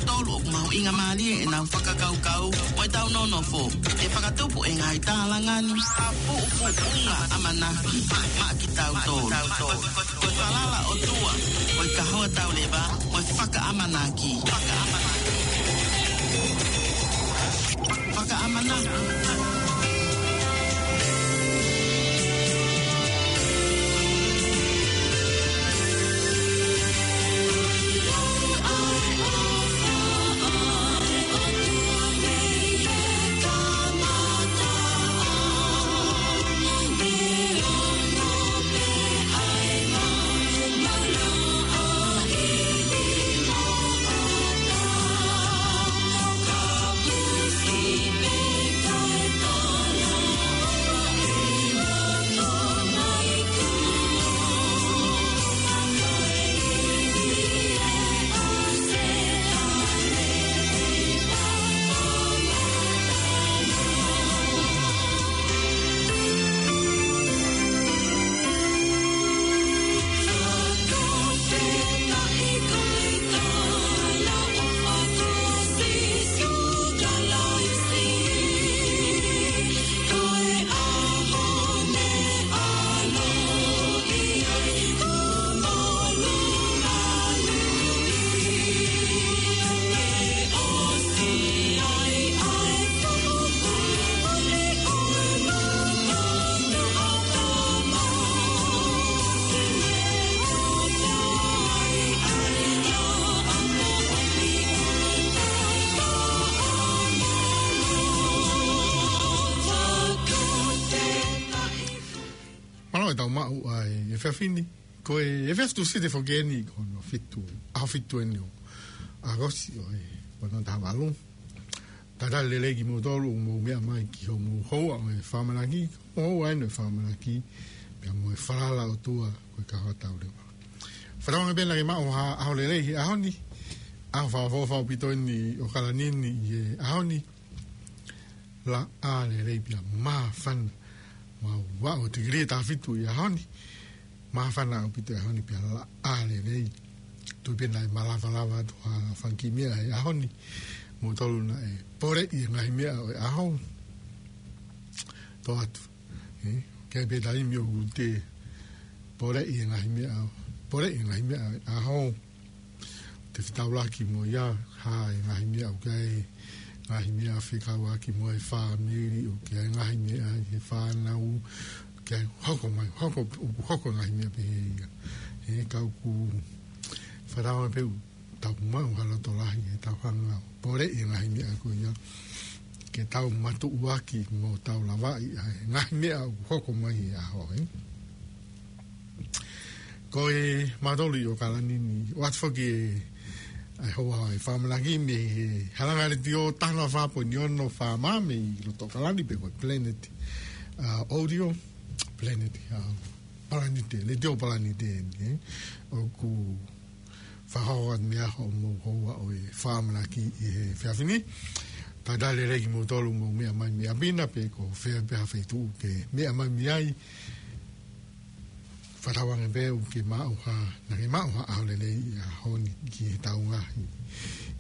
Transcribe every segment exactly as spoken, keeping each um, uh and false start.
Tolu ʻoku mahuʻinga mālie ʻenau fakakaukau mo ʻetau nonofo. ʻE fakatupu e ngaahi tālanga ni ha puʻupuʻunga ʻamanaki maʻa kitautolu. Ko e falala ʻOtua, ko e kahoa tauleva, ko e fakaʻamanaki. Fakaʻamanaki. Fakaʻamanaki. Mālō e tau maʻu ʻa e efiafi ni. Ko e efiafi Tūsite foki eni, ko hono fitu, ʻaho fitu eni ʻo ʻAokosi ʻo e ua noa taha valu. Talitali lelei kimoutolu ʻoku mou meʻa mai ki hoʻomou houa ʻo e fakaʻamanaki, houa eni ʻo e fakaʻamanaki, pea mo e falala ʻOtua ko e kahoa tauleva. Fakatauange pē naʻa ke maʻu ha ʻaho lelei he ʻaho ni, ʻaho fakaʻofoʻofa ʻaupito eni ʻo ʻAokalani ni he ʻaho ni, laʻā lelei pea māfana. Mau vaʻo tikilī ʻe taha fitu he ʻaho ni. Māfana ʻaupito he ʻaho ni pea laʻā lelei. Tui pē naʻe malavalava atu ha fanga kiʻi meʻa he ʻaho ni. Moutolu naʻe poleʻi e ngaahi meʻa ʻo e ʻaho. Tō atu. ʻE, ʻoku ʻi ai pē taimi ʻoku te poleʻi e ngaahi meʻa, poleʻi e ngaahi meʻa ʻo e ʻaho. Te fetaulaki mo ia, ha e ngaahi meʻa ʻoku ʻi ai, ngaahi meʻa fekauʻaki mo e fāmili, ʻoku ʻi ai ngaahi meʻa ʻi he fānau, ʻoku ʻi ai hoko mai, hoko, hoko ngaahi meʻa pehē ia. He ka ʻoku fakatauange pē ʻoku tau maʻu ha loto lahi he tau hanga ʻo poleʻi e ngaahi meʻa ko ia, ke tau matuʻuaki mo tau lavaʻi ʻa e ngaahi meʻa ʻoku hoko mai he ʻaho, ē. Ko e mātolu ʻi ʻAokalani ni, ʻoatu foki e, ʻa e houa ʻo e fakaʻamanaki mei he halanga letiō taha noa fā poini ono FM mei loto ʻAokalani pe ko e Planet, ʻa, Audio, Planet, ʻa, Palanite, Letiō Palanite eni, ē. ʻOku fakahoko atu mei ai hoʻomou houa ʻo e fakaʻamanaki ʻi he efiafi ni. Talitali lelei kimoutolu ʻoku mou meʻa mai mei ʻapi na pe ko fē pē ha feituʻu ʻoku ke meʻa mai mei ai. Fakatauange pē ʻoku ke maʻu ha, naʻa ke maʻu ha ʻaho lelei he ʻaho ni ki he tau ngaahi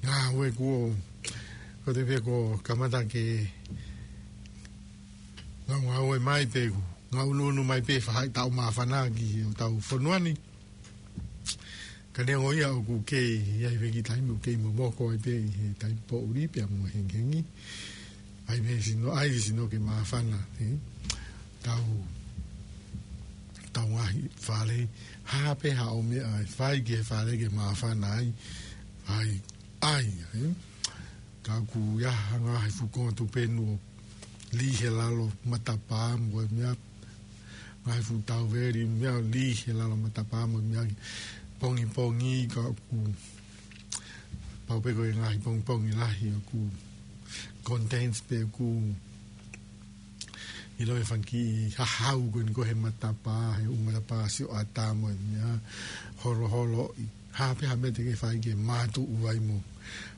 ngāue kuo, ko te pē kuo kamata ke ngāue, ngāue mai pē kuo ngāue ʻunuʻunu mai pē faʻahi tau māfana ki hotau fonua ni. Ka neongo ia ʻoku kei ʻi ai pē kiʻi taimi ʻoku kei momoko ai pē ʻi he taimi poʻuli pea mo e hengihengi. ʻAi pē sino, ʻai sino ke māfana, ē? Tau, tau ngaahi fale, ha pē haʻo meʻa ʻe fai ki he fale ke māfana ai, ʻai, ʻai, ē? Ka ʻoku ʻi ai ha ngaahi fuʻu konga tupenu ʻoku lī he lalo matapā mo e meʻa, ngaahi fuʻu tauveli, meʻa lī he lalo matapā mo e meʻa, pongipongi ka ʻoku pau pē ko e ngaahi pongipongi lahi ʻoku contains pe ʻoku ʻilo e fanga kiʻi hahau ko eni ko ē he matapā, he ʻū matapā sioʻata mo e meʻa, holoholo, ʻi ha pē ha meʻa te ke fai ke mātuʻu ai mo,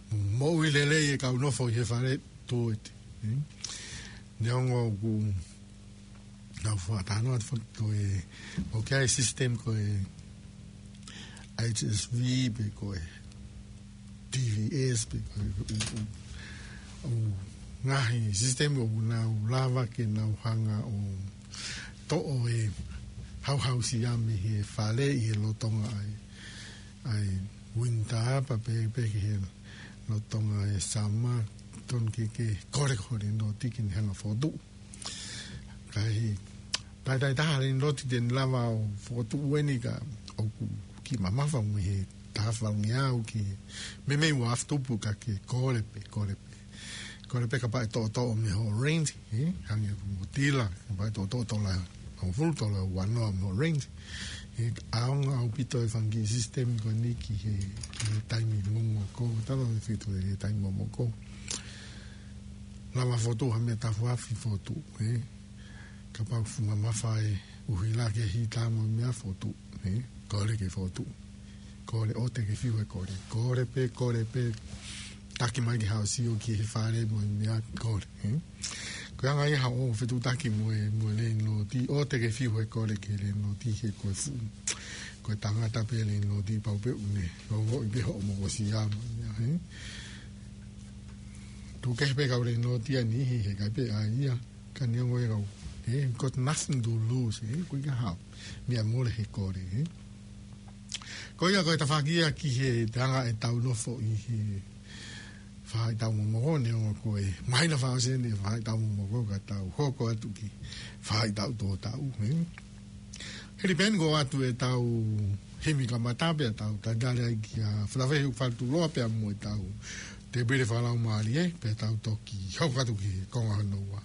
mo moʻui lelei e kau nofo ʻi he fale tō ʻete, ē? Neongo ʻoku nau fakatalanoa atu foki ko e, ʻoku ʻi ai e system ko e H S V pe ko e T V S pe ko e, ʻū, ʻū, ʻū ngaahi sisitemi ʻoku nau lava ke nau hanga ʻo toʻo e hauhausia mei he fale ʻi he lolotonga ʻa e, ʻa e winter pea pehē pē ki he lolotonga e summer, tonu ke, ke kole ko e lēnoti ke ne hanga ʻo fokotuʻu. Ka ʻi ai, taʻetaha lēnoti te ne lava ʻo fokotuʻu eni ka ʻoku kiʻi mamafa mo e taha faʻunga ʻoku kiʻi meimei ua afe tupu ka ke kole pē, kole pē. Kole pē kapau ʻe toʻotoʻo mei hoʻo rent, ē? Hangē ko Mozilla, kapau ʻe toʻotoʻo tola hongofulu, tola uanoa mei hoʻo rent. ʻE ʻaonga ʻaupito e fanga kiʻi sisitemi ko eni ki he, ki he taimi momoko, tala e fitu he taimi momoko. Lava fokotuʻu ha meʻa tafu afi fokotuʻu, ē? Kapau ʻoku fuʻu mamafa e ʻuhila ke hita mo e meʻa fokotuʻu, ē? Kole ke fokotuʻu. Kole, ʻoua te ke fiu he kole. Kole pē, kole pē. Taki mai ki haʻo sio ki he fale mo e meʻa kole, ē? Ko e anga ia haʻo fetuʻutaki mo e, mo e lēnoti, ʻoua te ke fiu he kole ki he lēnoti he ko e fuʻu, ko e tangata pē lēnoti pau pē ʻoku ne ongoʻi pē hoʻo mokosia mo e meʻa, ē? Tuku kehe pē kau lēnoti ʻa e niʻihi he ʻikai pē ʻa ia. Ka neongo ia kau, ē, got nothing to lose, ē, ko e ʻikai ha meʻa mole he kole, ē. Ko ia ko e tafaʻaki ia ki he anga ʻetau nofo ʻi he faʻahitaʻu momoko, neongo ko e māhina fakaʻosi eni e faʻahitaʻu momoko ka tau hoko atu ki he faʻahitaʻu tō taʻu, ē. Hili pē eni ko ʻoatu ʻetau himi kamata pea tau tatali ai kia Falavehu Faletuloa pea mo ʻetau tēpile fakalaumālie, pea tau toki hoko atu ki he konga hono ua.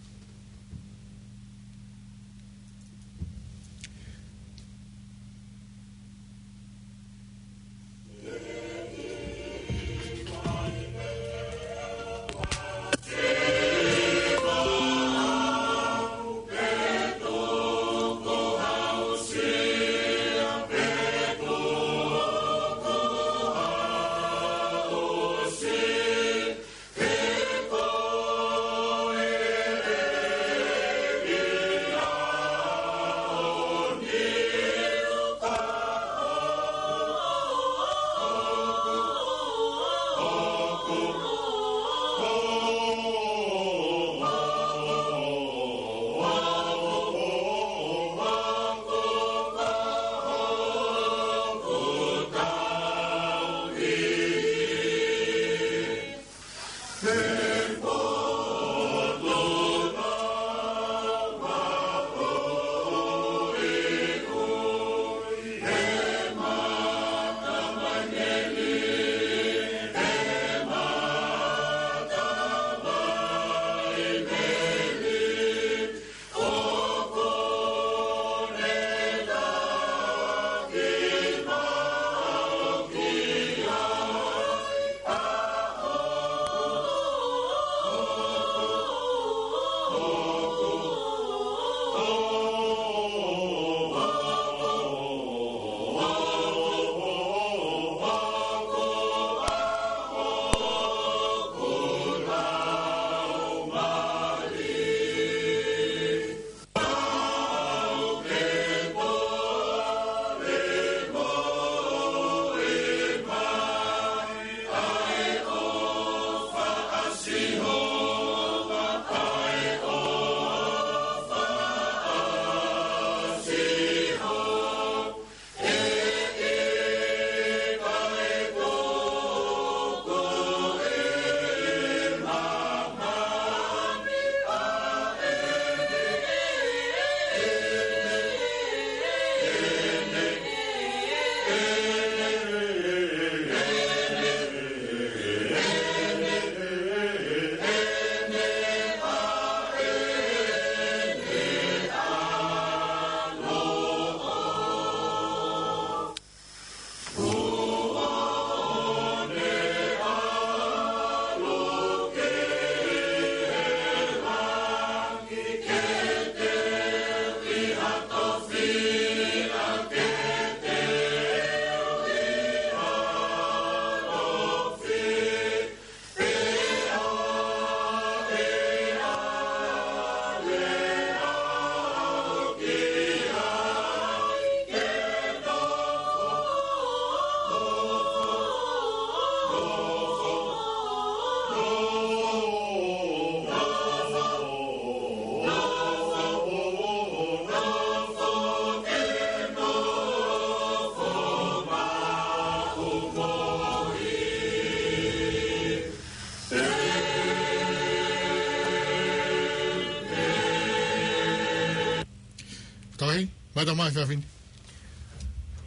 Tauhi, mai tau mai fiafini.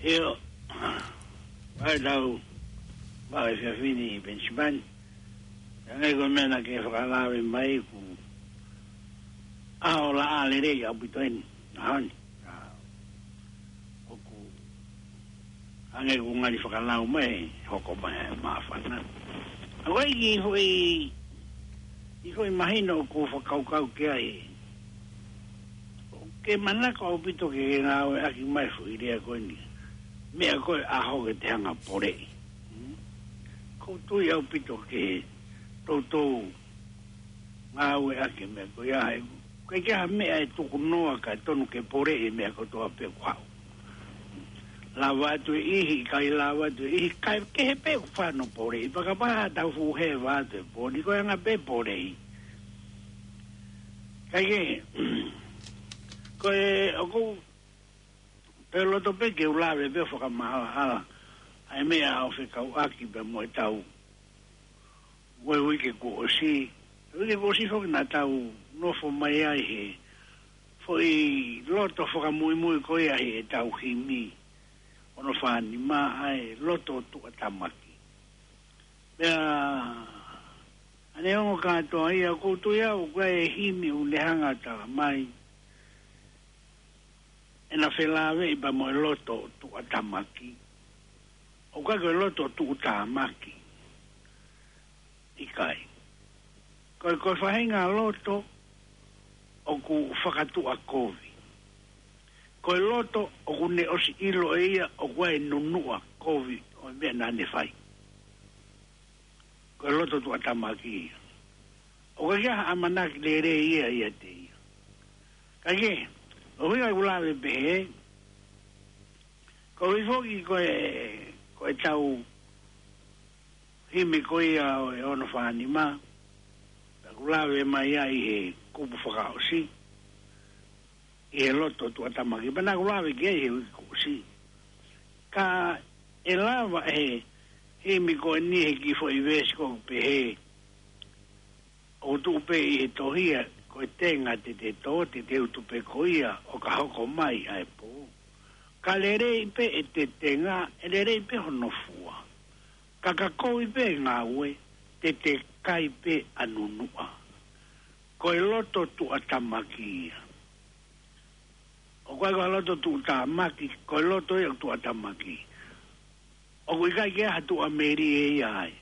ʻIo, mai tau mai fiafini Penisipani. Hangē ko e meʻa naʻa ke fakalave mai, ko e ʻaho laʻā lelei ʻaupito eni, ʻaho ni. ʻA, ʻoku hangē ko e ngali fakalau mai, hoko mai e māfana. ʻA ko e kiʻi foʻi, kiʻi foʻi mahino ʻoku ou fakakaukau ki ai. ʻOku ke manako ʻaupito ke ke ngāueʻaki mai foʻi lea ko eni. Meʻa ko e ʻaho ke te hanga poleʻi. Hmm? ʻOku ou tui ʻaupito ke toutou ngāueʻaki e meʻa ko ia he ʻikai ke ʻi ai ha meʻa ʻe tukunoa ka tonu ke poleʻi e meʻa kotoa pē ʻoku haʻu. Lava atu e ʻihi, ʻikai lava atu e ʻihi, ʻikai kehe pē ʻoku fano poleʻi, pea kapau ha tau fuʻu heva atu e pō ni ko e anga pē poleʻi. Kae kehe, ko e ʻoku ou pē loto pē ke u lave pē fakamaʻalaʻala ʻa e meʻa ʻoku fekauʻaki pea mo e tau uike kuo ʻosi. Uike kuo ʻosi foki naʻa tau nofo mai ai he foʻi loto fakamuimui ko ia he ʻetau himi ono fā nima, ʻa e loto tuʻatamaki. Pea ʻa e ongo kātoa ia, ʻoku ou tui au ko e himi ʻoku ne hanga tala mai ʻena felāveʻi pea mo e loto tuʻatamaki. ʻOku ʻikai ko e loto tuʻutāmaki. ʻIkai. Ko e, ko e faʻahinga loto ʻoku fakatuʻakovi. Ko e loto ʻoku ne ʻosi ʻilo ʻe ia ʻoku ʻi ai e nunuʻa kovi ʻo e meʻa naʻa ne fai. Ko e loto tuʻatamaki ia. ʻOku ʻikai ha ʻamanaki lelei ia ʻiate ia. Kae kehe, ʻoku ou ʻai ke u lave pehē, koeʻuhi foki ko e, ko e tau himi ko ia ʻo e ono fā nima, naʻa ku lave mai ai he kupu fakaʻosi, ʻi he loto tuʻatamaki, pea naʻa ku lave ki ai he uike kuo ʻosi. Ka ʻe lava he himi ko eni he kiʻi foʻi veesi ʻoku pehē, ʻoku tuʻu pē ʻi he tohi ia, ko e tenga te te tō, te te utu pē ko ia, ʻo ka hoko mai ʻa e pō. Ka lelei pē ʻete tenga, ʻe lelei pē hono fua. Ka ka kovi pē ngāue, te te kai pē ʻa nunuʻa. Ko e loto tuʻatamaki ia. ʻOku ʻikai ko e loto tuʻutāmaki, ko e loto ia tuʻatamaki. ʻOku ʻikai ke ʻi ai ha tuʻamelie ia ai.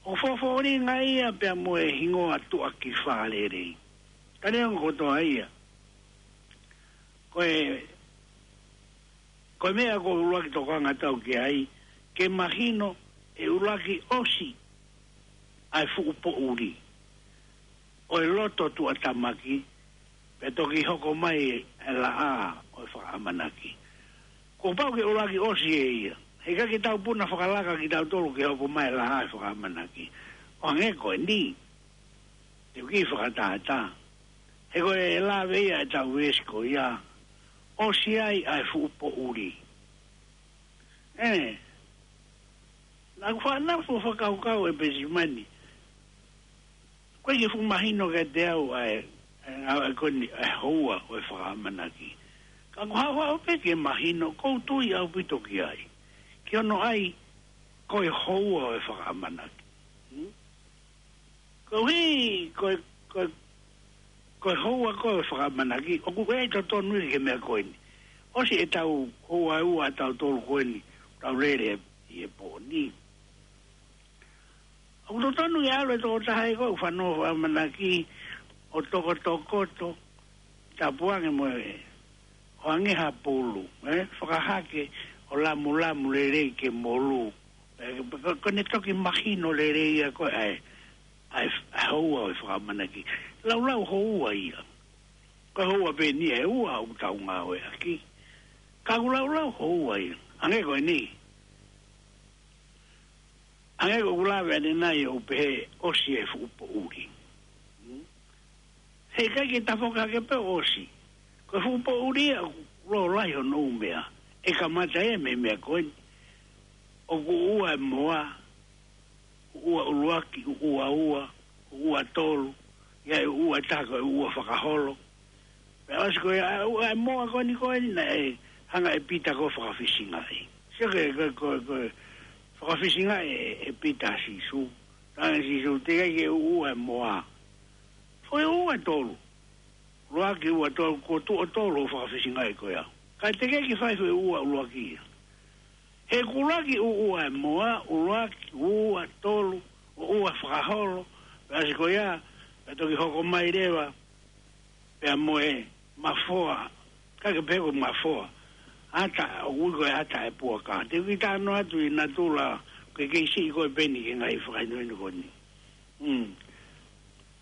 ʻOku fōfōlinga ia pea mo e hingoa tuʻa ki fālelei. Ka neongo kotoa ia. Ko e, ko e meʻa ʻoku ou ʻuluaki tokanga atu au ki ai, ke mahino ʻe ʻuluaki ʻosi ʻa e fuʻu poʻuli ʻo e loto tuʻatamaki, pea toki hoko mai e laʻā ʻo e fakaʻamanaki. Kuo pau ke ʻuluaki ʻosi ʻe ia. He ʻikai ke tau puna fakalaka kitautolu ke hoko mai e laʻā ʻo e fakaʻamanaki. ʻO hangē ko eni, te u kiʻi fakatātā. He ko e lave ia ʻetau veesi ko ia, ʻosi ai ʻa e fuʻu poʻuli. ʻE, naʻa ku fanongo fakakaukau ʻe Penisipani. Ko e kiʻi fuʻu mahino kiate au ʻa e, ʻa e, ʻa e ko eni, ʻa e houa ʻo e fakaʻamanaki. Ka ʻoku haʻu haʻu pē ke mahino, ʻoku ou tui ʻaupito ki ai. Ki hono ʻai, ko e houa ʻo e fakaʻamanaki. Hmm? Koeʻuhi, ko e, ko e, ko e houa ko ē ʻo e fakaʻamanaki, ʻoku ʻi ai e totonu ia ki he meʻa ko eni. ʻOsi ʻetau houa ʻe ua ʻatautolu ko eni, tau lele ʻi he pō ni. ʻOku totonu ke ʻalu e tokotaha ia ko ē ʻoku fanongo fakaʻamanaki, ʻo tokotokoto, tapu ange mo e, ʻo hangē ha pulu, ē? Fakahake ʻo lamulamu lelei ke molū. Ē, ko, ko ʻene toki mahino lelei ia ko ē ʻa e, ʻa e, ʻa e houa ʻo e fakaʻamanaki. Laulau houa ia. Ko e houa pē eni ʻe ua ʻoku tau ngāueʻaki. Ka ʻoku laulau houa ia. Hangē ko eni. Hangē ko ʻeku lave ʻanenai ʻo pehē ʻosi e fuʻu poʻuli. Hmm? He ʻikai ke tafoki hake pē ʻosi. Ko e fuʻu poʻuli ia ʻoku lōlahi hono ʻū meʻa. ʻE kamata ia mei he meʻa ko eni. ʻOku ua e moa, ua ʻuluaki, ua ua, ua tolu, ʻi ai ua taha ko e ua fakaholo. Pea ʻosi ko ia, ʻa e, ʻa e moa ko eni ko eni naʻe hanga ʻe Pita ko ē ʻo fakafisingaʻi. Sio ki he, ko, ko, ko e fakafisingaʻi ʻe, ʻe Pita ʻa Sīsū. Talaange ʻe Sīsū, teʻeki ke u ʻuʻua e moa. Foʻi ʻuʻua ʻe tolu. ʻUluaki, ua, tolu, kuo tuʻo tolu hoʻo fakafisingaʻi ko ia. Ka teʻeki ke fai foʻi ʻuʻua ʻuluaki ia. He kuo ʻuluaki ʻuʻua e moa, ʻuluaki, ua, tolu, ʻo ʻuʻua fakaholo, pea ʻosi ko ia, pea toki hoko mai leva, pea mo e mafoa, ʻikai ke pehē ko e mafoa, ʻata, ʻoku ui ko e ʻata ʻa e puaka. Te u kiʻi talanoa atu ʻi natula, ke kei siʻi ko e peni ki he ngaahi fakahinohino ko eni. Mm.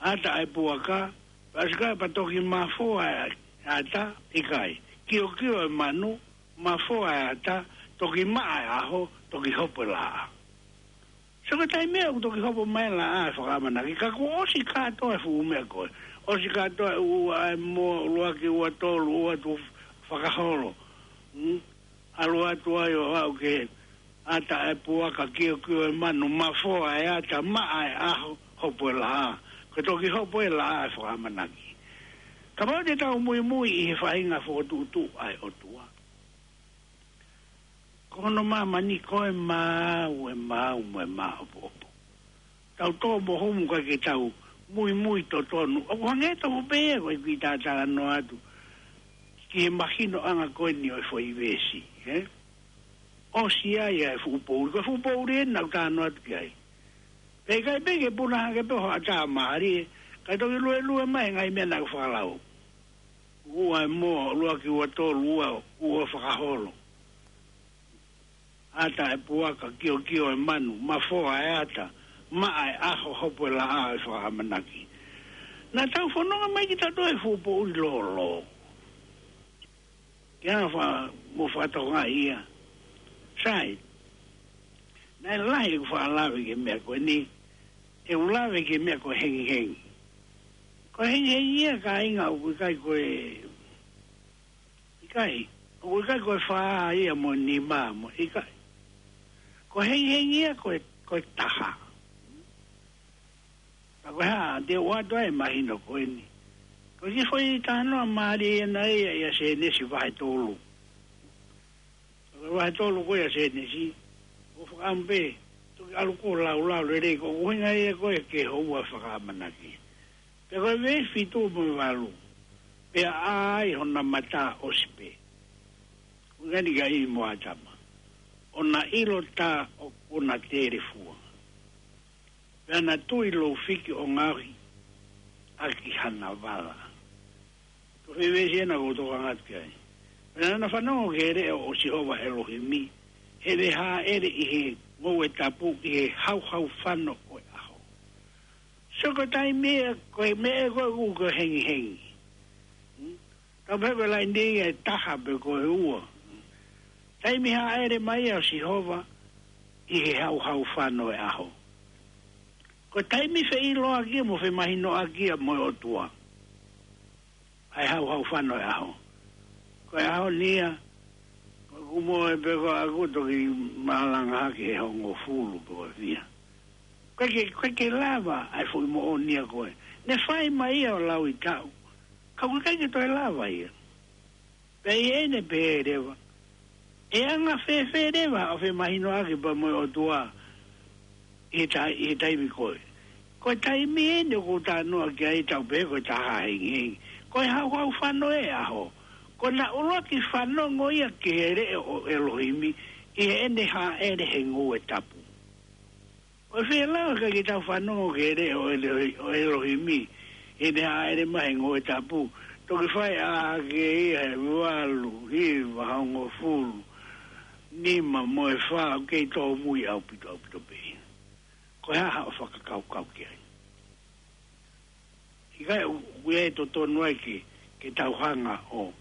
ʻAta ʻa e puaka, pea ʻosi ko ia pea toki mafoa e ʻata, ʻikai. Kiokio e manu, mafoa e ʻata, toki maʻa e ʻaho, toki hopo e laʻā. Sio ki he taimi ʻoku toki hopo mai e laʻā ʻa e fakaʻamanaki, ka kuo ʻosi kātoa e fuʻu meʻa ko ē. ʻOsi kātoa e ʻuʻua e moa, ʻuluaki, ua, tolu, ua, tuʻo fakaholo. Mm? ʻAlu atu ai ʻo aʻu ki he ʻata ʻa e puaka, kiokio e manu, mafoa e ʻata, maʻa e ʻaho, hopo e laʻā. Ko e toki hopo e laʻā ʻa e fakaʻamanaki. Kapau te tau muimui ʻi he faʻahinga fokotuʻutuʻu ʻa e ʻOtua, ko hono māmani ko e maau, e maau mo e māʻopoʻopo. Tau tō mo humu ʻikai ke tau muimui totonu. ʻOku hangē tofu pē ia ko e kiʻi talanoa atu ki he mahinoʻanga ko eni ʻo e foʻi veesi, ē? ʻOsi ai ʻa e fuʻu poʻuli. Ko e fuʻu poʻuli eni naʻa ku talanoa atu ki ai. Pea ʻikai pē ke puna hake pē ho ʻatā mālie, kae toki luelue mai e ngaahi meʻa naʻa ku fakalau. ʻUʻua e moa, ʻuluaki, ua, tolu, ua, ua fakaholo. ʻAta e puaka, kiokio e manu, mafoa e ʻata, maʻa e ʻaho, hopo e laʻā ʻa e fakaʻamanaki. Naʻa tau fononga mai kitautolu he fuʻu poʻuli lōlō. Ke ʻalu ʻo fa-, mo fakatokangaʻi ia. Sai, naʻe lahi ʻeku faʻa lave ki he meʻa ko eni, ʻeku lave ki he meʻa ko e hengihengi. Ko e hengihengi ia kāinga ʻoku ʻikai ko e, ʻikai, ʻoku ʻikai ko e fā ia mo e nima mo e ʻikai. Ko e hengihengi ia ko e, ko e taha. Ka ko e hā, te u ʻoatu ai e mahino ko eni. Ko e kiʻi foʻi talanoa mālie ʻena ia ʻia Sēnesi vahe tolu. Ko e vahe tolu ko ia ʻo Sēnesi, ʻoku fakaʻamu pē, toki ʻalu ko e laulau lelei, ko e ʻuhinga ia ko ē ki he houa fakaʻamanaki. Pea ko e veesi fitu mo e valu, pea ʻā ai hona mata ʻosi pē. ʻUhinga eni kia ʻIvi mo ʻĀtama. ʻO na ʻilo tā ʻoku na telefua. Pea na tui lou fiki ʻo ngaohi ʻaki hana vala. Ko e foʻi veesi ʻena ʻoku ou tokanga atu ki ai. Pea naʻa na fanongo ki he leʻo ʻo Sihova ʻElohimi, heʻene hāʻele ʻi he ngoue tapu ʻi he hauhau fano ʻo e ʻaho. Sio ko e taimi ē, ko e meʻa ē ko ē ʻoku ko e hengihengi. Hmm? Tau pehē ko e laini ʻe taha pe ko e ua. Taimi hāʻele mai ʻa Sihova ʻi he hauhau fano ʻo e ʻaho. Ko e taimi feʻiloaki ia mo femahinoʻaki ia mo e ʻOtua. ʻA e hauhau fano ʻo e ʻaho. Ko e ʻaho ni ia, ko ʻeku moʻui pē ko ʻeku toki malanga hake he hongofulu pe ko e fiha. ʻIkai ke, ʻikai ke lava ʻa e foʻi moʻoni ia ko ē. Ne fai mai ia ʻo lauʻi taʻu. Ka ʻoku ʻikai ke toe lava ia. Pea ʻi heʻene pehē leva, ʻe anga fēfē leva ʻa e femahinoʻaki pea mo e ʻOtua ʻi he tai-, ʻi he taimi ko ē. Ko e taimi eni ʻoku ou talanoa ki ai, tau pehē ko e taha hengihengi. Ko e hauhau fano ʻo e ʻaho. Ko ʻena ʻuluaki fanongo ia ki he leʻo ʻo ʻElohimi ʻi heʻene hāʻele he ngoue tapu. ʻOku fēfē leva ka ke tau fanongo ki he leʻo ʻo ʻElo-, ʻo ʻElohimi ʻi heʻene hāʻele mai he ngoue tapu. Toki fai ʻā hake ia he valu, hiva, hongofulu, nima mo e fā, ʻoku kei tōmui ʻaupito, ʻaupito pē. Ko e hā haʻo fakakaukau ki ai? ʻIkai ʻoku ʻi ai e totonu ai ke, ke tau hanga ʻo,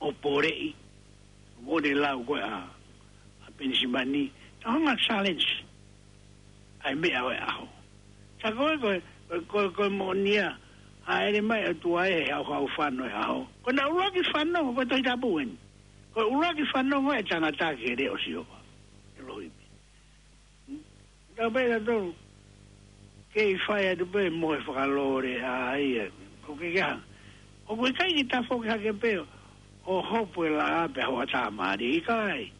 ʻo poleʻi, ʻo ne lau ko ē ʻa, ʻa Penisimani, tau hanga challenge ʻa e meʻa ʻo e ʻaho. Sa ko e, ko e, ko e, ko e moʻoni ia, hāʻele mai ʻa e ʻOtua he hauhau fano ʻo e ʻaho. Ko ʻena ʻuluaki fanongo, ko e Tohi Tapu eni. Ko e ʻuluaki fanongo ʻa e tangata ki he leʻo ʻo Sihova ʻElohimi. Tau pehē ʻe tautolu, kei fai atu pē mo e fakalole ʻa ia, ko ke keha. ʻOku ʻikai ke tafoki hake pē ʻo hopo e laʻā pea hoʻatā mālie. ʻIkai,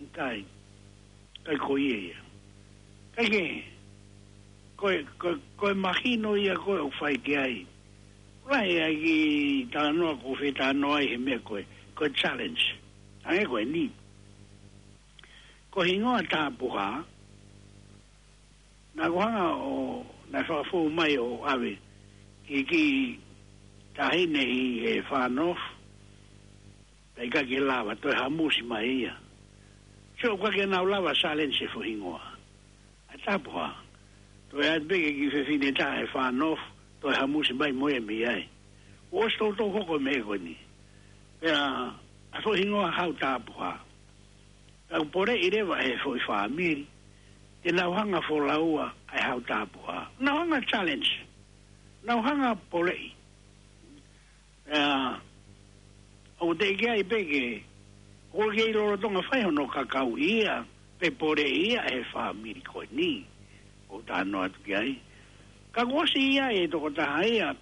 ʻikai, ʻikai ko ia ia. ʻIkai ke, ko e, ko e, ko e mahino ia ko ē ʻoku fai ki ai. Lahi ʻa e kiʻi talanoa ʻoku fetalanoa ai he meʻa ko e, ko e challenge. Hangē ko eni. Ko e hingoa Tapuha, naʻa ku hanga ʻo, naʻe fakafou mai ʻo ʻave ki he kiʻi taʻahine ʻi he Far North, pea ʻikai ke lava, toe hamusi mai ia. Sio, ʻikai ke nau lava challenge e foʻi hingoa. ʻA Tapuha. Toe ʻai pē ki he kiʻi fefine taha he Far North, toe hamusi mai mo ia mei ai. Kuo ʻosi toutou hoko e meʻa ko eni. Pea, ʻa e foʻi hingoa Hautapuha. Pea ʻoku poleʻi leva ʻe he foʻi fāmili, te nau hanga folaua ʻa e Hautapuha. Nau hanga challenge. Nau hanga poleʻi. Pea, ʻoku teʻeki ai pē ke, ʻoku kei lolotonga fai hono kakauʻi ia, pe poleʻi ia ʻe he fāmili ko eni. ʻOku talanoa atu ki ai. Ka kuo ʻosi ʻi ai e tokotaha ia,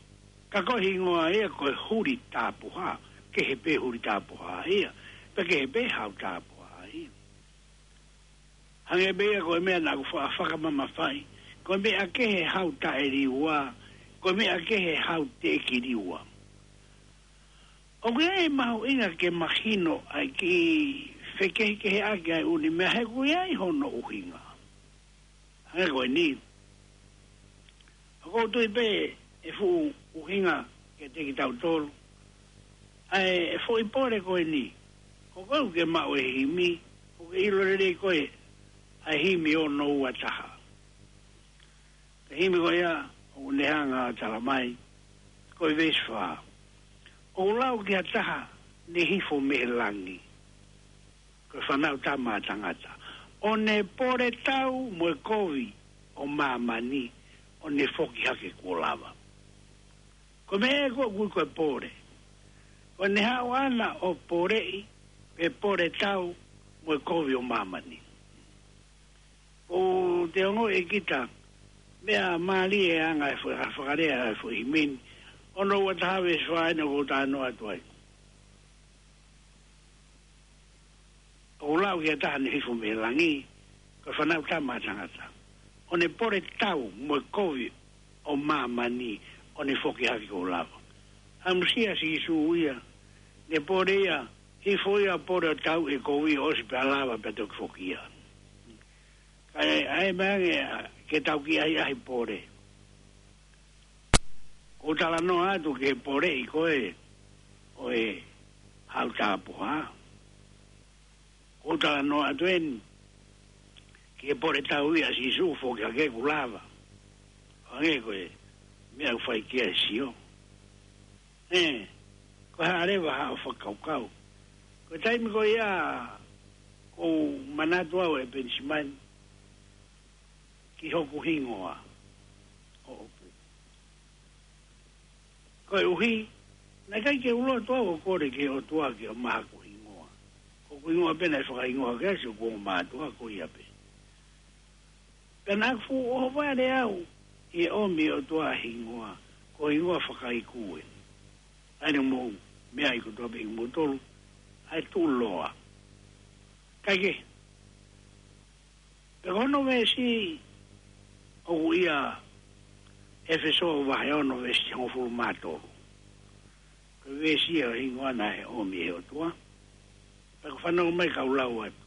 ka ko e hingoa ia ko e Huli Tapuha, kehe pē Huli Tapuha ia, pea kehe pē Hautapuha ia. Hangē pē ia ko e meʻa naʻa ku fa-, fakamamafaʻi, ko e meʻa kehe Hautaeliua, ko e meʻa kehe Hauteʻekiliua. ʻOku ʻi ai e mahuʻinga ke mahino ʻa e kiʻi fekehekeheʻaki ʻa e ʻū meʻa he ʻoku ʻi ai hono ʻuhinga. Hangē ko eni. ʻOku ou tui pē ʻe fuʻu ʻuhinga kiate kitautolu ʻa e foʻi pole ko eni. Ko koe ʻoku ke maʻu e himi, ʻoku ke ʻilo lelei koe ʻa e himi ono ua taha. Ko e himi ko ia, ʻoku ne hanga ʻo tala mai, ko e veesi fā. ʻOku lau ki ha taha, ne hifo mei he langi. Ko e Fānautama ʻa Tangata. ʻO ne pole tau mo e kovi ʻo māmani, ʻo ne foki hake kuo lava. Ko e meʻa ē ʻoku ui ko e pole. ʻO ne haʻu ʻana ʻo poleʻi, pe pole tau mo e kovi ʻo māmani. ʻOku te ongoʻi ʻe kita, meʻa mālie e anga e fo-, fakalea e foʻi himi ni. Ono ua taha veesi fā eni ʻoku ou talanoa atu ai. ʻOku lau ki ha taha ne hifo mei langi, ko e Fānautama ʻa Tangata. ʻO ne pole tau mo e kovi ʻo māmani, ʻo ne foki hake kuo lava. Hamusi ʻa Sīsū ia, ne pole ia, hifo ia pole ʻo tau e kovi ʻosi pea lava pea toki foki ia. Kae, ʻa e meʻa ange, ke tau kiʻi ʻahiʻahi pole. ʻOku ou talanoa atu ki he poleʻi ko ē ʻo e Hautapuha. ʻOku ou talanoa atu eni ki he pole tau ia ʻa Sīsū foki hake kuo lava. Hangē ko e meʻa ʻoku fai ki ai e sio. ʻE, ko e hā leva haʻo fakakaukau. Ko e taimi ko ia ʻoku ou manatu au ʻe Penisimani ki hoku hingoa. ʻO, ʻo, koeʻuhi, naʻe ʻikai ke u loto au ʻo kole ki he ʻOtua ke ʻomai haku hingoa. Ko hoku hingoa pē naʻe fakahingoa ke asi ʻoku ou mātuʻa ko ia pē. Pea naʻa ku fuʻu ʻohovale au ʻi he ʻomi ʻe he ʻOtua e hingoa, ko e hingoa fakaiku ē. ʻA ia ne mou meaʻi kotoa pē ʻi mou tolu, ʻa e Tuʻuloa. Kae kehe, pea ko hono veesi ʻoku ʻia ʻEfesō vahe ono veesi hongofulu mā tolu. Ko e veesi ia ʻo e hingoa naʻe ʻomi ʻe he ʻOtua. Pea ʻoku fanongo mai kau lau atu.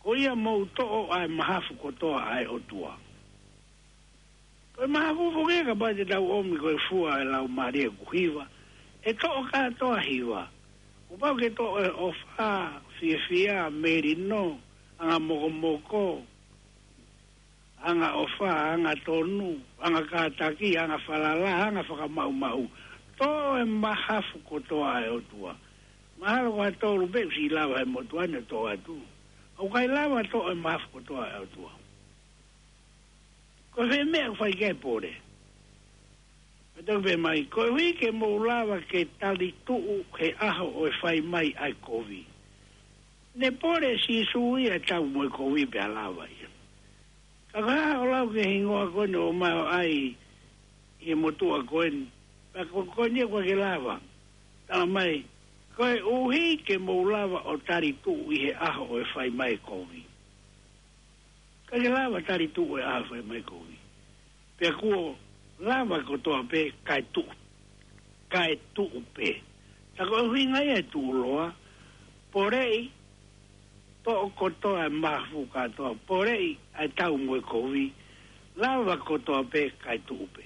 Ko ia mou toʻo ʻa e mahafu kotoa ʻa e ʻOtua. Ko e mahafu foki ia kapau te tau ʻomi ko e fua e laumālie ʻoku hiva. ʻE toʻo kātoa hiva. Kuo pau ke toʻo e ʻofa, fiefia, melino, anga mokomoko, anga ʻofa, anga tonu, anga kātaki, anga falala, anga fakamaʻumaʻu. Toʻo e mahafu kotoa ʻa e ʻOtua. Mahalo ko ha tolu pē ʻoku siʻi lava he motuʻa ni ʻo toʻo atu. ʻOku ʻikai lava toʻo e mahafu kotoa ʻa e ʻOtua. Ko e fē meʻa ʻoku fai ki ai e pole? Pea toki pehē mai, koeʻuhi ke mou lava ke talituʻu he ʻaho ʻo e fai mai ʻa e kovi. Ne pole ʻe Sīsū ia ʻo tau mo e kovi pea lava ia. Ka ko e hā haʻo lau ki he hingoa ko eni ʻoku ʻomai ʻo ʻai ʻi he motuʻa ko eni. Pea ko, ko eni ʻoku ʻikai ke lava. Tala mai, koeʻuhi ke mou lava ʻo tali tuʻu ʻi he ʻaho ʻo e fai mai e kovi. ʻIkai ke lava tali tuʻu he ʻaho ʻo e fai mai e kovi. Pea kuo lava kotoa pē kae tuʻu. Kae tuʻu pē. Tā ko e ʻuhinga ia e tuʻuloa, poleʻi, toʻo kotoa e mahafu kātoa, poleʻi ʻa e tau mo e kovi, lava kotoa pē kae tuʻu pē.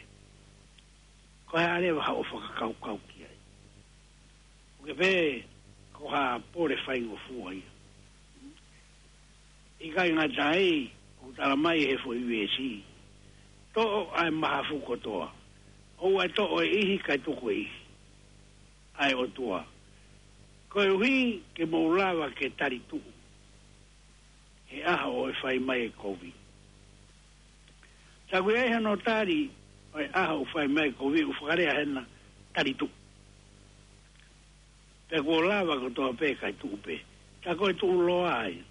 Ko e hā leva haʻo fakakaukau ki ai? ʻOku ke pehē ko ha pole faingofua ia? ʻIkai ngata ai, ʻoku tala mai he foʻi veesi, toʻo ʻa e mahafu kotoa, ʻoua ʻe toʻo e ʻihi kae tuku e ʻihi ʻa e ʻOtua, koeʻuhi ke mou lava ke tali tuʻu he ʻaho ʻo e fai mai e kovi. Tā ko ia ʻi hono tali ʻo e ʻaho ʻo e fai mai e kovi, ʻoku fakalea hena tali tuʻu. Pea kuo lava kotoa pē kae tuʻu pē. Tā ko e tuʻuloa ia.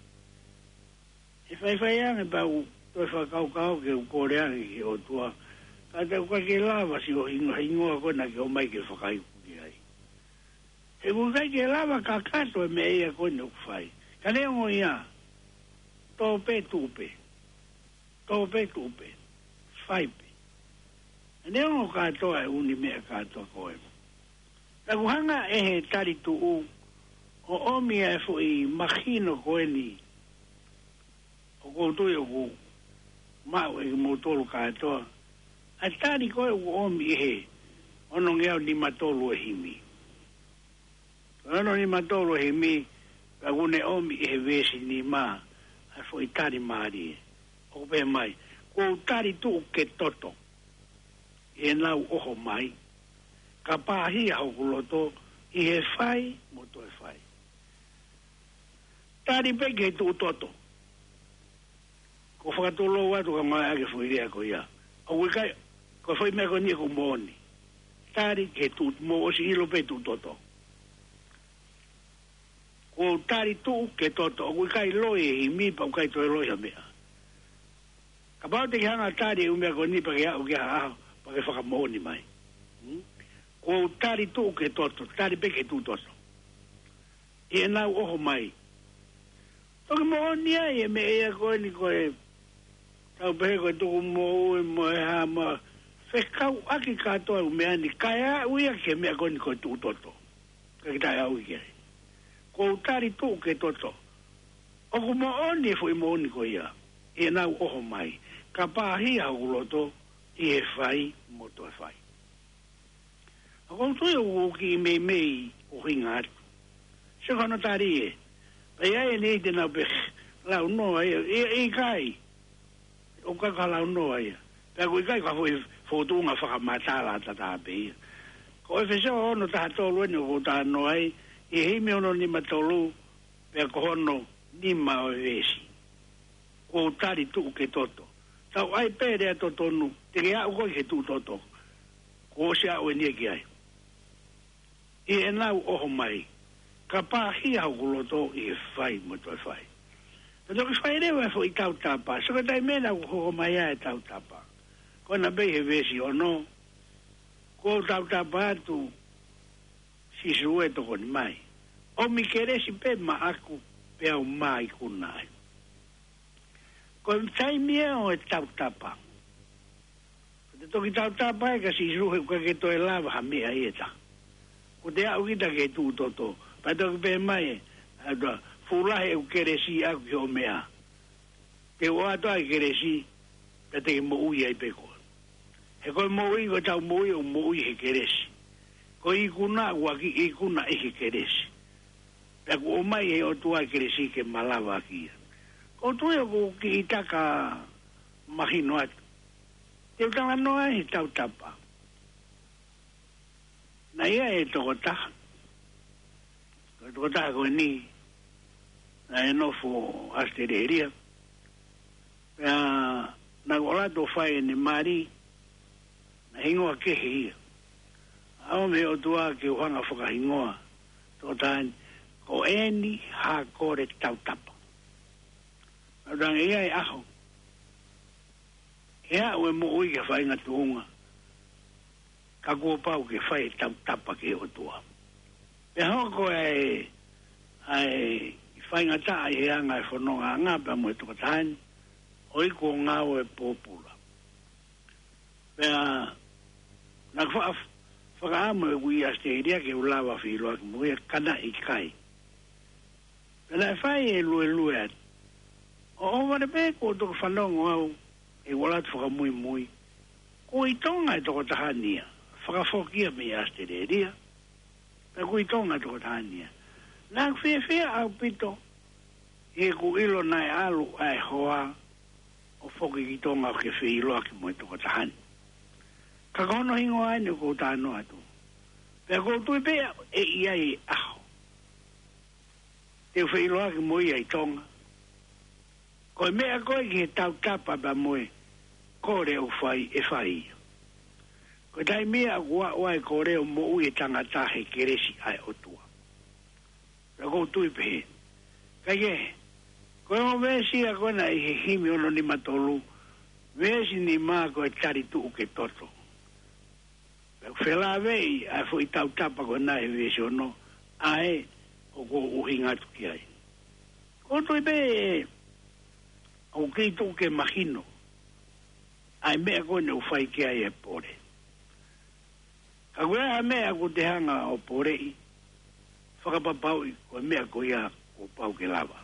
ʻE faifai ange pea u toe fakakaukau ke u kole ange ki he ʻOtua. Ka te u ʻikai ke lava siʻo hingoa, hingoa ko ena ke ʻomai ke fakaiku ki ai. He ʻoku ʻikai ke lava kakato e meʻa ia ko eni ʻoku fai. Ka neongo ia, tō pē tuʻu pē. Tō pē tuʻu pē. Fai pē. Neongo kātoa e ʻū meʻa kātoa ko ē. Naʻa ku hanga ʻe he tali tuʻu ʻo ʻomi ʻa e foʻi mahino ko eni. ʻOku ou tui ʻoku maʻu ʻe kimoutolu kātoa ʻa e tali ko ē ʻoku ʻomi ʻe he onongeau nima tolu e himi. Ono nima tolu e himi, pea ʻoku ne ʻomi ʻe he veesi nima ʻa e foʻi tali mālie. ʻOku pehē mai, kuo u tali tuʻu ke toto ʻi heʻenau ʻoho mai, ka pāhia hoku loto ʻi he fai mo toe fai. Tali pē ki he tuʻu toto. Ko e fakatulou atu ka ngāueʻaki e foʻi lea ko ia. ʻOku ʻikai, ko e foʻi meʻa ko eni ʻoku moʻoni. Tali ki he tuʻu, mou ʻosi ʻilo pē tuʻu toto. Kuo u tali tuʻu ke toto. ʻOku ʻikai loi e himi pea ʻoku ʻikai toe loi ha meʻa. Kapau te ke hanga tali e ʻū meʻa ko eni pea ke aʻu ki ha ʻaho, pea ke fakamoʻoni mai. Hmm? Kuo u tali tuʻu ke toto, tali pē ke tuʻu toto. ʻI heʻenau ʻoho mai. Toki moʻoni ai e meʻa ia ko eni ko e tau pehē ko e tuku moʻui mo e hā mo e fekauʻaki kātoa e ʻū meʻa ni kae aʻu ia ki he meʻa ko eni ko e tuʻu toto. Ka kita e aʻu ki ai. Kuo u tali tuʻu ke toto. ʻOku moʻoni e foʻi moʻoni ko ia. ʻI heʻenau ʻoho mai. Ka pāhia hoku loto ʻi he fai mo toe fai. ʻOku ou tui ʻoku kiʻi meimei ʻuhinga atu. Sio ki hono tali ē. Pea ʻi ai e niʻihi te nau pehē, launoa ia, ʻikai. ʻOku ʻikai ko ha launoa ia. Pea ʻoku ʻikai ko ha foʻi fōtunga fakamatala tatau pē ia. Ko ʻEfesō ono taha tolu eni ʻoku ou talanoa ai, ʻi he himi ono nima tolu, pea ko hono nima ʻo e veesi. Kuo u tali tuʻu ke toto. Tau ʻai pē lea totonu, te ke aʻu koe ki he tuʻu toto. Kuo ʻosi aʻu eni ia ki ai. ʻI heʻenau ʻoho mai. Ka pāhia hoku loto ʻi he fai mo toe fai. Ka toki fai leva e foʻi tautapa. Sio ki he taimi ē naʻa ku hoko mai ai e tautapa. Ko ena pē ʻi he veesi ono. Kuo u tautapa atu Sīsū ē tokoni mai. ʻOmi kelesi pē maʻaku pea u mā ikuna ai. Ko e taimi ē ʻo e tautapa. Ko e toki tautapa ē kia Sīsū he ʻoku ʻikai ke toe lava ha meʻa ia ʻe taha. Ko e te aʻu kita ki he tuʻu toto. Pea toki pehē mai ē, ʻa e toa, fuʻu lahi ʻeku kelesi ʻaʻaku ki hoʻo meʻa. Te u ʻoatu ʻa e kelesi, pea te ke moʻui ai pē koe. He ko e moʻui, ko ʻetau moʻui, ʻoku moʻui he kelesi. Ko e ikuna, ʻoku ʻaki ikuna ʻi he kelesi. Pea kuo ʻomai ʻe he ʻOtua e kelesi ke malava ʻaki ia. ʻOku ou tui ʻoku kiʻi taka mahino atu. Te u talanoa he tautapa. Naʻe ʻi ai e tokotaha. Ko e tokotaha ko eni, naʻe nofo ʻAositelēlia. Pea naʻa ku ʻalu atu ʻo fai ʻene mali, naʻe hingoa kehe ia. ʻAho mei he ʻOtua ke u hanga fakahingoa, tokotaha ni, ko ʻEni Hakole Tautapa. Naʻa ku tangi ia e ʻaho. He aʻu e moʻui ki ha faʻahinga tuʻunga. ka kuo pau ke fai e tautapa ki he ʻOtua. Pea hoko ʻa e, ʻa e faingataʻa ʻi he anga e fonongaʻanga pea mo e tokotaha ni, ʻo iku ʻo ngāue pōpula. Pea naʻa ku fa-, fakaʻamu ʻeku ʻi ʻAositelēlia ke u lava feʻiloaki mo ia, ka naʻe ʻikai. Pea naʻe fai e luelue atu. ʻO ʻohovale pē kuo toki fanongo au ʻi he ʻaho fakamuimui, ko e ʻi Tonga e tokotaha ni ia, fakafoki ia mei ʻAositelēlia. Pea ko e ʻi Tonga e tokotaha ni ia. Naʻa ku fiefia ʻaupito ʻi heʻeku ʻilo naʻe ʻalu ʻa e hoa ʻo foki ki Tonga ke feʻiloaki mo e tokotaha ni. Ka ko hono hingoa eni ʻoku ou talanoa atu. Pea ʻoku ou tui pē ʻe ʻi ai e ʻaho te u feʻiloaki mo ia ʻi Tonga. Ko e meʻa ko ē ki he tautapa pea mo e kole ʻoku fai, ʻe fai ia. Ko e taimi ia ʻoku aʻu ai e kole ʻo moʻui e tangata he kelesi ʻa e ʻOtua. Pea ʻoku ou tui pehē. Kaikehe, ko e ongo veesi ia ko ena ʻi he himi ono nima tolu, veesi nima, ko e talituʻu ke toto. Pea ʻoku felāveʻi ʻa e foʻi tautapa ko ena he veesi ono, ʻa ē ʻoku ou ʻuhinga atu ki ai. ʻOku ou tui pē ʻoku kei tuʻu ke mahino ʻa e meʻa ko eni ʻoku fai ki ai e pole. Ka ko e hā e meʻa ʻoku te hanga ʻo poleʻi, fakapapauʻi ko e meʻa ko ia kuo pau ke lava.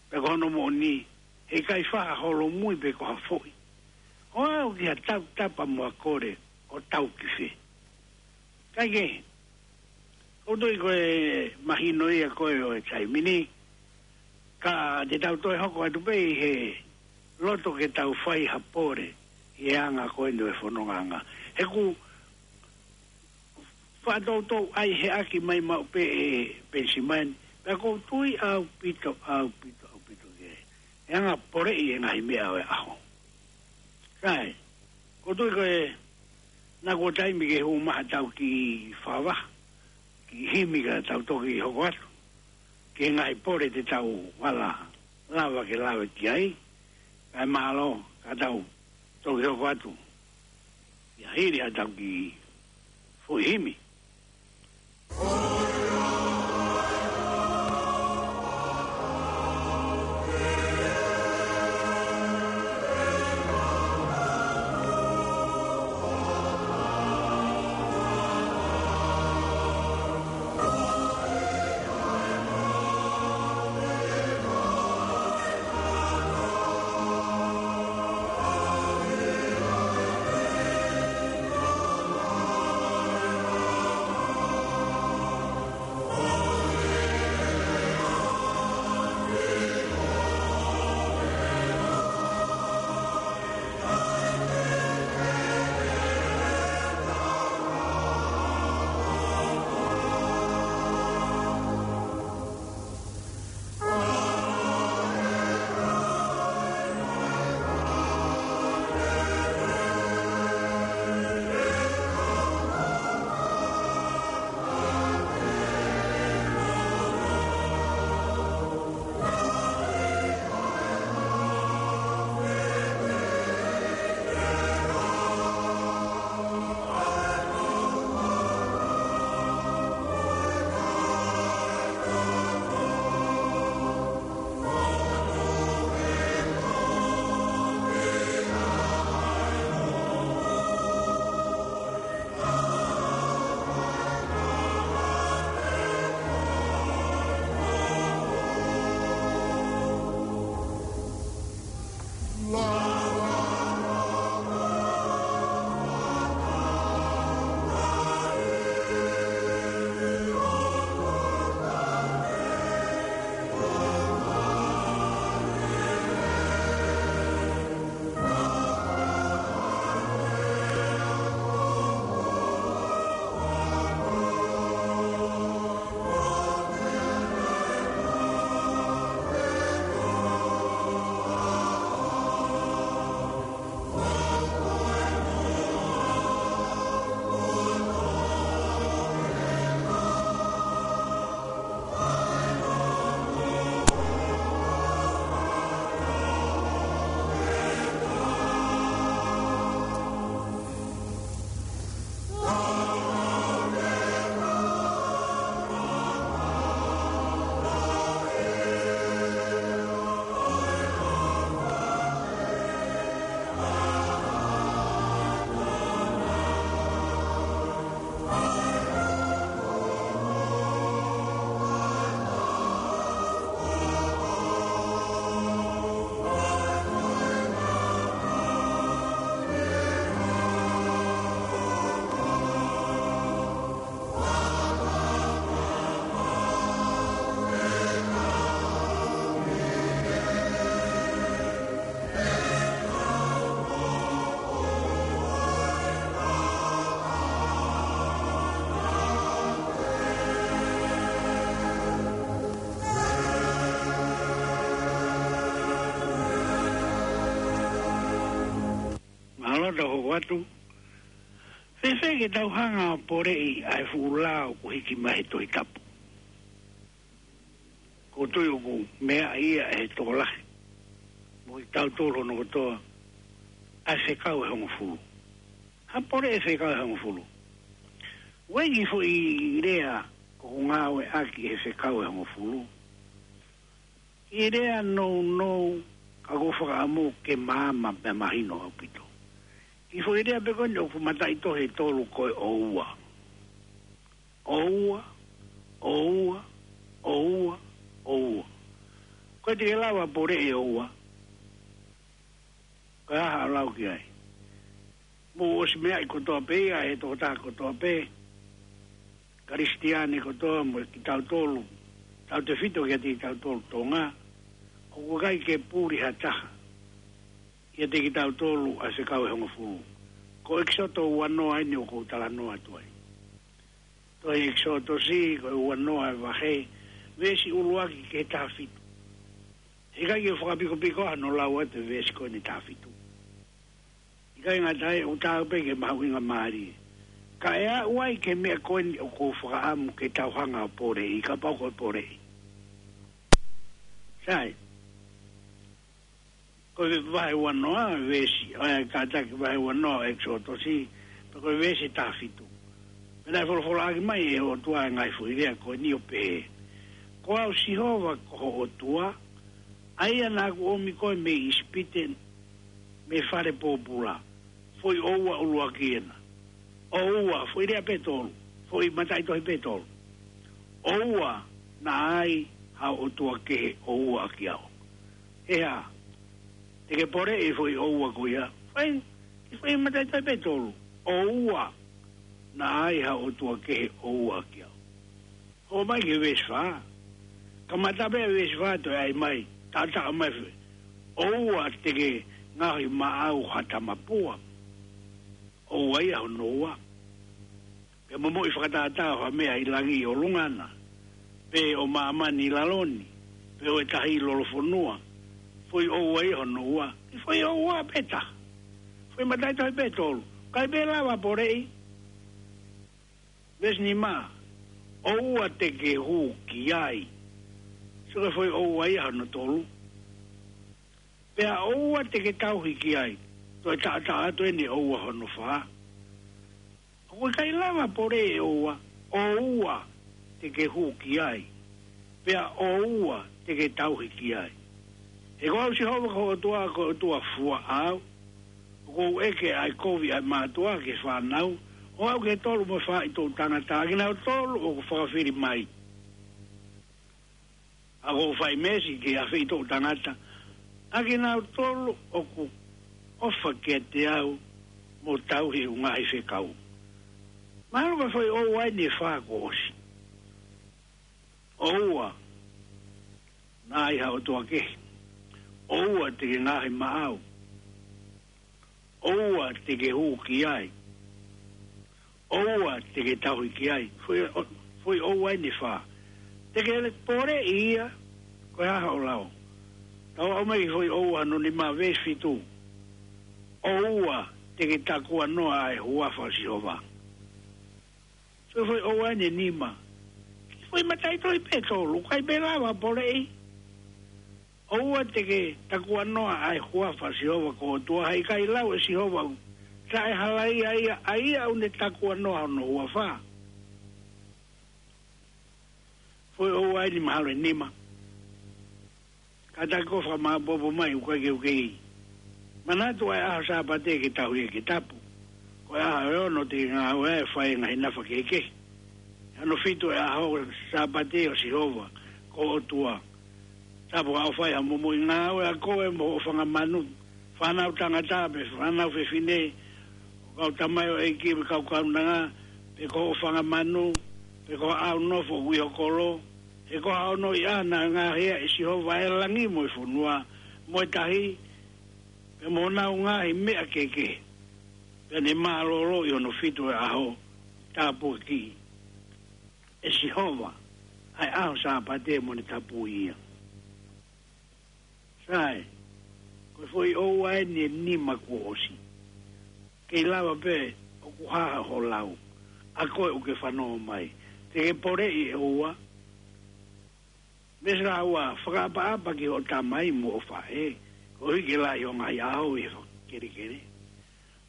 Pea ko hono moʻoni, heʻikai faʻa holomui pe ko ha foʻi. ʻO aʻu ki ha tautapa mo ha kole ʻo tau ki fē. Kaikehe, ʻoku ou tui ko e mahino ia ko ē ʻo e taimi ni, ka te tau toe hoko atu pē ʻi he loto ke tau fai ha pole ʻi he anga ko eni ʻo e fonongaʻanga. He ʻoku faʻa toutou ʻai he ʻaki mai maʻu pē ʻe Penisimani, pea ʻoku ou tui ʻaupito, ʻaupito, ʻaupito ki he, he anga poleʻi e ngaahi meʻa ʻo e ʻaho. Sai, ʻoku ou tui ko e, naʻa kuo taimi ke hū mai ha tau kiʻi fakavaha, kiʻi himi ka tau toki hoko atu ki he ngaahi pole te tau ala lava ke lave ki ai, kae mālō ka tau toki hoko atu ia hili ha tau kiʻi foʻi himi. Tau hoko atu. Fēfē ke tau hanga ʻo poleʻi ʻa e fuʻu lao kuo hiki mai he Tohi Tapu? ʻOku ou tui ʻoku meaʻi ia ʻe he tokolahi mo kitautolu hono kotoa ʻa e fekau ʻe hongofulu. Ha poleʻi e fekau ʻe hongofulu? ʻOku ʻi ai e foʻi lea ʻoku ngāueʻaki he fekau ʻe hongofulu. Kiʻi lea nounou, ka ʻoku ou fakaʻamu ke maama pea mahino ʻaupito. Kiʻi foʻi lea pē ko eni ʻoku mataʻitohi ʻe tolu, ko e ʻoua. ʻOua, ʻoua, ʻoua, ʻoua. Ko e te ke lava poleʻi e ʻoua? Ko e hā haʻo lau ki ai? Mou ʻosi meaʻi kotoa pē ia ʻe he tokotaha kotoa pē, Kalisitiane kotoa mo kitautolu, tautefito kiate kitautolu Tonga, ʻoku ʻikai ke puli ha taha kiate kitautolu ʻa e fekau ʻe hongofulu. Ko ʻEkisoto uanoa eni ʻoku ou talanoa atu ai. Tohi ʻEkisoto, ko e uanoa e vahe, veesi ʻuluaki ki he taha fitu. He ʻikai ke fakapikopiko hano lau atu e veesi ko eni taha fitu. ʻIkai ngata ai, ʻoku taau pē ke mahuʻinga mālie. Ka ʻe aʻu ai ki he meʻa ko eni ʻoku ou fakaʻamu ke tau hanga ʻo poleʻi, kapau ko e poleʻi. Sai. Ko e vahe uanoa, veesi, ʻa e kātaki vahe uanoa ʻEkisoto, pea ko e veesi taha fitu. Pea naʻe folofolaʻaki mai ʻe he ʻOtua e ngaahi foʻi lea ko eni ʻo pehē: Ko au Sihova ko ho ʻOtua, ʻa ia naʻa ku ʻomi koe mei ʻIsipite, mei he fale pōpula. Foʻi ʻoua ʻuluaki ena. ʻOua, foʻi lea pē ʻe tolu. Foʻi mataʻitohi pē ʻe tolu. ʻOua naʻa ai haʻo ʻotua kehe ʻo ua ʻaki au. He hā, te ke poleʻi e foʻi ʻoua ko ia? Foʻi, foʻi mataʻitohi pē ʻe tolu. ʻOua naʻa ai haʻo ʻotua kehe ʻo ua ʻaki au. Hoʻo mai ki he veesi fā. Kamata pē veesi fā toe ʻai mai, taʻataʻa mai fē. ʻOua te ke ngaohi maʻau ha tamapua. ʻOua ia hono ua. Pea momoʻi fakatātā ʻo ha meʻa ʻi langi ʻi ʻolunga na, pe ʻo māmani ʻi lalo ni, pe ʻo e tahi ʻi lolofonua. Foʻi ʻoua ia hono ua. Foʻi ʻoua pē ʻe taha. Foʻi mataʻitohi pē ʻe tolu. ʻIkai pē lava poleʻi. Veesi nima, ʻoua te ke hū ki ai. Sio ki he foʻi ʻoua ia hono tolu. Pea ʻoua te ke tauhi ki ai. Toe taʻataʻa atu eni ʻoua hono fā. ʻOku ʻikai lava poleʻi e ʻoua, ʻoua te ke hū ki ai. Pea ʻoua te ke tauhi ki ai. He ko au Sihova ko ho ʻOtua, ko e ʻOtua fua au. ʻOku ou ʻeke ʻa e kovi ʻa e mātuʻa ki he fānau, ʻo aʻu ki he tolu mo e fā ʻi toʻu tangata, ʻakinautolu ʻoku fakafili mai. ʻOku ou fai meesi ki he afe ʻi toʻu tangata, ʻakinautolu ʻoku ʻofa kiate au mo tauhi ʻeku ngaahi fekau. Mahalo ko e foʻi ʻoua eni ʻe fā kuo ʻosi. ʻOua naʻa ai haʻo ʻotua kehe. ʻOua te ke ngaohi maʻau. ʻOua te ke hū ki ai. ʻOua te ke tauhi ki ai. Foʻi, foʻi ʻoua eni ʻe fā. Te ke poleʻi ia, ko e hā haʻo lau? Tau aʻu mai ki he foʻi ʻoua hono nima, veesi fitu. ʻOua te ke takuanoa ʻa e huafa ʻo Sihova. Sio ki he foʻi ʻoua eni ʻe nima. Foʻi mataʻitohi pē ʻe tolu, ʻikai pē lava poleʻi. ʻOua te ke takuanoa ʻa e huafa ʻo Sihova ko ho ʻOtua, he ʻikai lau ʻe Sihova ʻoku taʻehalaia ia ʻa ia ʻoku ne takuanoa hono huafa. Foʻi ʻoua eni mahalo ʻe nima. Kātaki ʻo fakamāʻopoʻopo mai ʻoku ʻikai ke u kei. Manatu ʻa e ʻaho Sāpate ke tauhi ia ke tapu. Ko e ʻaho ʻe ono te ke ngāue ai ʻo fai e ngaahi nafa kehekehe. Hono fitu ʻe ʻaho Sāpate ʻo Sihova ko ho ʻOtua. Tapu ka ʻoku fai ha momoʻi ngāue ʻa koe mo hoʻo fanga manu, fānau tangata pe fānau fefine, kau tamaioʻeiki pe kau kaunanga, pe ko hoʻo fanga manu, pe ko haʻo nofo ʻi ho kolo, he ko hono ʻi ai ʻa e ngaahi ʻa Sihova ʻa e langi mo e fonua, mo e tahi, pea mo honau ngaahi meʻa kehekehe. Pea ne mālōlō ʻi hono fitu ʻe ʻaho, tāpuakiʻi ʻe Sihova ʻa e ʻaho Sāpate mo ne tapui ia. Sai, ko e foʻi ʻoua eni ʻe nima kuo ʻosi. Kei lava pē ʻoku hā hoʻo lau, ʻa koe ʻoku ke fanongo mai. Te ke poleʻi ʻe ua. Veesi ua, fakaʻapaʻapa ki hoʻo tamai mo hoʻo faʻē, koeʻuhi ke lahi ho ngaahi ʻaho ʻi he fakakelekele,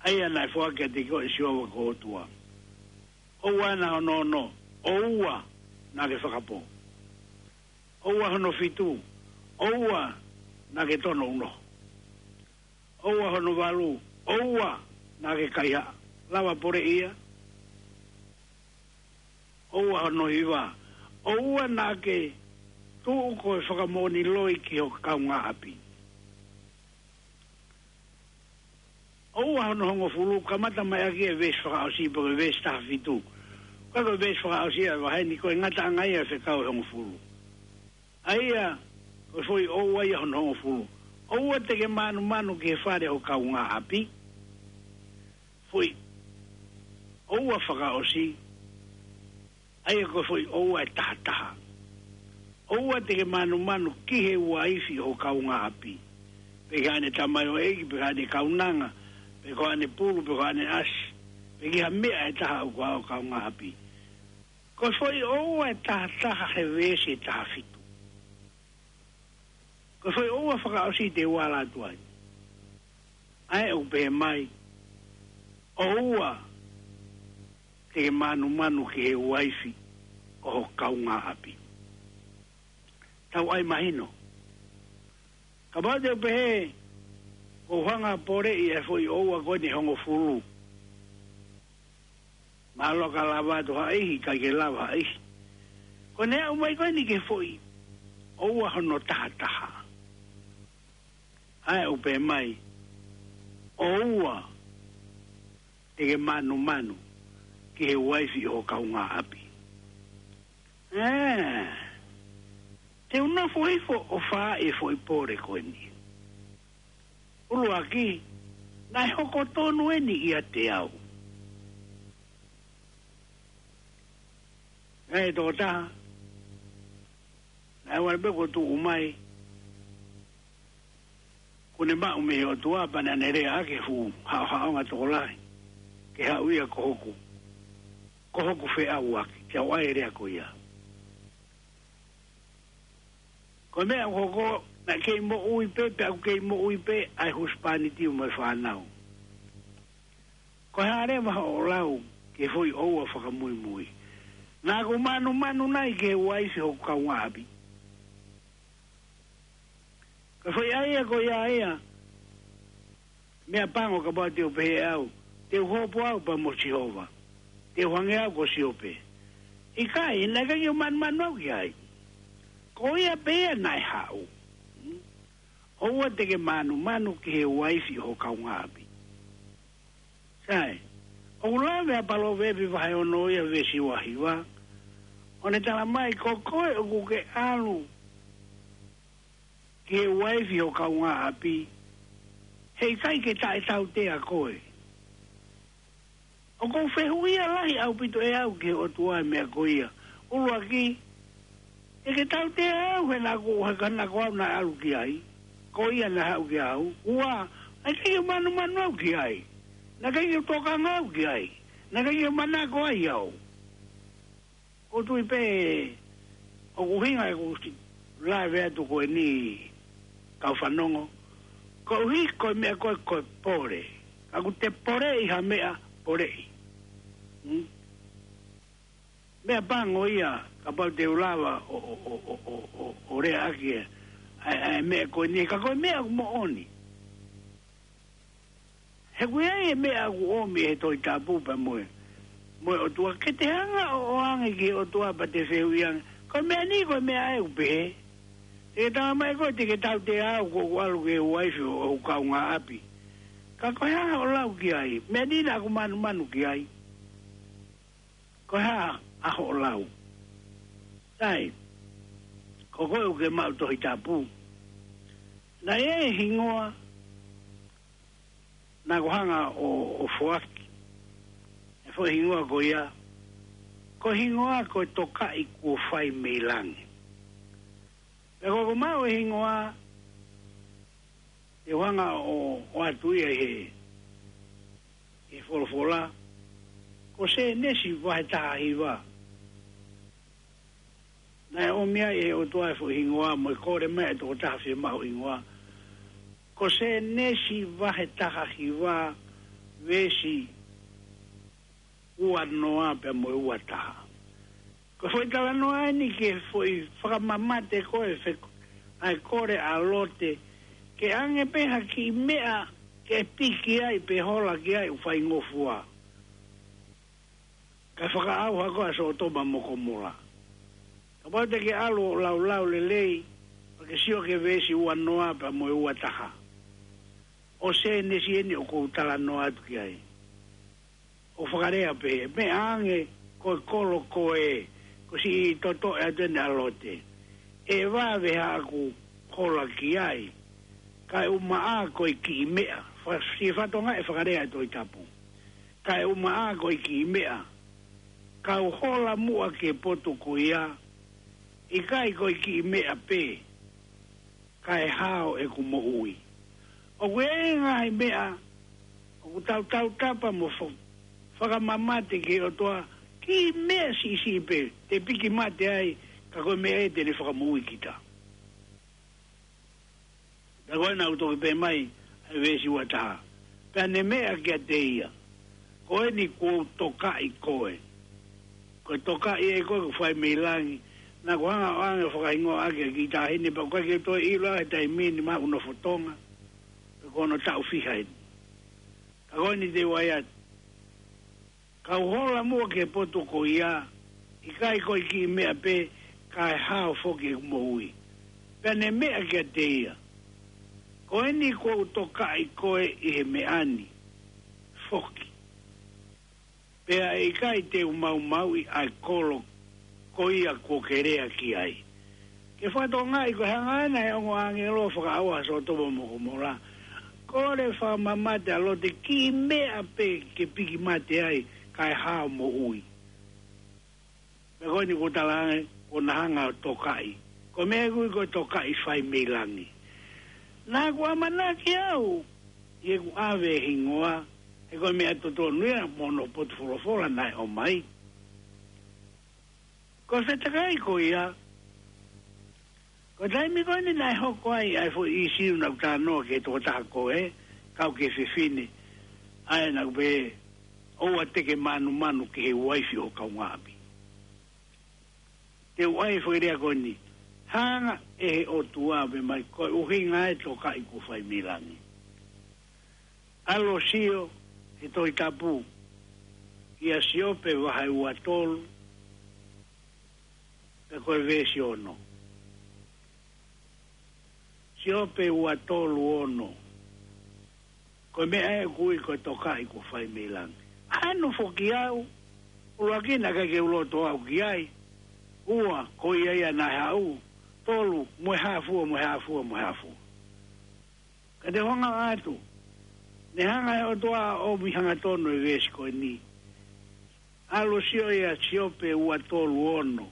ʻa ia naʻe foaki kiate koe ʻe Sihova ko ho ʻOtua. ʻOua naʻa hono ono, ʻoua naʻa ke fakapō. ʻOua hono fitu, ʻoua naʻa ke tono unoho. ʻOua hono valu, ʻoua naʻa ke kaihaʻa, lava poleʻi ia. ʻOua hono hiva, ʻoua naʻa ke tuʻu ko e fakamoʻoni loi ki ho kaungāʻapi. ʻOua hono hongofulu, kamata mai ʻaki e veesi fakaʻosi pe ko e veesi taha fitu. Ka ko e veesi fakaʻosi ʻa e vahe ni ko e ngataʻanga ia e fekau ʻe hongofulu. ʻA ia, ko e foʻi ʻoua ia hono hongofulu. ʻOua te ke mānumanu ki he fale ho kaungāʻapi. Foʻi ʻoua fakaʻosi, ʻa ia ko e foʻi ʻoua ʻe tahataha. ʻOua te ke mānumanu ki he uaifi ho kaungāʻapi. Pe ko haʻane tamaioʻeiki, pe ko haʻane kaunanga, pe ko haʻane pulu, pe ko haʻane ʻasi, pe ki ha meʻa ʻe taha ʻoku ʻa ho kaungāʻapi. Ko e foʻi ʻoua ʻe tahataha he veesi ʻe taha fitu. Ko e foʻi ʻoua fakaʻosi te u ala atu ai. ʻA ia ʻoku pehē mai, ʻoua te ke mānumanu ki he uaifi ʻo ho kaungāʻapi. Tau ʻai mahino. Kapau te u pehē, ʻoku ou hanga ʻo poleʻi e foʻi ʻoua ko eni ʻe hongofulu. Mālō ka lava atu ha ʻihi, ʻikai ke lava ha ʻihi. Ko ʻene aʻu mai ko eni ki he foʻi ʻoua hono tahataha. ʻA ia ʻoku pehē mai, ʻoua te ke mānumanu ki he uaifi ʻo ho kaungāʻapi. Ē, te u nofo hifo ʻo fai e foʻi pole ko eni. ʻUluaki, naʻe hoko tonu eni ʻiate au. Ē, tokotaha, naʻe ʻoua pē kuo tuʻu mai, kuo ne maʻu mei he ʻOtua pea naʻa ne lea ʻaki e fuʻu haʻohaʻonga tokolahi ke haʻu ia ko hoku, ko hoku feʻauaki, te u ʻai e lea ko ia. Ko e meʻa ʻoku hoko, naʻe kei moʻui pē, pea ʻoku kei moʻui pē ʻa e husepāniti mo e fānau. Ko e hā leva hoʻo lau ki he foʻi ʻoua fakamuimui? Naʻa ku mānumanu nai ki he uaifi hoku kaungāʻapi? Ko e foʻi ʻai ia ko ia ia, meʻapango kapau te u pehē au, te u hopo au pea mo Sihova, te u hangē au ko Siope. ʻIkai, naʻe ʻikai ke u mānumanu au ki ai. Ko ia pē ia naʻe haʻu. ʻOua te ke mānumanu ki he uaifi ʻo ho kaungāʻapi. Sai, ʻoku lave ʻa Palōvepi vahe ono ia veesi ua hiva, ʻo ne tala mai, ko koe ʻoku ke ʻalu ki he uaifi ho kaungāʻapi, heʻikai ke taʻetautea koe. ʻOku ou fehuʻia lahi ʻaupito ʻe au ki he ʻOtua e meʻa ko ia. ʻUluaki, ʻe ke tautea au he naʻa ku, he ka naʻa ko au naʻe ʻalu ki ai, ko ia naʻe haʻu kia au. Ua, ʻikai ke mānumanu au ki ai. Naʻe ʻikai ke tokanga au ki ai. Naʻe ʻikai ke manako ai au. ʻOku ou tui pē, ʻoku ʻuhinga ʻeku lave atu ko eni kau fanongo. Koeʻuhi ko e meʻa ko ē ko e pole. Ka ʻoku te poleʻi ha meʻa, poleʻi. Hmm? Meʻapango ia, kapau te u lava ʻo, ʻo, ʻo lea ʻaki e, ʻa e, ʻa e meʻa ko eni, ka ko e meʻa ʻoku moʻoni. He ʻoku ʻi ai e meʻa ʻoku ʻomi ʻe he Tohi Tapu pea mo e, mo e ʻOtua, ke te hanga ʻo ʻoange ki he ʻOtua pea te fehuʻi ange. Ko e meʻa ni, ko e meʻa ē ʻoku pehē. Te ke tala mai koe, te ke tautea au ko ʻeku ʻalu ki he uaifi ʻo, ʻo ho kaungāʻapi. Ka ko e hā hoʻo lau ki ai? Meʻa ni naʻa ku mānumanu ki ai. Ko e hā ʻa hoʻo lau? Sai, ko koe ʻoku ke maʻu Tohi Tapu. Naʻe ʻi ai e hingoa naʻa ku hanga ʻo, ʻo foaki. E foʻi hingoa ko ia, ko e hingoa ko e Tokaʻi Kuo Fai mei Langi. Pea ko ʻeku maʻu e hingoa, te u hanga ʻo, ʻo ʻoatu ia ʻi he ʻi he folofola, ko Sēnesi vahe taha hiva. Naʻe ʻomi ai ʻe he ʻOtua e foʻi hingoa mo e kole mai e tokotaha fiemaʻu hingoa. Ko Sēnesi vahe taha hiva, veesi ua noa pea mo e ua taha. Ko e foʻi talanoa eni ke foʻi fakamamate ko e fek-, ʻa e kole ʻa Lote, ke ʻange pē ha kiʻi meʻa ke piki ai pe hola ki ai ʻoku faingofua. Kae fakaʻauha ko ē ʻa Sōtoma mo Komola. Kapau te ke ʻalu ʻo laulau lelei, pea ke sio ki he veesi ua noa pea mo e ua taha. ʻO Sēnesi eni ʻoku ou talanoa atu ki ai. ʻO fakalea pē, meʻa ange ko e kolo ko ē, ko e siʻi totoʻe atu eni ʻa Lote. ʻE vave haʻaku hola ki ai, kae ʻumaʻā ko e kiʻi meʻa, fa-, siʻi fatongia e fakalea e Tohi Tapu. Kae ʻumaʻā ko e kiʻi meʻa, kau hola muʻa ki he potu ko ia, ʻikai ko e kiʻi meʻa pē, kae hao ʻeku moʻui. ʻOku ʻi ai e ngaahi meʻa, ʻoku tau tautapa mo fa-, fakamamate ki he ʻOtua, kiʻi meʻa siʻisiʻi pē, te piki mate ai, ka ko e meʻa ē te ne fakamoʻui kita. Pea ko ena ʻoku toki pehē mai, ʻa e veesi ua taha. Pea ne meʻa kiate ia, ko eni kuo u tokaʻi koe. Ko e tokaʻi ē ko ē ʻoku fai mei langi, naʻa ku hanga ʻo ʻange fakahingoa ʻaki ʻa e kiʻi taʻahine, pea ʻoku ʻikai ke toe ʻilo ʻa e taimi ni mahalo ʻoku nofo Tonga, pe ko hono taʻu fiha eni. Ka ko eni te u ʻai atu. Kau hola muʻa ki he potu ko ia, ʻikai ko e kiʻi meʻa pē, kae hao foki ʻeku moʻui. Pea ne meʻa kiate ia, ko eni kuo u tokaʻi koe ʻi he meʻa ni foki. Pea ʻe ʻikai te u maumauʻi ʻa e kolo ko ia kuo ke lea ki ai. Ke fakatokangaʻi ko e hanga ena ʻe he ongo ʻāngelo ʻo fakaʻauha Sōtoma mo Komola. Kole fakamamate ʻa Lote, kiʻi meʻa pē ke piki mate ai, kae hao moʻui. Pea ko eni kuo talaange, kuo na hanga ʻo tokaʻi. Ko e meʻa ʻoku ui ko e tokaʻi fai mei langi. Naʻa ku ʻamanaki au, ʻi heʻeku ʻave e hingoa, he ko e meʻa totonu ia mo hono potu folofola naʻe ʻomai. Ko e fetakai ko ia, ko e taimi ko eni naʻe hoko ai ʻa e foʻi ʻīsiu naʻa ku talanoa ki he tokotaha ko ē, kau ki he fefine, ʻa ē naʻa ku pehē, ʻoua te ke mānumanu ki he uaifi ʻo ho kaungāʻapi. Te u ʻai e foʻi lea ko eni, hanga ʻe he ʻOtua ʻo pehē mai ko e ʻuhinga e tokaʻi kuo fai mei langi. ʻAlu ʻo sio he Tohi Tapu, ʻia Siope vahe ua tolu, pea ko e veesi ono. Siope ua tolu ono. Ko e meʻa ē ʻoku ui ko e tokaʻi kuo fai mei langi. Hano foki au, ʻuluaki naʻe ʻikai ke u loto au ki ai. Ua, ko ia ia naʻe haʻu. Tolu, mo e hā fua, mo e hā fua, mo e hā fua. Ka te u hanga atu, ne hanga ʻe he ʻOtua ʻo ʻomi hangatonu e veesi ko eni. ʻAlu ʻo sio ʻia Siope ua tolu ono.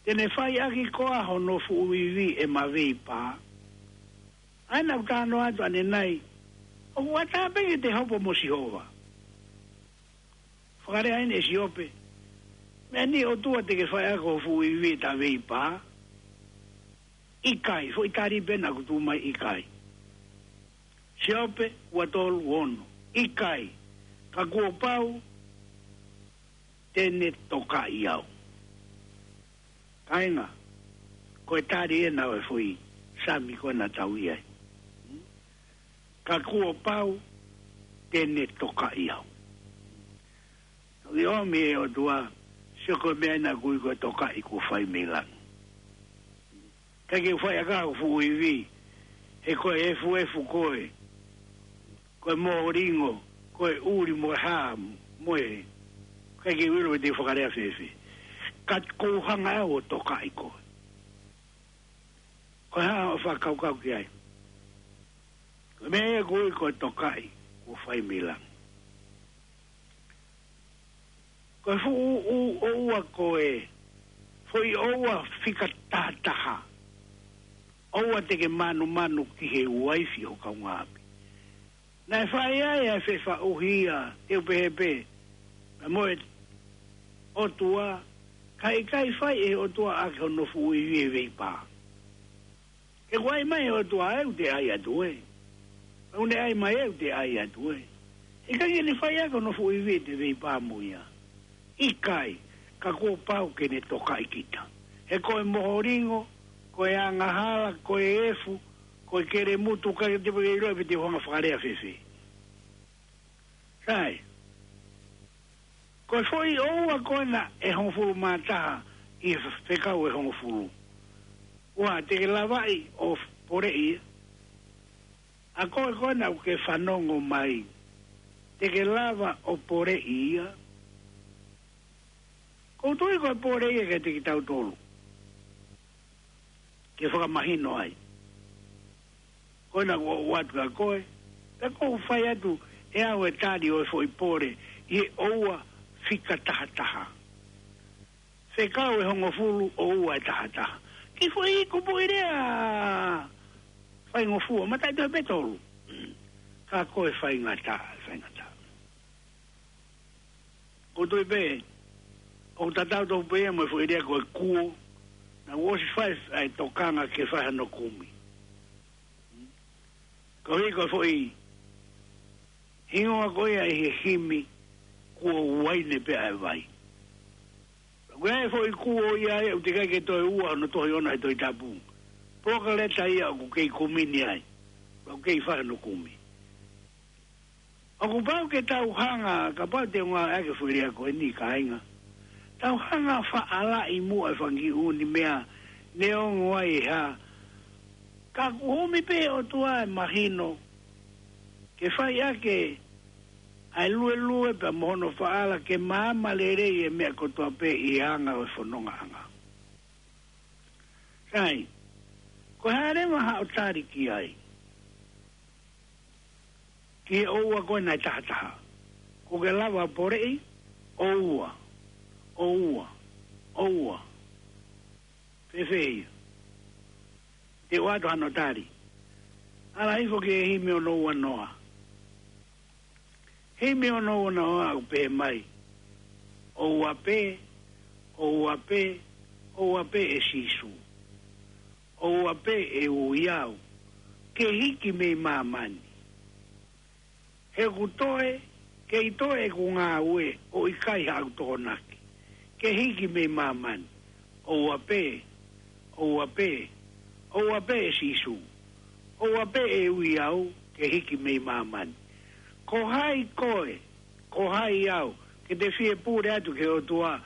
Te ne fai ʻaki koā hono fuʻu ivi ʻema veipā. ʻA ē naʻa ku talanoa atu ʻanenai, ʻoku ʻatā pē ke te hopo mo Sihova. Fakalea eni ʻe Siope, meʻa ni ʻOtua te ke fai ʻaki ho fuʻu ivi ʻeta veipā? ʻIkai, foʻi tali pē naʻa ku tuʻu mai, ʻikai. Siope ua tolu ono. ʻIkai, ka kuo pau te ne tokaʻi au. Kāinga, ko e tali ena ʻo e foʻi Sami ko ē naʻa tau ʻi ai. Ka kuo pau te ne tokaʻi au. ʻOku ʻomi ʻe he ʻOtua, sio ko e meʻa ena ʻoku ui ko e tokaʻi kuo fai mei langi. ʻIkai ke u fai ʻaki ho fuʻu ivi, he ko e efuefu koe, ko e molingo, ko e ʻuli mo e hā, mo e, ʻikai ke u ʻilo pe te u fakalea fēfē. Ka ʻoku ou hanga au ʻo tokaʻi koe. Ko e hā hoʻo fakakaukau ki ai? Ko e meʻa ia ʻoku ui ko e tokaʻi kuo fai mei langi. Ko e fuʻu ʻū ʻoua ko ē, foʻi ʻoua fika tahataha. ʻOua te ke mānumanu ki he uaifi ʻo ho kaungāʻapi. Naʻe fai ai ʻa e fefaʻuhi ia, te u pehē pē, naʻa mo e ʻOtua, ka ʻikai fai ʻe he ʻOtua ʻaki hono fuʻu ivi e veipā. Ke kuo ʻai mai ʻe he ʻOtua ē, ʻoku te ʻai atu ē. Ka ʻoku ne ʻai mai ē, ʻoku te ʻai atu ē. ʻIkai ke ne fai ʻaki hono fuʻu ivi ʻete veipā mo ia. ʻIkai, ka kuo pau ke ne tokaʻi kita. He ko e moholingo, ko e angahala, ko e efu, ko e kelemutu, ka te peke ilo pe te u hanga fakalea fēfē. Sai, ko e foʻi ʻoua ko ena ʻe hongofulu mā taha ʻi he fekau ʻe hongofulu. ʻOua te ke lavaʻi ʻo poleʻi ia. ʻA koe ko ena ʻoku ke fanongo mai, te ke lava ʻo poleʻi ia? ʻOku ou tui ko e pole ia kiate kitautolu, ke fakamahino ai. Ko ena ʻoku ou ʻoatu kia koe, pea ʻoku ou fai atu ʻe au e tali ʻo e foʻi pole ʻi he ʻoua fika taha taha. Fekau ʻe hongofulu, ʻoua ʻe taha taha. Kiʻi foʻi kupuʻi lea faingofua, mataʻitohi pē tolu. Ka ko e faingataʻa, faingataʻa. ʻOku ou tui pē, ʻoku tatau tofu pē ia mo e foʻi lea ko e kuo, naʻa ku ʻosi fai ʻa e tokanga ke fai hano kumi. Koeʻuhi ko e foʻi hingoa ko ia ʻi he himi, kuo uaine pē ʻa e vai. Ko e foʻi kuo ia ē, ʻoku teʻeki ai ke toe ua hono tohi ʻona he Tohi Tapu. Polokaleta ia ʻoku kei kumi ni ai. ʻOku kei fai hano kumi. ʻOku pau ke tau hanga, kapau te u ngāueʻaki e foʻi lea ko eni kāinga. Tau hanga faʻalaʻi muʻa e fanga kiʻi ʻū meʻa neongo ai e hā. Ka ʻoku ʻomi pē ʻe he ʻOtua e mahino ke fai ʻaki ʻa e luelue pea mo hono faʻala ke maama lelei e meʻa kotoa pē ʻi he anga ʻo e fonongaʻanga. Sai, ko e hā leva haʻo tali ki ai? Ki he ʻoua ko ena ʻe taha taha. Kuo ke lava poleʻi? ʻOua. ʻOua. ʻOua. Fēfē ia? Te u ʻoatu hano tali. Ala hifo ki he himi ono ua noa. Himi ono ua noa ʻoku pehē mai: ʻOua pē, ʻoua pē, ʻoua pē ʻe Sīsū. ʻOua pē ʻe ui au ke hiki mei māmani. He ʻoku toe, kei toe ʻeku ngāue ʻo ʻikai haʻaku tokonaki ke hiki mei māmani. ʻOua pē, ʻoua pē, ʻoua pē ʻe Sīsū. ʻOua pē ʻe ui au ke hiki mei māmani. Ko hai koe, ko hai au, ke te fie pule atu ki he ʻOtua,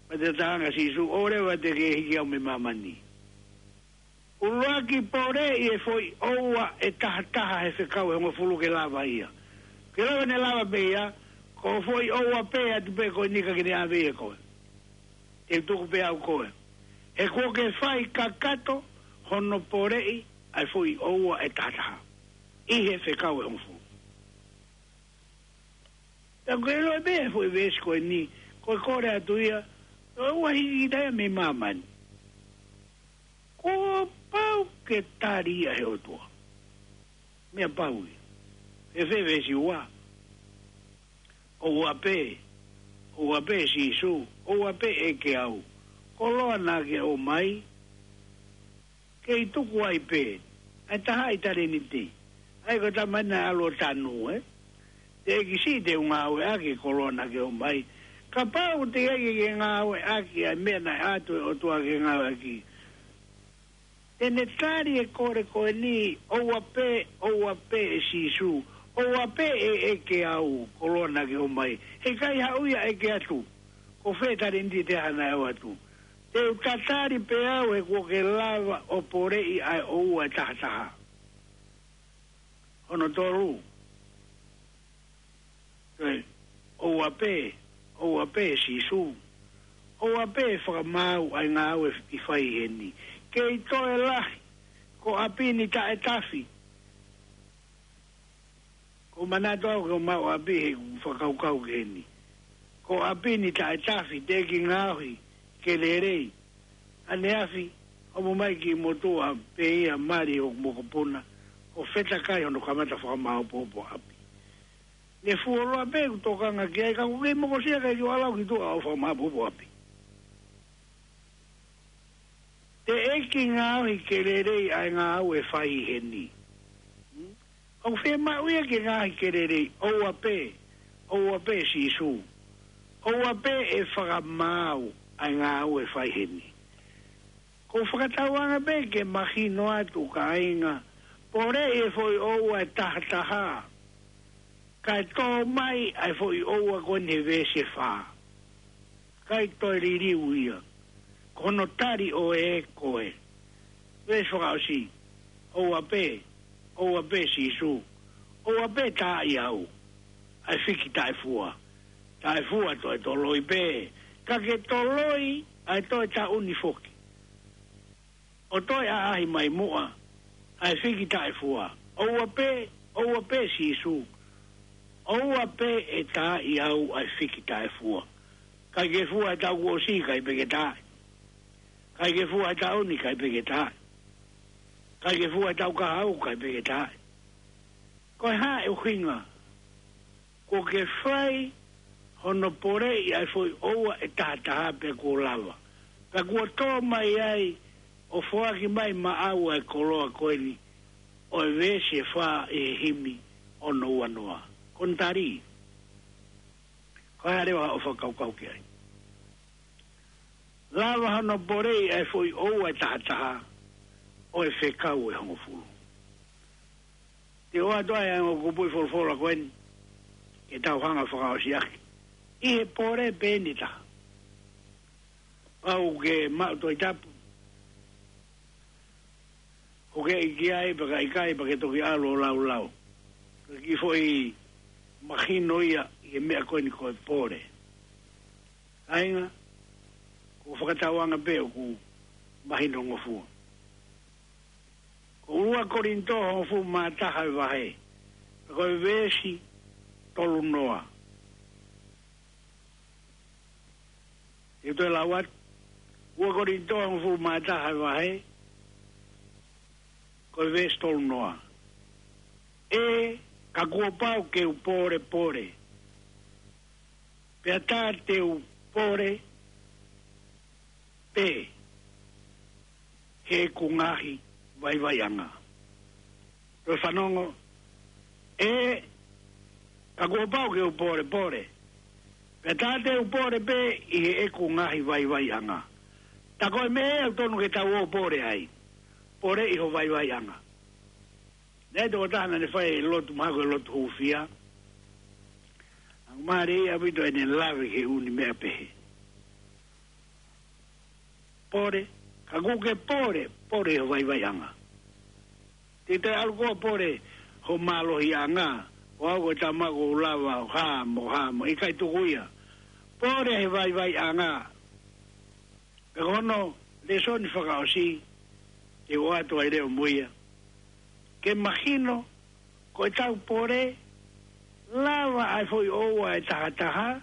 pea te talaange ʻa Sīsū, ʻoua leva te ke hiki au mei māmani. ʻUluaki poleʻi e foʻi ʻoua ʻe taha taha he fekau ʻe hongofulu ke lava ia. Ke lava ne lava pē ia, ko e foʻi ʻoua pē atu pē ko eni ka ke ne ʻave ia koe. Te u tuku pē au koe. He kuo ke fai kakato hono poleʻi ʻa e foʻi ʻoua ʻe taha taha ʻi he fekau ʻe hongofulu. Pea ko e ʻilo pē foʻi veesi ko eni, ko e kole atu ia, ʻoua hiki kita ia mei māmani. Kuo pau ke tali ia ʻe he ʻOtua. Meʻa pau ia. Fēfē veesi ua? ʻOua pē, ʻoua pē Sīsū, ʻoua pē ʻEiki au. Koloa naʻa ke ʻomai, kei tuku ai pē ʻa e tahaʻi talēniti. ʻA ia ko e tama naʻe ʻalu ʻo tanu, ē? Teʻeki siʻi te u ngāueʻaki e koloa naʻa ke ʻomai. Kapau teʻeki ke ngāueʻaki ʻa e meʻa naʻe ʻoatu ʻe he ʻOtua ke ngāueʻaki, te ne tali e kole ko eni: ʻOua pē, ʻoua pē ʻe Sīsū, ʻoua pē ʻe ʻEiki au, koloa naʻa ke ʻomai. He ʻikai haʻu ia ʻo ʻeke atu ko fē talēniti ʻe taha naʻe ʻoatu. Te u tatali pē au he kuo ke lava ʻo poleʻi ʻa e ʻoua ʻe taha taha. Hono tolu. Ē, ʻoua pē, ʻoua pē Sīsū. ʻOua pē fakamaau ʻa e ngāue ʻi fai heni. Kei toe lahi, ko ʻapi ni taʻetafi. Ko e manatu au ke u maʻu ʻapi he ʻoku ou fakakaukau ki heni. Ko ʻapi ni taʻetafi, teʻeki ngaohi ke lelei. ʻAneafi, homo mai ki motuʻa pē ia, mali hoku mokopuna, ʻo fetakai hono kamata fakamāopoopo ʻapi. Ne fuoloa pē ʻeku tokanga ki ai, ka ʻoku kei mokosia ʻikai ke u ʻalu au ki tuʻa ʻo fakamāpupu ʻapi. Teʻeki ngaohi ke lelei ʻa e ngāue ʻe fai heni. Hmm? ʻOku fiemaʻu ia ke ngaohi ke lelei, ʻoua pē, ʻoua pē Sīsū. ʻOua pē ʻe fakamaau ʻa e ngāue ʻe fai heni. Ko e fakatauanga pē ke mahino atu kāinga, poleʻi e foʻi ʻoua ʻe tahataha, kae tō mai ʻa e foʻi ʻoua ko eni he veesi ʻe fā. ʻIkai toe liliu ia. Ko hono tali ʻo e ko e. Veesi fakaʻosi. ʻOua pē, ʻoua pē Sīsū. ʻOua pē taaʻi au. ʻA e fiki taʻefua. Taʻefua toe toloi pē. Ka ke toloi ʻa e toe taʻu ni foki. ʻO toe ʻaʻahi mai muʻa ʻa e fiki taʻefua. ʻOua pē, ʻoua pē Sīsū. ʻOua pē ʻe taaʻi au ʻa e fiki taʻefua. ʻIkai ke fua e taʻu kuo ʻosi, ʻikai pē ke taaʻi. ʻIkai ke fua e taʻu ni, ʻikai pē ke taaʻi. ʻIkai ke fua e taʻu kahaʻu, ʻikai pē ke taaʻi. Ko e hā e ʻuhinga? Kuo ke fai hono poleʻi ʻa e foʻi ʻoua ʻe tahataha pea kuo lava. Pea kuo tō mai ai ʻo foaki mai maʻau ʻa e koloa ko eni ʻo e veesi ʻe fā ʻi he himi ono ua noa. Ko hono tali. Ko e hā leva ʻoku fakakaukau ki ai? Lava hono poleʻi ʻa e foʻi ʻoua ʻe tahataha ʻo e fekau ʻe hongofulu. Te u ʻoatu ai ʻa e ongo kupuʻi folofola ko eni ke tau hanga fakaʻosi ʻaki. ʻI he pole pē ʻe taha. Pau ke maʻu Tohi Tapu. ʻOku ke ʻi ai pē ka ʻikai pē ke toki ʻalu ʻo laulau. Ko e kiʻi foʻi mahino ia ʻi he meʻa ko eni ko e pole. Kāinga, ko e fakatauanga pē ʻoku mahinongofua. Ko ua Kolinitō hongofulu mā taha e vahe. Ko e veesi tolu noa. Te u toe lau atu. Ua Kolinitō hongofulu mā taha e vahe. Ko e veesi tolu noa. ʻE, ka kuo pau ke u pōlepole. Pea tā te u pole pē heʻeku ngaahi vaivaiʻanga. Toe fanongo, ʻe, ka kuo pau ke u pōlepole. Pea tā te u pole pē ʻi heʻeku ngaahi vaivaiʻanga. Tā ko e meʻa ʻoku tonu ke tau ō pole ai. Pole ʻi ho vaivaiʻanga. Naʻe ʻi ai e tokotaha naʻa ne fai e lotu mahalo ko e lotu hūfia. ʻOku mālie ʻaupito ʻene lave ki he ʻū meʻa pehē. Pole, ka kuo ke pole, pole ʻi ho vaivaiʻanga. Te te ʻalu koe ʻo pole ho mālohiʻanga, ʻo au ko e tama ʻoku ou lava ʻo hā mo hā mo, ʻikai tuku ia. Pole he vaivaiʻanga. Pea ko hono lēsoni fakaʻosi, te u ʻoatu ai leva mo ia. Ke mahino, ko ʻetau pole, lava ʻa e foʻi ʻoua ʻe tahataha,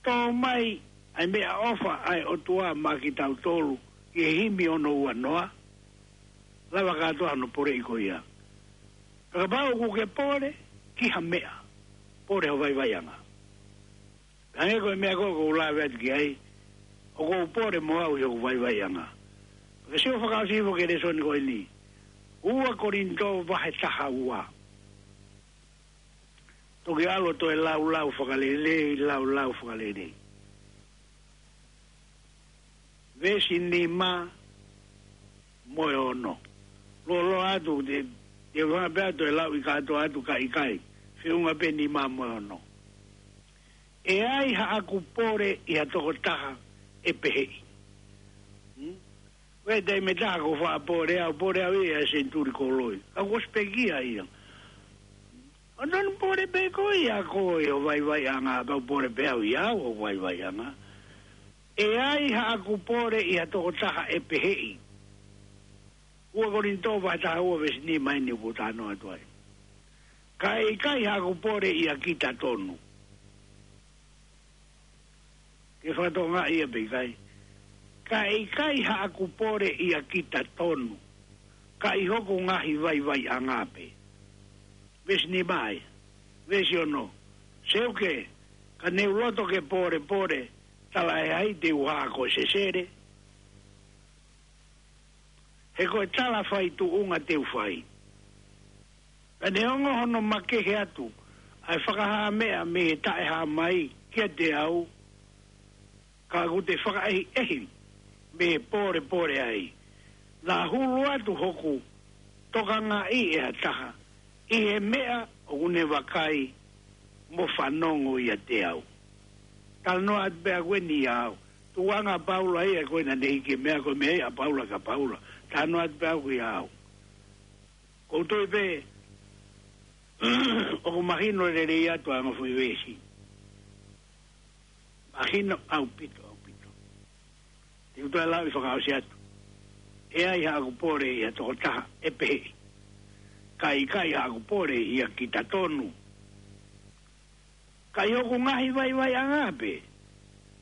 tō mai ʻa e meʻaʻofa ʻa e ʻOtua maʻa kitautolu, ʻi he himi ono ua noa, lava kātoa hono poleʻi ko ia. Pea kapau ʻoku ke pole, ki ha meʻa, pole ho vaivaiʻanga. Hangē ko e meʻa ko ē ʻoku ou lave atu ki ai, ʻoku ou pole mo au ʻi hoku vaivaiʻanga. Pea ke sio fakaʻosi hifo ki he lēsoni ko eni. Ua Kolinitō vahe taha ua. Toki ʻalu ʻo toe laulau fakalelei, laulau fakalelei. Veesi nima mo e ono. Loloa atu, te, te u hanga pē ʻo toe lauʻi kātoa atu ka ʻikai. Feʻunga pē nima mo e ono. ʻE ai haʻaku pole ʻi ha tokotaha ʻe peheʻi. Hmm? Ko e taimi ʻe taha ʻoku ou faʻa pole au, pole au ia he senituli koloi. Ka kuo ʻosi pekia ia. ʻOku tonu pole pē koe ʻia koe ʻi ho vaivaiʻanga, pau pole pē au ʻia au ʻi hoku vaivaiʻanga. ʻE ai haʻaku pole ʻi ha tokotaha ʻe peheʻi. Ua Kolinitō vahe taha ua veesi nima eni ʻoku ou talanoa atu ai. Ka ʻe ʻikai haʻaku pole ʻia kita tonu. Ke fakatokangaʻi ia pe ʻikai. Ka ʻe ʻikai haʻaku pole ʻia kita tonu. Ka ʻi hoku ngaahi vaivaiʻanga pē. Veesi nima ia. Veesi ono. Seuke, ka ne u loto ke pōlepole, talaʻehai te u hā ko e sesele. He ko e tala faituʻunga te u fai. Ka neongo hono makehe atu ʻa e fakahā meʻa mei he taʻehāmai kiate au, ka ʻoku te fakaʻehiʻehi mei he pōlepole ai. Naʻa hulu atu hoku tokangaʻi ʻe ha taha ʻi he meʻa ʻoku ne vakai mo fanongo ʻiate au. Talanoa atu pē ʻa eni ʻia au. Tuʻunga ʻa Paula ia ko ē naʻa ne hiki e meʻa ko e meʻa ia ʻa Paula kia Paula. Talanoa atu pē au ʻia au. Ko u tui pē ʻoku mahino lelei atu ʻa e ongo foʻi veesi. Mahino ʻaupito, ʻaupito. Te u toe lau ʻi fakaʻosi atu. ʻE ʻi ai haʻaku pole ʻi ha tokotaha ʻe pehē. Ka ʻikai haʻaku pole ʻia kitatonu. Ka ʻi hoku ngaahi vaivaiʻanga pē.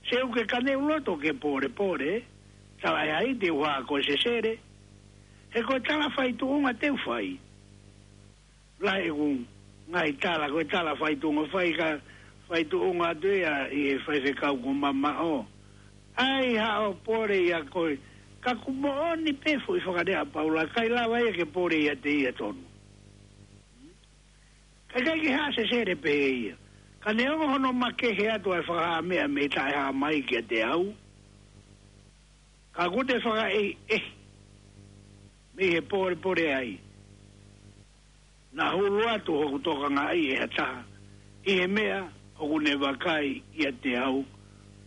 Seuke, ka ne u loto ke pōlepole, talaʻehai te u hā ko e sesele. He ko e tala faituʻunga te u fai. Lahi ʻeku ngaahi tala, ko e tala faituʻunga fai ka faituʻunga atu ia ʻi he faifekau ko mamaʻo. ʻAi haʻo pole ʻia koe, ka ʻoku moʻoni pē foʻi fakalea ʻa Paula, ʻikai lava ia ke pole ʻiate ia tonu. Ka ʻikai ke hā sesele pē ia. Ka neongo hono makehe atu ʻa e fakahā meʻa mei he taʻehāmai kiate au. Ka ʻoku te fakaʻehiʻehi mei he pōlepole ai. Naʻa hulu atu hoku tokangaʻi ʻe ha taha ʻi he meʻa ʻoku ne vakai ʻiate au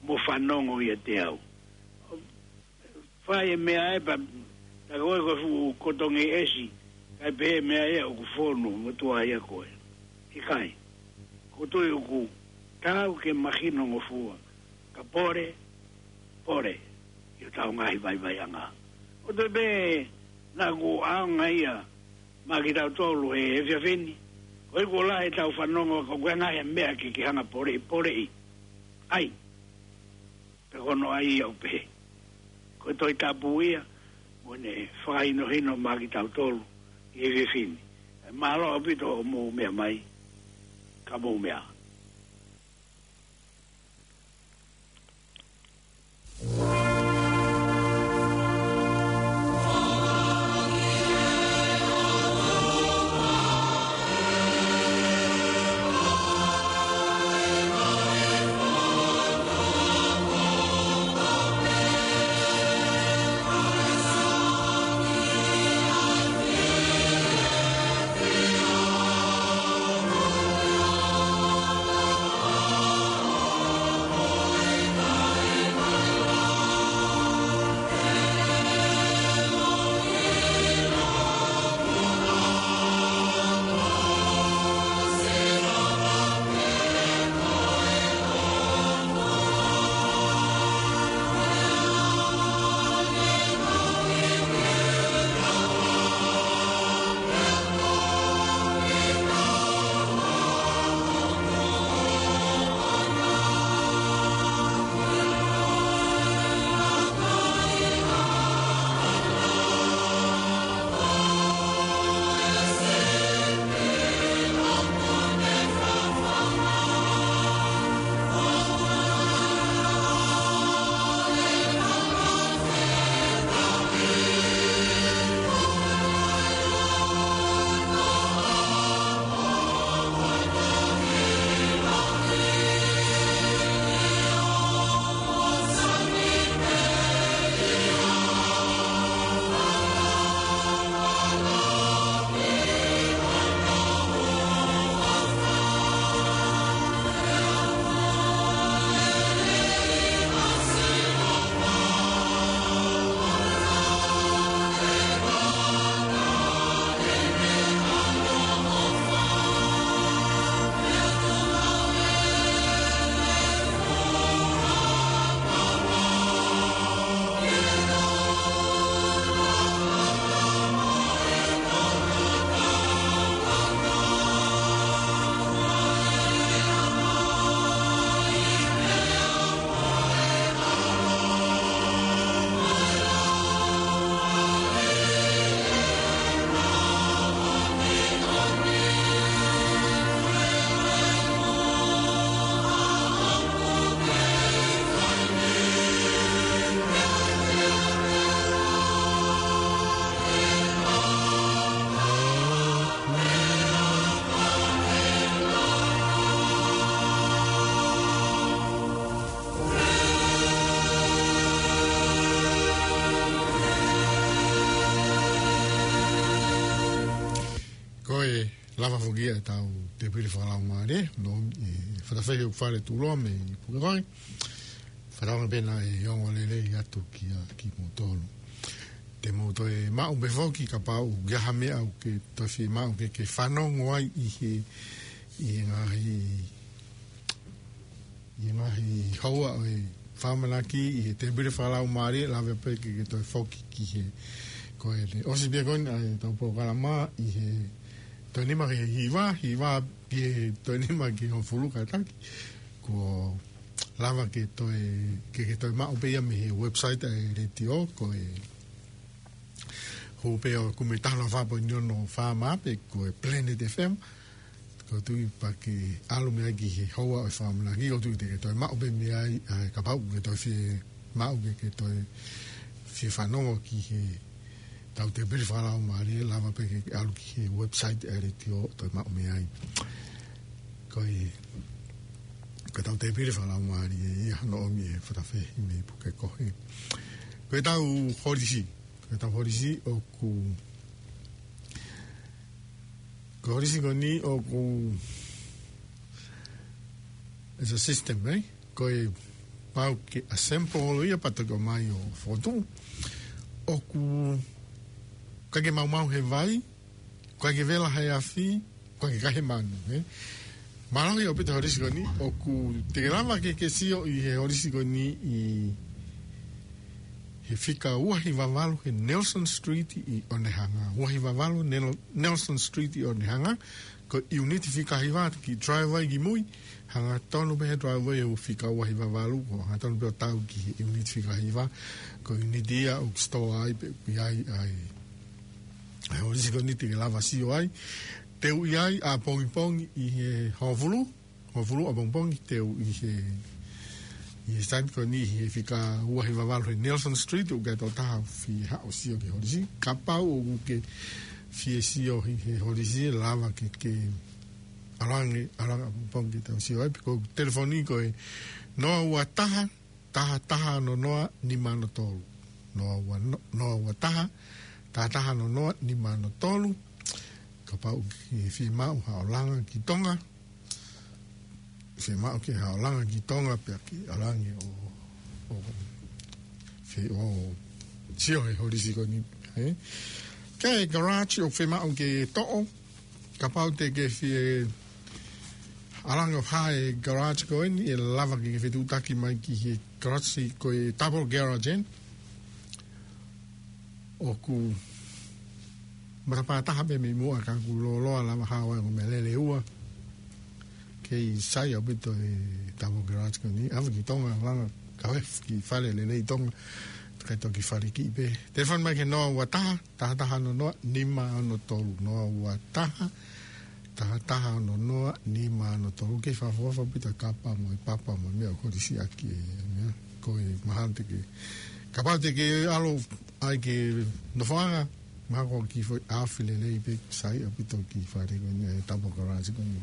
mo fanongo ʻiate au. Fai e meʻa ē pea, tā ko e ko e fuʻu kotongi ʻesi, kae pehē meʻa ia ʻoku fonu mo tuʻa ia koe. ʻIkai. Ko u tui ʻoku taau ke mahinongofua, ka pole, pole, ʻi hotau ngaahi vaivaiʻanga. ʻO te pē, naʻa ku ʻaonga ia, maʻa kitautolu he efiafi ni, ko e kuo lahi ʻetau fanongo, ko e ngaahi meʻa ke ke hanga pole, poleʻi. ʻAi. Pea ko hono ʻai ia ʻoku pehē. Ko e Tohi Tapu ia, mo ne fakahinohino maʻa kitautolu, ʻi he efiafi ni. Mālō ʻaupito hoʻomou meʻa mai, ka mou meʻa. Lava foki ʻetau tēpile fakalaumālie, no, ʻi he Fatafehi ʻoku Fale Tuʻuloa mei Pukekohe. Fakatauange pē naʻe ongo lelei atu kia kimoutolu. Te mou toe maʻu pē foki kapau ʻoku ʻi ai ha meʻa ʻoku ke toe fiemaʻu ke, ke fanongo ai ʻi he, ʻi he ngaahi, ʻi he ngaahi houa ʻo e fakamanaki ʻi he tēpile fakalaumālie, lava pē ke, ke toe foki ki he, ko e ʻosi pē ko eni ʻa ʻetau polokalama ʻi he toe nima ki he hiva, hiva ki he toe nima ki he hongofulu kātaki. Kuo lava ke toe, ke, ke toe maʻu pē ia mei he website ʻa e letiō, ko e hū pē ʻo kumi taha noa fā poini ono FM pe ko e Planet FM. Ko e tui pea ke ʻalu mei ai ki he houa ʻo e fakamanaki, ko e tui te ke toe maʻu pē mei ai, ʻa e kapau ʻoku ke toe fiemaʻu ke, ke toe fie fanongo ki he tau tēpile fakalaumālie, lava pē ke ʻalu ki he website ʻa e letiō, toe maʻu mei ai. Ko e, ko ʻetau tēpile fakalaumālie ia hono ʻomi ʻe he Fatafehi mei Pukekohe. Ko ʻetau holisi, ko ʻetau holisi ʻoku, ko e holisi ko eni ʻoku, it's a system, eh? Ko e pau ke assemble ia pea toki ʻomai ʻo fokotuʻu. ʻOku ʻikai ke maumau he vai, ʻikai ke vela he afi, ʻikai ke kai he manu, eh? Mālohi ʻaupito e holisi ko eni, ʻoku te ke lava ke, ke sio ʻi he holisi ko eni ʻi he fika ua hiva valu he Nelson Street ʻi Onehunga. Ua hiva valu Nel-, Nelson Street ʻi Onehunga. Ko e ʻiuniti fika hiva ki he driveway ki mui, hangatonu pē he driveway ʻo e fika ua hiva valu, ko e hangatonu pē ʻo tau ki he ʻiuniti fika hiva, ko e ʻiuniti ia ʻoku store ai pē ʻoku ʻi ai ʻa e, ʻa e holisi ko eni te ke lava sio ai. Teu ʻi ai ʻapongipongi ʻi he hongofulu, hongofulu ʻapongipongi teu ʻi he, ʻi he site ko eni ʻi he fika ua hiva valu he Nelson Street, ʻoku ʻikai ha taha ʻoku fie haʻu ʻo sio ki he holisi. Kapau ʻoku ke fie sio ʻi he holisi, lava ke, ke ʻalu ange, ʻalu ange ʻapongipongi ke tau sio ai, pe ko e telefoni ko e noa ua taha, taha taha ono noa, nima ono tolu. Noa ua no-, noa ua taha, taha taha ono noa, nima ono tolu. Kapau ʻoku ke fiemaʻu haʻo langa ki Tonga, fiemaʻu ke haʻo langa ki Tonga, pea ke ʻalu ange ʻo, ʻo, fie ʻo sio he holisi ko eni, eh? Ko e garage ʻoku fiemaʻu ke toʻo, kapau te ke fie ʻalu ange ʻo haʻi e garage ko eni, ʻe lava ke ke fetuʻutaki mai ki he garage ko e double garage, eh? ʻOku matapā taha pē mei muʻa ka ʻoku lōloa lava hao ai ʻo meʻa lele ua. Kei sai ʻaupito e double garage ko eni. ʻAve ki Tonga, langa, kau he kiʻi fale lelei ʻi Tonga. Kae toki fale kiʻi pē. Telefoni mai ki he noa ua taha, taha taha ono noa, nima ono tolu. Noa ua taha, taha taha ono noa, nima ono tolu. Kei fakaʻofoʻofa ʻaupito e kapa mo e papa mo e meʻa ʻoku holisi ʻaki e meʻa. Ko e mahalo te ke, kapau te ke ʻalu ai ki he nofoʻanga, mahalo ko e kiʻi foʻi ʻaofi lelei pē, sai ʻaupito e kiʻi fale ko eni, e double garage ko eni.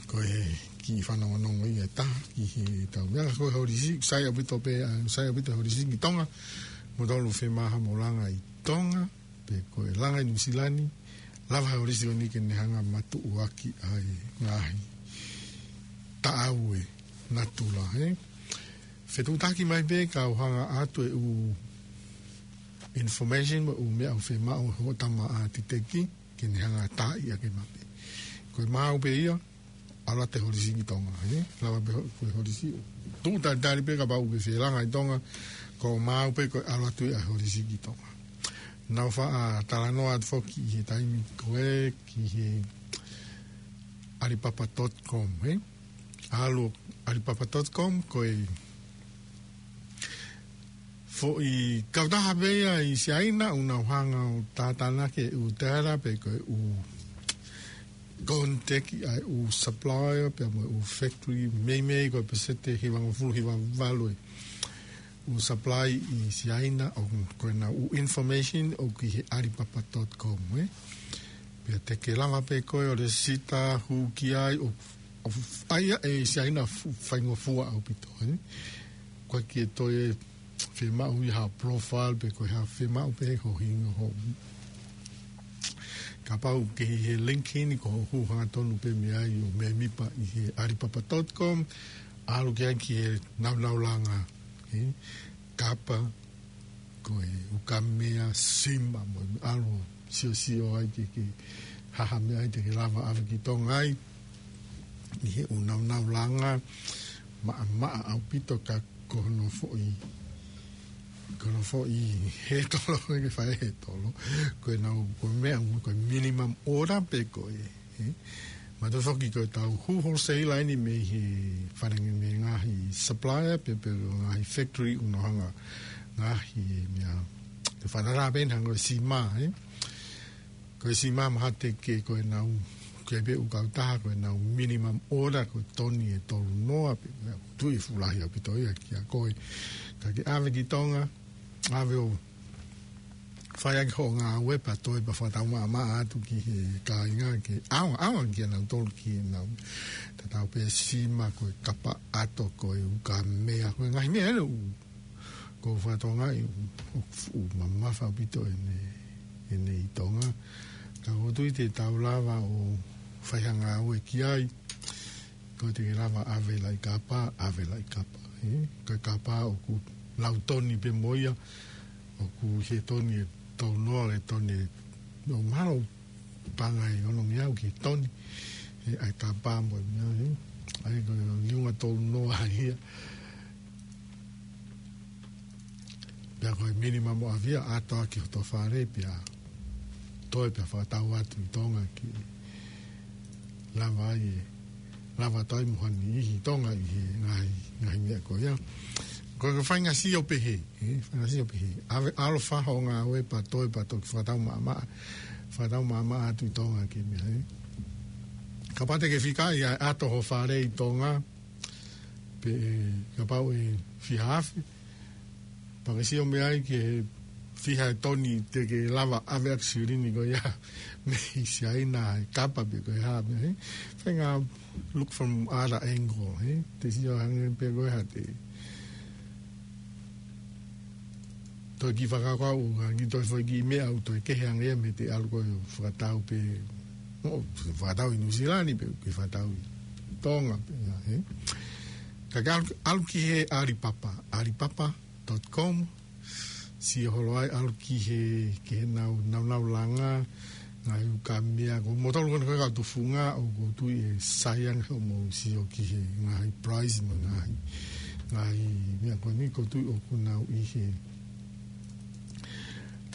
Ko e kiʻi fanongonongo ia ʻe taha ki heʻetau meʻa, ko e holisi, sai ʻaupito pē, ʻa, sai ʻaupito e holisi ki Tonga, moutolu ʻoku fiemaʻu haʻamou langa ʻi Tonga, pe ko e langa ʻi Nuʻu Sila ni, lava he holisi ko eni ke ne hanga ʻo matuʻuaki ʻa e ngaahi taʻau ʻa e natula, eh? Fetuʻutaki mai pē kau hanga atu e ʻū information mo e ʻū meʻa ʻoku fiemaʻu ʻe hoʻo tama ʻātiteki ke ne hanga ʻo taaʻi ʻaki e mape. Ko e maau pē ia, ʻalu atu e holisi ki Tonga, eh? Lava pē ho-, ko e holisi. Tuʻu talitali pē kapau ʻoku ke fie langa ʻi Tonga, ko e maau pē ko e ʻalu atu e holisi ki Tonga. Naʻa ku faʻa talanoa atu foki ʻi he taimi ko ē ki he Alibaba dot com, eh? ʻAlu Alibaba dot com, ko e foʻi kautaha pē ia ʻi Siaina, ʻoku nau hanga ʻo tātānaki e ʻū tēla pe ko e ʻū contact ʻa e ʻū supplier, pea mo e ʻū factory, meimei ko e pēseti hivangofulu hiva valu e ʻū supply ʻi Siaina, ʻoku, ko ʻenau ʻū information ʻoku ʻi he Alibaba dot com, eh? Pea te ke lava pē koe ʻo lēsisita, hū ki ai, ʻo, ʻo ʻai ia ʻe Siaina fu-, faingofua ʻaupito, eh? ʻOku ʻikai ke toe fiemaʻu ia ha profile pe ko e hā, fiemaʻu pē ho hingoa, ho Kapau ʻoku ke ʻi he link eni, ko hoʻo hū hangatonu pē mei ai ʻo mēmipa ʻi he Alipapa dot com, ʻalu ki ai ki he naunau langa, ē? Kapa, ko e ukamea, sima, mo e ʻalu ʻo siosio ai ke, ke hā ha meʻa ai te ke lava ʻave ki Tonga ai, ʻi he ʻū naunau langa, maʻamaʻa ʻaupito ka ko hono foʻi, ko hono foʻi hētolo, ko e fai hētolo. Ko e nau, ko e meʻa, ko e minimum order pē ko ē, ē? Mātuʻaki ko e tau hū wholesale eni mei he fale ngi-, mei he ngaahi supplier, pe, pe ngaahi factory ʻoku nau hanga ngaahi meʻa. Te fānarā pē hanga ko e sima, ē? Ko e sima mahalo te ke ko e nau, ke pe ʻū kautaha ko e nau minimum order ko e toni ʻe tolu noa pē, meʻa ʻoku ou tui ʻe fuʻu lahi ʻaupito ia kia koe. Ka ke ʻave ki Tonga, ʻave ʻo fai ʻaki hoʻo ngāue pea toe pea fakatau maʻamaʻa atu ki he kāinga ke ʻaonga, ʻaonga kia nautolu ki he nau. Tatau pē sima, ko e kapa ʻato, ko e ukamea, ko e ngaahi meʻa ʻe ua. Ko e fakatonga ʻi ʻoku fuʻu mamafa ʻaupito ʻene, ʻene ʻi Tonga. Ka ʻoku ou tui te tau lava ʻo fai ha ngāue ki ai. Ko e te ke lava ʻave laʻi kapa, ʻave laʻi kapa, ē? Ko e kapa ʻoku lau toni pē mo ia, ʻoku ʻi he toni ʻe tolu noa, ʻe toni ʻe, ʻo mahalo paʻanga ʻe ono ngeau ki he toni, ē, ʻa e kapa mo e meʻa, ē? ʻA ia ko e liunga tolu noa ia. Pea ko e minimum ʻo ʻave ia ʻato ʻaki hoto fale, pea toe pea fakatau atu ʻi Tonga ke lava ai ʻe, lava atu ai mo ha niʻihi ʻi Tonga ʻi he ngaahi, ngaahi meʻa ko ia. Ko e faʻahinga sio pehē, ē, faʻahinga sio pehē. ʻAve, ʻalu ʻo fai hoʻo ngāue pea toe pea toki fakatau maʻamaʻa, fakatau maʻamaʻa atu ʻi Tonga ki he meʻa, ē. Kapau te ke fika ia ʻato ho fale ʻi Tonga, pe, ē, kapau ʻe fiha afe, pea ke sio mei ai ki he fiha ʻe toni te ke lava ʻave ʻaki silini ko ia mei Siaina, ʻa e kapa pe ko e hā meʻa, ē? Faʻahinga look from other angle, ē? Te sio hangē pē ko e hā te toe kiʻi fakakaukau, ʻa e kiʻi toe foʻi kiʻi meʻa ʻoku toe kehe ange ia mei he te ʻalu ko ē ʻo fakatau pē, ʻo fakatau ʻi Nuʻu Sila ni pe ke fakatau ʻi Tonga pē ia, ē? Ka ke ʻalu, ʻalu ki he Alipapa, alipapa dot com, sio holo ai, ʻalu ki he, ki he nau, naunau langa, ngaahi ukamea, ko moutolu ko eni ko e kau tufunga, ʻoku ou tui ʻe sai ange hoʻomou sio ki he ngaahi price mo e ngaahi, ngaahi meʻa ko eni ʻoku ou tui ʻoku nau ʻi he,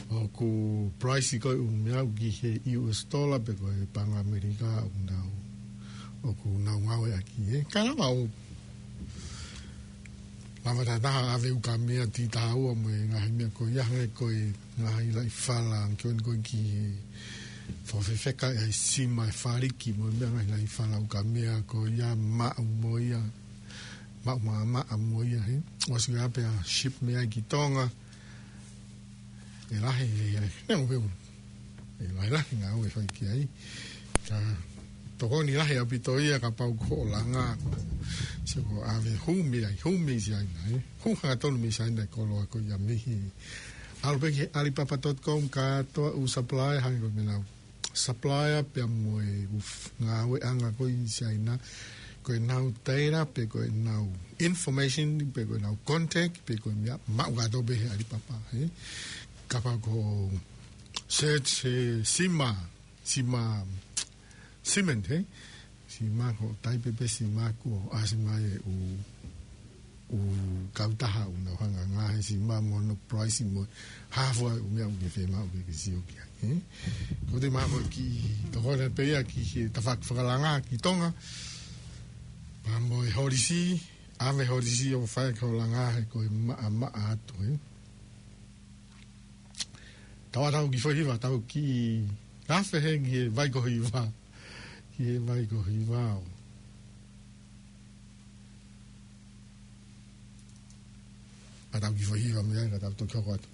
ʻoku price ko e ʻū meʻa ʻoku ʻi he U S dollar pe ko e paʻanga ʻAmelika ʻoku nau, ʻoku nau ngāueʻaki, ē. Ka lava ʻo lava tatau ʻave ukamea tī tahaua mo e ngaahi meʻa ko ia, hangē ko e ngaahi laʻi fala, ke ʻoni ko e ki he fefeka ʻa e sima, ʻa e faliki mo e meʻa, ngaahi laʻi fala ukamea ko ia, maʻu mo ia, maʻu maʻamaʻa mo ia, ē. ʻOsi ʻave pea ship mei ai ki Tonga. ʻE lahi, ʻe, ʻe, ʻe, ʻe, ʻe lahi lahi ngāue ʻe fai ki ai. Ka tokoni lahi ʻaupito ia kapau ko hoʻo langa ko, sio ko e ʻave hū mei ai, hū mei Siaina, ē? Hū hangatonu mei Siaina e koloa ko ia mei he. ʻAlu pē ki he alipapa dot com, kātoa ʻū supplier, hangē ko e meʻa nau supplier pea mo e ʻū f-, ngāueʻanga ko ē ʻi Siaina, ko ʻenau data, pe ko ʻenau information, pe ko ʻenau contact, pe ko e meʻa, maʻu kātoa pē he alipapa, ē? Kapau ko e search he sima, sima, cement, ē? Sima ko e taipe pē sima ko ē ʻasi mai ʻe he ʻū, ʻū kautaha ʻoku nau hanga ngāue he sima mo hono price mo e hā fua e ʻū meʻa ʻoku ke fiemaʻu ke ke sio ki ai, ē? Ko e te mahalo kiʻi tokoni pē ia ki he tafaʻaki fakalanga ki Tonga. Pea mo e holisi, ʻave holisi ʻo fai ki hoʻo langa he ko e maʻamaʻa atu, ē? Tau ʻatā ki he foʻi hiva, tau kiʻi afe hē ki he vai ko e hiva. Ki he vai ko e hiva ʻo. ʻAtā ki he foʻi hiva mei ai, ka tau toki hoko atu.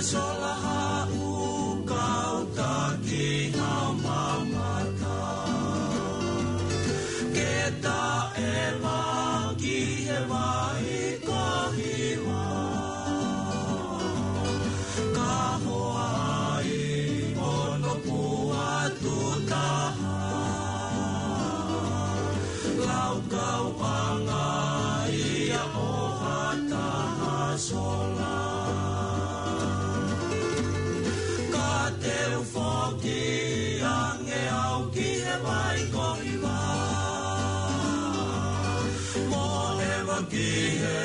Sola haʻu kau taki hau mamata. Ke taʻe maki he vai ko Hiva. Ka hoa ai hono puha tutaha. Laukau ʻanga ia ʻo ha taha sola. Ka te u foki ange au ki he vai ko Hiva. Mo ʻeva ki he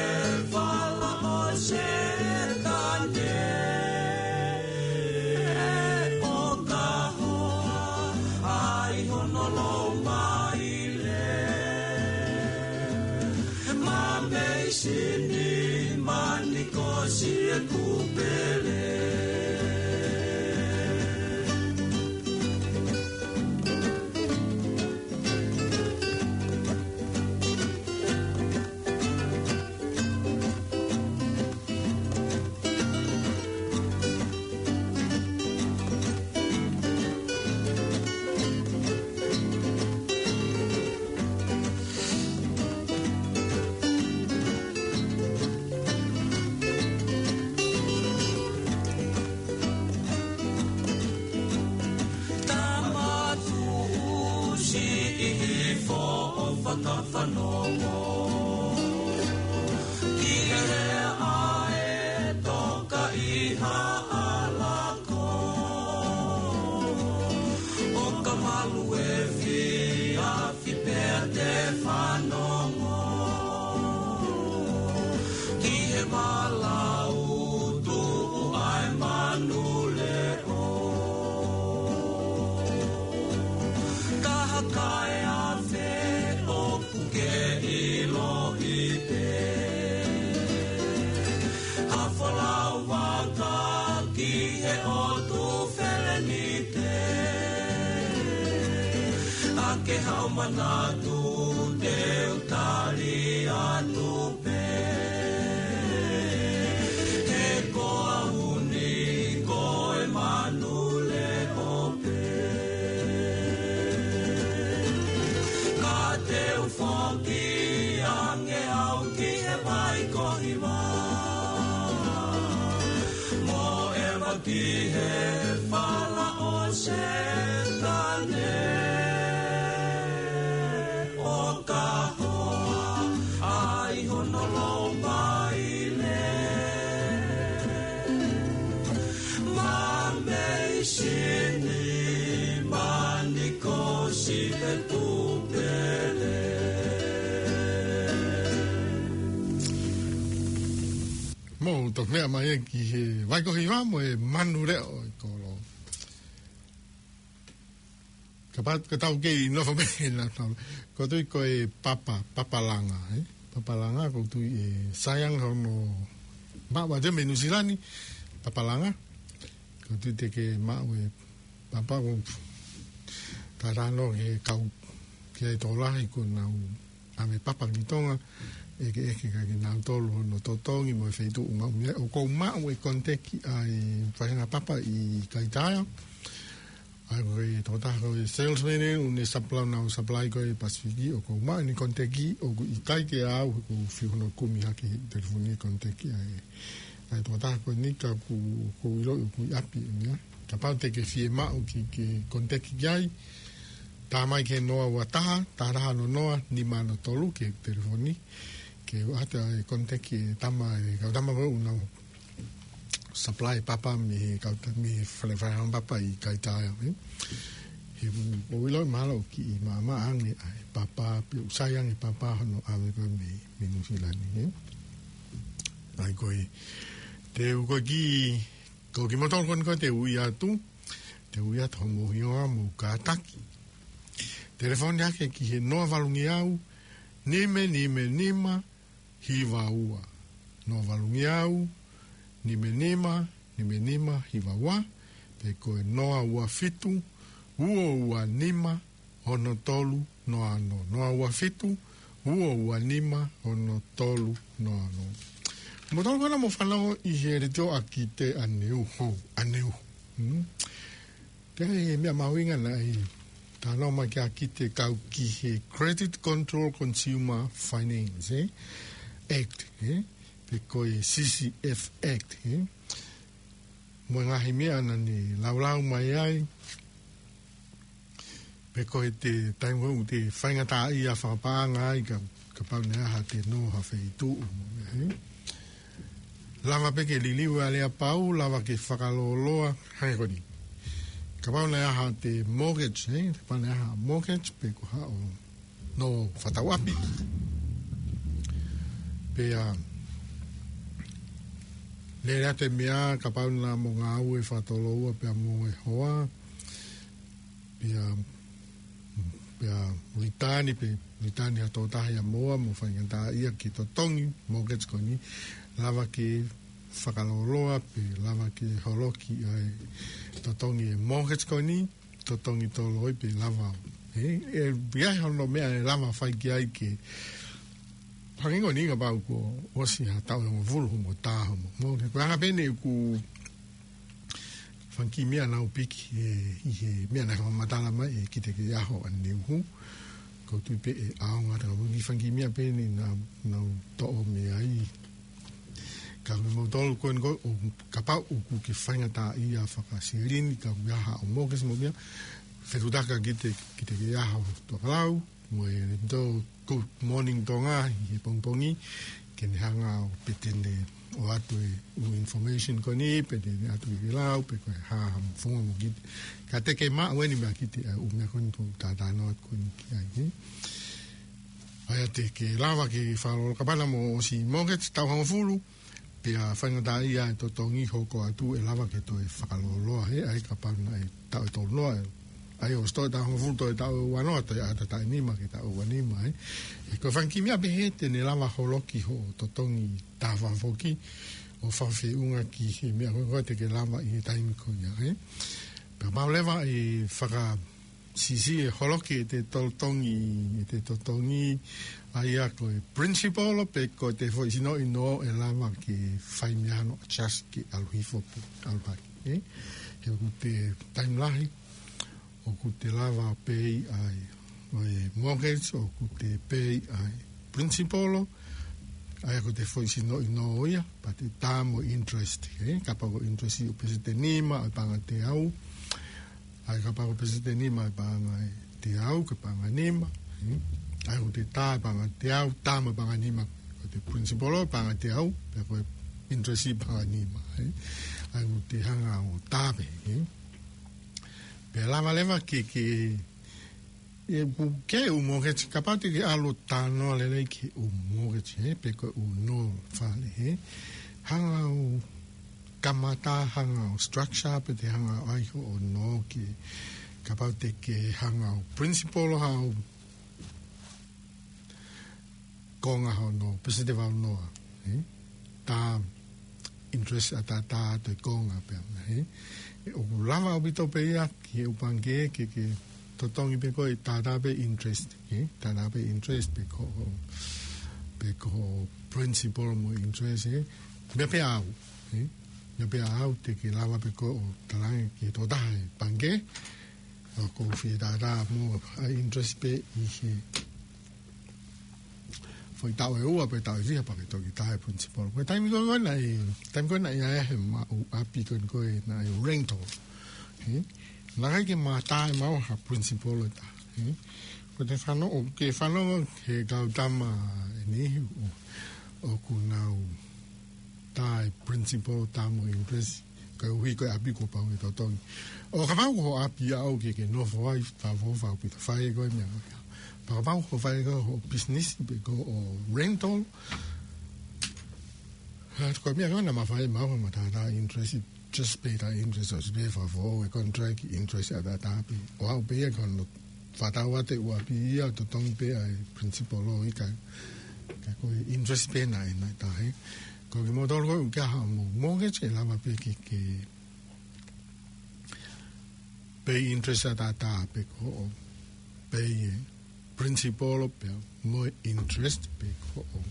fala ʻo Setane. ʻO ka hoa ai hono lou maile. Ma mei sini mani ko si e kupele. Tamatu siʻi hifo ʻo fakafanongo. Ki he ʻae toka ʻi Haʻalako. ʻO ka malu e fiafi pea te fanongo. Ki he malau tuʻu ʻae manu leʻo. Ka hakae afe ʻoku ke ʻiloʻi pē. Ha folau vaka ki he ʻotu Felenite. ʻA ke hau manatu te u tali atu pē. He ko au ni ko e manu leʻo pē. Ka te u foki ange au ki he vai ko Hiva. Mo ʻeva ki he fala ʻo Setane. ʻO ka hoa ai hono lou maile. Ma mei sini mani ko si e kupele. Mou toki meʻa mai ki he vai ko Hiva mo e manu leʻo ʻi kolo. Kapau, ka tau kei nofo mai na tau. Ko tui ko e papa, papalanga, eh? Papalanga, ko tui e saianga hono maʻu ʻa te mei Nuʻusila ni, papalanga. Ko tui te ke maʻu e papa ko tatano ke kau ke ai tōlahi ko nau ʻave papa ki Tonga, ʻeke ʻeke ka ke nau tolu hono totongi mo e feituʻu maʻu mei ai. ʻOku ou maʻu e koniteki ʻa e faʻahinga papa ʻi Kaitaia. ʻA ia ko e tokotaha ko e salesman ʻoku ne supply, nau supply ko e Pasifiki, ʻoku ou maʻu ʻene koniteki, ʻoku ʻikai ke au, ʻoku ou fiu hono kumi hake he telefoni e koniteki ʻa e. ʻA e tokotaha ko eni ka ʻoku, ʻoku ou ʻiloʻi ʻoku ʻi ʻapi ʻeni ia. Kapau te ke fiemaʻu ke ke koniteki ki ai, tā mai ki he noa ua taha, taha taha ono noa, nima ono tolu ki he telefoni. Ke ʻoatu e koniteki e tama, e kau tama ko ē ʻoku nau supply papa mei he kau ta-, mei he fale, fale papa ʻi Kaitaia, eh? He ʻoku ou ʻiloʻi mahalo ʻoku kiʻi maʻamaʻa ange ʻa e papa, pe ʻoku sai ange papa hono ʻave ko ē mei, mei Nuʻusila ni, eh? ʻA ia ko e, te u ko e kiʻi, ko e kiʻi moutolu ko eni ko ē te u ui atu, te u ui atu hoʻomou hingoa mo e kātaki. Telefoni hake ki he noa valungeau, nima nima nima, hiva ua. Noa valungeau, nima nima, nima nima, hiva ua, pe ko e noa ua fitu, ua ua nima, ono tolu, noa ono. Noa ua fitu, ua ua nima, ono tolu, noa ono. Mo tau kona mo fanongo ʻi he leʻo ʻa Kite ʻaneuhu, ʻaneuhu. Hmm? Pea ʻi he meʻa mahuʻinga naʻe talanoa mai ki ai ʻa Kite kau ki he Credit Control Consumer Finance, eh? Act, eh? Pe ko e C C F Act, eh? Mo e ngaahi meʻa naʻa ne laulau mai ai, pe ko e te taimi ʻoku te faingataʻaʻia fakapaʻanga ai ka, kapau naʻe ʻi ai haʻate nō ha feituʻu mo e, eh? Lava pē ke liliu ʻa e aleapau, lava ke fakalōloa, hangē ko eni. Kapau naʻe ʻi ai haʻate mortgage, eh? Kapau naʻe ʻi ai ha mortgage, pe ko haʻo nō fakatauʻapi. Pea, lele atu e meʻa, kapau naʻa mo ngāue fakatoloua, pea mo e hoa, pea, pea return, pe return ha tokotaha ia mo ʻoua, mo faingataʻaʻia ke totongi mortgage ko eni, lava ke fakalōloa, pe lava ke holoki ʻa e totongi e mortgage ko eni, totongi toloi pe lava. Eh, eh, ʻi ai hono meʻa ʻe lava fai ki ai ke, hangē ko eni kapau kuo ʻosi ha taʻu ʻe hongofulu mo taha mo. Mo, ko e anga pē eni ʻeku fanga kiʻi meʻa naʻá ku piki, eh, ʻi he meʻa naʻe fakamatala mai ʻe Kite ki he ʻaho ʻaneuhu. ʻOku ou tui pē ʻe ʻaonga atu, ka ko e kiʻi fanga kiʻi meʻa pē eni naʻá, naʻá ku toʻo mei ai. Ka ko kimoutolu ko eni ko ē, ʻo kapau ʻoku ke faingataʻaʻia fakasilini, ka ʻoku ʻi ai haʻo mortgage mo e meʻa, fetutaka Kite, Kite ki he ʻaho tokalau, mo e tō Good Morning Tonga ʻi he pongipongi, ke ne hanga ʻo pehē te ne ʻoatu e ʻū information ko eni, pe te ne ʻoatu ke lau, pe ko e hā ha funga mo Kite. Ka te ke maʻu eni meia Kite ʻa e ʻū meʻa ko eni ʻoku ou talanoa atu ko eni ki ai, eh? ʻA ia te ke lava ke fakalōloa kapau naʻa mo ʻosi mortgage taʻu hongofulu, pea faingataʻaʻia e totongi, hoko atu ʻe lava ke toe fakalōloa, he ʻa ia kapau naʻe taʻu ʻe tolu noa, ʻa ia ʻosi toe taʻu hongofulu, toe taʻu ʻe uanoa, toe ʻata taʻu ʻe nima ke taʻu ʻe uanima, eh? He ko e fanga kiʻi meʻa pehē te ne lava holoki hoʻo totongi taha fakafoki, ʻo fakafeʻunga ki he meʻa ko ē te ke lava ʻi he taimi ko ia, eh? Pea kapau leva ʻe faka- siʻisiʻi e holoki ʻete totongi, ʻete totongi, ʻa ia ko e principal pe ko ʻete foʻi sino ʻi nō ʻe lava ke fai meʻa hano adjust ke ʻalu hifo pe ʻalu hake, eh? He ʻoku te taimi lahi, ʻoku te lava pē ʻi ai, ʻo e mortgage, ʻoku te pē ʻi ai principal, ʻa ia ko ʻete foʻi sino ʻi nō ia, pea te tā mo interest, eh? Kapau ko e interest ʻoku pēseti ʻe nima, ʻa e paʻanga ʻe teau, ʻa ia kapau ko e pēseti ʻe nima ʻa e paʻanga ʻe teau, ko e paʻanga ʻe nima, eh? ʻA ia ʻoku te tā e paʻanga ʻe teau, tā mo e paʻanga ʻe nima, ko ʻete principal ʻo e paʻanga ʻe teau, pea ko e interest ʻi he paʻanga ʻe nima, eh? ʻA ia ʻoku te hanga ʻo tā pē, eh? Pea lava leva ke, ke, ʻe, ʻoku ke ʻū mortgage, kapau te ke ʻalu ʻo talanoa lelei ki he ʻū mortgage, eh, pe ko e ʻū nō fale, eh? Hanga ʻo kamata, hanga ʻo structure, pe te hanga ʻo ʻai hoʻo nō ke, kapau te ke hanga ʻo principal haʻo konga hono pēseti ʻe valu noa, eh? Tā interest ʻataʻatā atu e konga pē, eh? ʻOku lava ʻaupito pē ia ki he ʻū pangikē ke, ke totongi pē ko e tātā pē interest, eh? Tātā pē interest pe ko, pe ko principal mo interest, eh? Meʻa pē ʻaʻau, eh? Meʻa pē ʻaʻau te ke lava pē ko ē ʻo talaange ki he tokotaha e pangikē, ʻoku ou fie tātā mo ʻa e interest pē ʻi he foʻi taʻu ʻe ua pe taʻu ʻe fiha pea ke toki tā e principal. Ko e taimi ko ē naʻe, taimi ko ē naʻe ʻi ai he maʻu ʻapi ko ē naʻe rental, eh? Naʻe ʻikai ke ma tā ʻe maua ha principal ʻe taha, eh? Ko ʻete fano, ʻoku ke fanongo he kau tama ʻe niʻihi ʻo, ʻoku nau tā e principal, tā mo e interest, koeʻuhi ko e ʻapi kuo pau ke totongi. ʻO kapau ko hoʻo ʻapi ʻaʻau ke ke nofo ai, fakafoʻou ʻaupito, fai ko e meʻa ko ia. Pea kapau ko e fai ko hoʻo business pe ko hoʻo rental, ʻa ia ko e meʻa ko ē naʻa ma fai, ma ʻoua ma tātā interest, just pē tā interest, ʻosi pē fakafoʻou e contract, interest ʻataʻatā pē. ʻO aʻu pē ia ki hono fakatau atu e ʻū ʻapi ia, totongi pē ʻa e principal ʻo ʻikai, ka ko e interest pē naʻe, naʻe tā, eh? Ko kimoutolu ko ē ʻoku ʻi ai haʻamou mortgage, ʻe lava pē ke, ke pay interest ʻataʻatā pe ko hoʻo pay e principal pea mo e interest pe ko hoʻo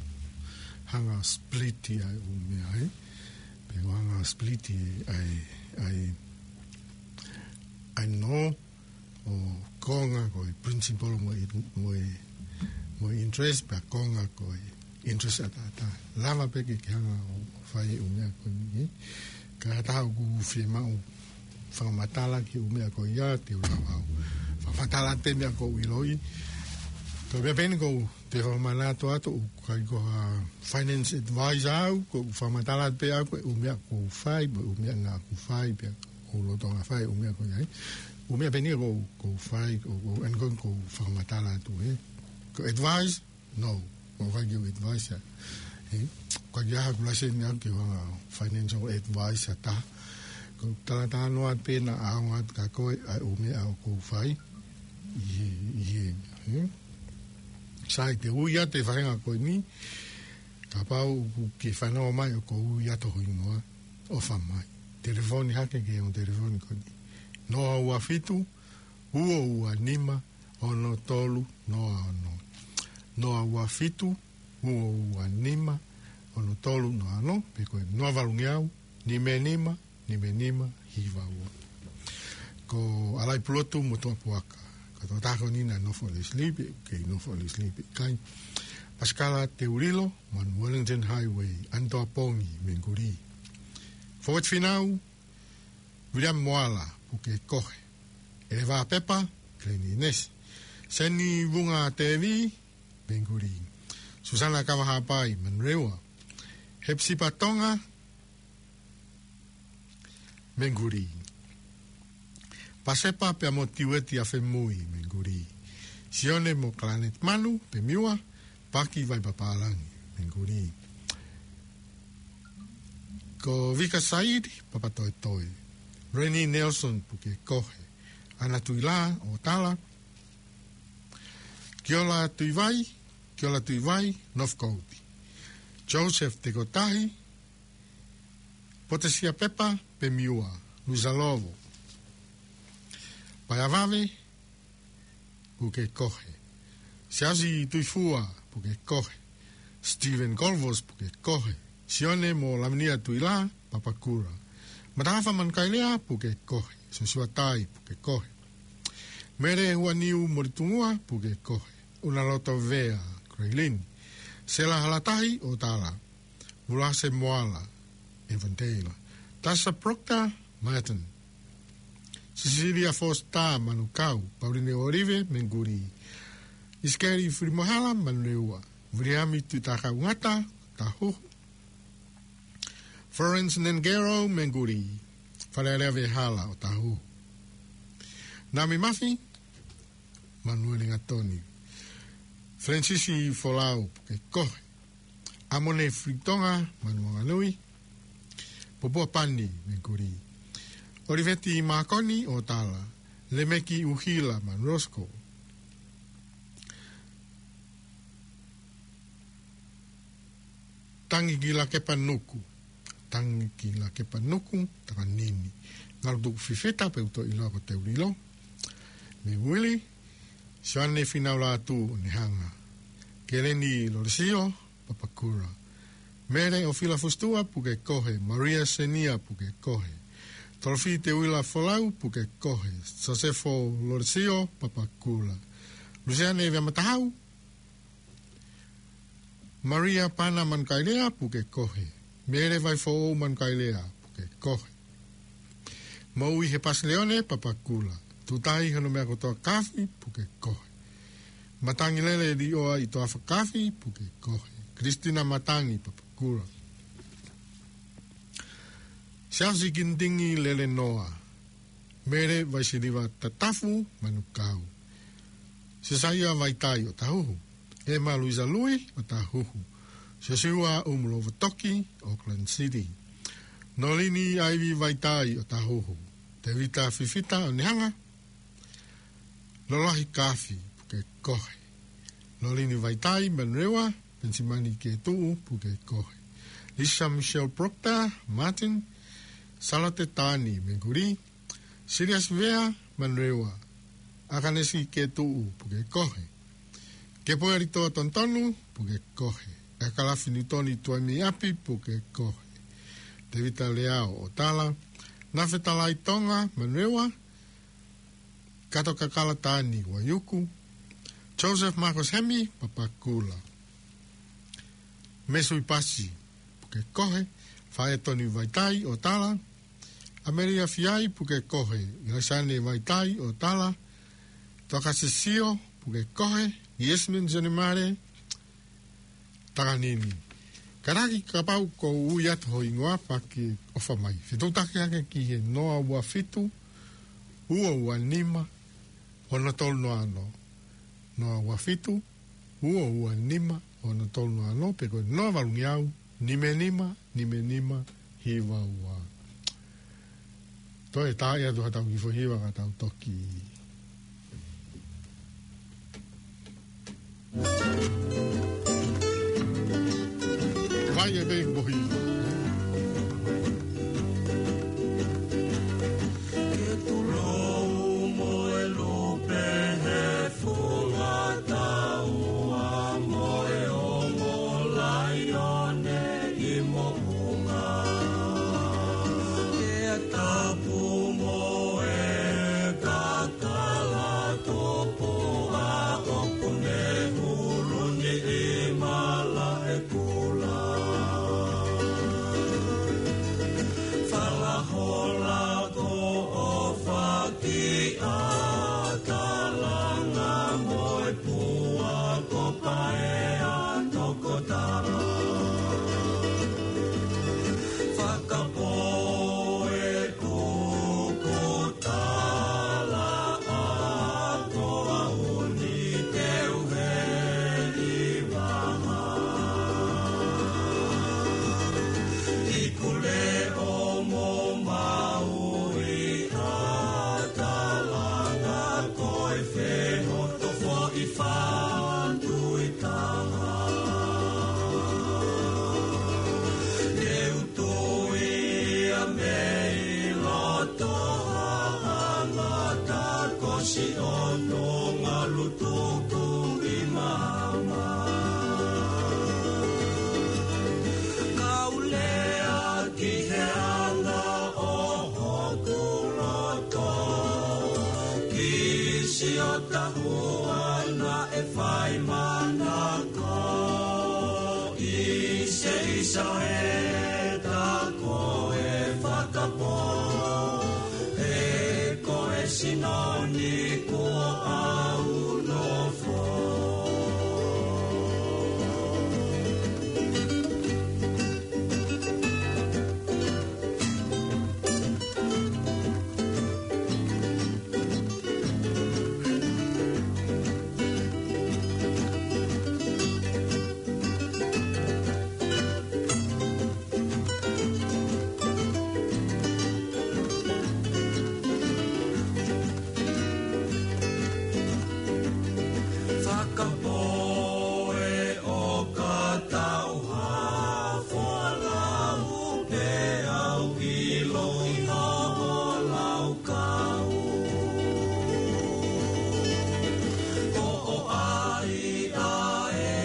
hanga split ia ʻū meʻa, ē? Pe ʻoku hanga split ia ʻa e, ʻa e, ʻa e nō ʻo konga ko e principal mo e, mo e, mo e interest, pea konga ko e interest ʻataʻatā. Lava pē ke ke hanga ʻo fai ʻū meʻa ko eni, ē? Ka taha ʻoku fiemaʻu fakamatala ki ʻū meʻa ko ia, te u lava ʻo fakamatala atu e meʻa ʻoku ou ʻiloʻi. Ko e meʻa pē eni ʻoku ou toe fakamanatu atu, ʻoku ʻikai ko ha finance advisor au, ʻoku ou fakamatala atu pē au ko e ʻū meʻa ʻoku ou fai, mo e ʻū meʻa naʻa ku fai, pea ʻoku ou lolotonga fai ʻū meʻa ko ia, ē. ʻŪ meʻa pē eni ʻoku ou, ʻoku ou fai, ʻoku ou, ʻoku ou, ʻoku ou, ʻoku ou fakamatala atu, ē. Ko e advice, no, ʻoku ʻikai ke u advice ia. Ē, ʻoku ʻikai ke ʻi ai haʻaku laiseni au ke u hanga ʻo financial advice ʻa taha. ʻOku ou talatalanoa pē naʻa ʻaonga atu kia koe ʻa e ʻū meʻa ʻoku ou fai. ʻI he, ʻi he, ē? Sai, te u ui atu e faʻahinga ko eni, kapau ʻoku ke fanongo mai ʻoku ou ui atu ho hingoa, ʻofa mai. Telefoni hake ki he ongo telefoni ko eni. Noa ua fitu, ua ua nima, ono tolu noa ono. Noa ua fitu, ua ua nima, ono tolu noa ono, pe ko e noa valu ngeau, nima nima, nima nima, hiva ua. Ko ʻAlai Pulotu mo Toa Puaka. Ko e tokotaha ko eni naʻe nofo ʻi Leslie, pe ʻoku kei nofo ʻi Leslie pe ʻikai. Pasikala Teulilo, manu Wellington Highway, Anitoa Pongi, Mengulī. Forward Finau, William Moala, Pukekohe. ʻEleva Pepa, Glenn Inesi. Seni Vunga Tevi, Mengulī. Susana Kavahapai, Manurewa. Hepsipa Tonga, Mengulī. Pasepa pea mo Tiueti ʻAfemui, Mengulī. Sione mo Kalanet Manu, Pemiua, Paki Vaipapālangi, Mengulī. Ko Vika Said, Papatoetoe. Reni Nelson, Pukekohe. Ana Tuila, ʻOtala. Kiola Tuivai, Kiola Tuivai, Northcote. Joseph Tekotahi, Potesia Pepa, Pemiua, Luisa Lovo. Paea Vave, Pukekohe. Siaosi Tuifua, Pukekohe. Stephen Colvos, Pukekohe. Sione mo Lavinia Tuila, Papakura. Matahafa Manukaelea, Pukekohe. Sosiua Tai, Pukekohe. Mele Huaniu Molitungua, Pukekohe. Unaloto Vea, Graylin. Sela Halatahi, ʻOtala. Vulase Moala, Avondale. Tasa Proctor, Marton. Sisilia Foster, Manukau. Pauline Olive, Mengulī. Isikeli Filimohala, Manurewa. Viliami Tuitakaungata, Tahu. Florence Nengero, Mengulī. Falelea Vehala, ʻOtahuhu. Nami Mafi, Manueli Ngatoni. Francis Folau, Pukekohe. ʻAmone Filitonga, Manuanganui. Popua Pani, Mengulī. ʻOliveti Makoni, ʻOtala. Lemeki ʻUhila, Manurosko. Tangi ki Lakepa Nuku. Tangi ki Lakepa Nuku, Takanini. Ngalu Tuku Fifita, pe ʻoku toe ʻiloa ko Teulilo. Mei Uili, Sione Finaulatu, ʻOnehanga. Keleni Lolesio, Papakura. Mele ʻOfila Fusitua, Pukekohe. Maria Senia, Pukekohe. Tolofi Teuila Folau, Pukekohe. Sosefo Lolesio, Papakura. Lusiane Veamatahau, Maria Pana Manukaelea, Pukekohe. Mele Vaifoʻou Manukaelea, Pukekohe. Moʻui he Pasileone, Papakura. Tutahi Hono Mea Kotoa Kafi, Pukekohe. Matangi Lele Lioa ʻi Toafa Kafi, Pukekohe. Kristina Matangi, Papakura. Siaosi Kinitiki Lele Noa. Mele Vaisiliva Tatafu, Manukau. Sesaia Vaitai, ʻOtahuhu. ʻEma Luisa Lui, ʻOtahuhu. Sosiua ʻUmulova Toki, Auckland City. Nolini ʻAivi Vaitai, ʻOtahuhu. Tevita Fifita, ʻOnehanga. Lolahi Kafi, Pukekohe. Nolini Vaitai, Manurewa. Penisimani Ketuʻu, Pukekohe. Lisa Michelle Proctor, Martin. Salote Tani, Mengulī. Siliasi Vea, Manurewa. ʻAkanesi Ketuʻu, Pukekohe. Kepoe Alitoa Tonutonu, Pukekohe. Ekalafi Niutoni Tuaimiapi, puke kohe. Tēvita Leao ʻo Tala, Nafe Talaitonga Manurewa, Kato Kakala Tani Vaiuku, Joseph Marcus Hemi Papakura, Mesui Pasi, puke kohe, Faetoni Vaitai ʻo Tala, Amelia Fiai, puke kohe, Ilaisane Vaitai ʻo Tala, Tokasisio, puke kohe, Yasmin Johnny Mare, Takanini. Karaki kapau ʻoku ui atu ho hingoa pea ke ʻofa mai. Fetuʻutaki ange ki he noa ua fitu, ua ua nima, ono tolu noa ono. Noa ua fitu, ua ua nima, ono tolu noa ono, pe ko e noa valu ngeau, nima nima, nima nima, hiva ua. Toe tā ia tu hatau kifoʻi hiva ka tau toki. Vai e pei mohi. Ke tulou mo e lupe he funga taua mo e ongo laione ʻi moʻunga. Ke tapu mo e kakala tōpua ʻoku ne hulu ni ʻi Malaʻekula. Falahola ko ʻOfa ki ʻAtalanga mo e pua ko Paea toko Tala. Fakapō e kuku tala ʻa Toauni Teuheli Vaha. ʻIku leʻo mo Maui ʻAtalanga ko e fehoto foʻi fatu ʻi taha. Ne u tui ia mei loto ha ʻangata ko Siono Ngalutuku ʻi Maama. Kau lea ki he anga ʻo hoku loto, ki Sio Tahua naʻe fai manako, ʻi se ʻisa e ta ko e fakapō, he ko e sino ni kuo ʻau nofo. Fakapō e ʻoka tauha folau pe au ʻilo ʻi hoʻo laukau. Ko ʻai ʻa e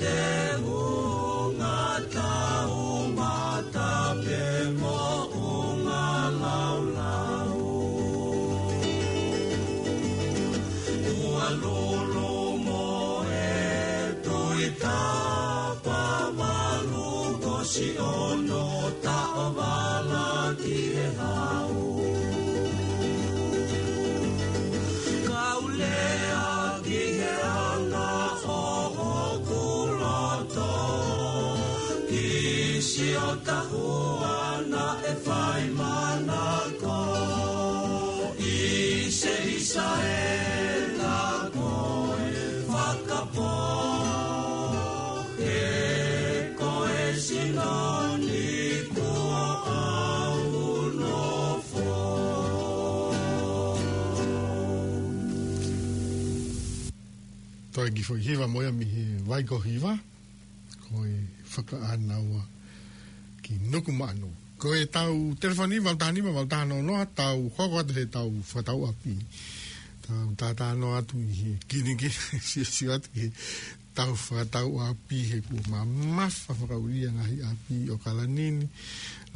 te hunga tau mata pe moʻunga laulau. Ua lolo mo e tui tapa valu ko Siono taʻovala ki he hau. Kau lea ki he anga ʻo hoku loto, ki Sio Tahua naʻe fai manako, ʻi se ʻisa e ta ko e fakapō, he ko e sino ni kuo ʻau nofo. Toe kiʻi foʻi hiva mo ia mei he vai ko Hiva, ko e Fakaʻānaua ki Nukumaʻanu. Ko e tau telefoni valu taha nima, valu taha noa noa, tau hoko atu he tau fakatau ʻapi. Tau tātānoa atu ʻi he kinikini, siosio atu ki he ʻAu fakatau ʻapi he kuo mamafa fakaʻulia ngaahi ʻapi ʻo ʻAokalani ni.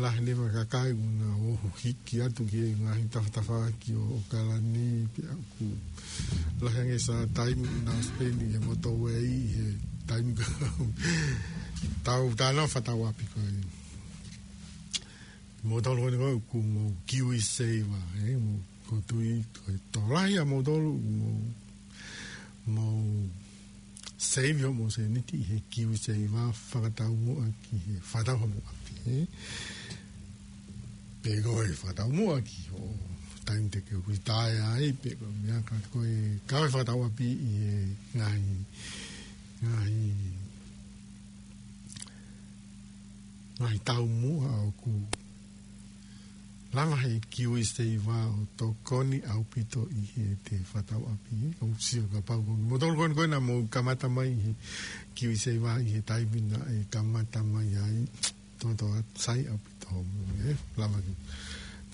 Lahi leva kakai ʻoku nau ō hiki atu ki he ngaahi tafatafaʻaki ʻo ʻAokalani pea ʻoku lahi ange siʻa taimi ʻoku nau spend ʻi he motorway ʻi he taimi ko ē. Tau talanoa fakatau ʻapi ko ē. Moutolu ko eni ko ē ʻoku mou KiwiSaver, ē, mou ko tui ko e tokolahi ʻa moutolu mou, mou save hoʻomou sēniti ʻi he KiwiSaver fakataumuʻa ki he fakatau hoʻomou ʻapi, ē. Pe ko e fakataumuʻa ki hoʻo taimi te ke retire ai, pe ko e meʻa ka ko e kau e fakatau ʻapi ʻi he ngaahi, ngaahi, ngaahi taumuʻa ʻoku lava he KiwiSaver ʻo tokoni ʻaupito ʻi heʻete fakatau ʻapi, ē. ʻOku ou sio kapau ko moutolu ko eni ko ē naʻa mou kamata mai he KiwiSaver ʻi he taimi naʻe kamata mai ai. Toʻotoʻo sai ʻaupito hoʻomou, ē. Lava ke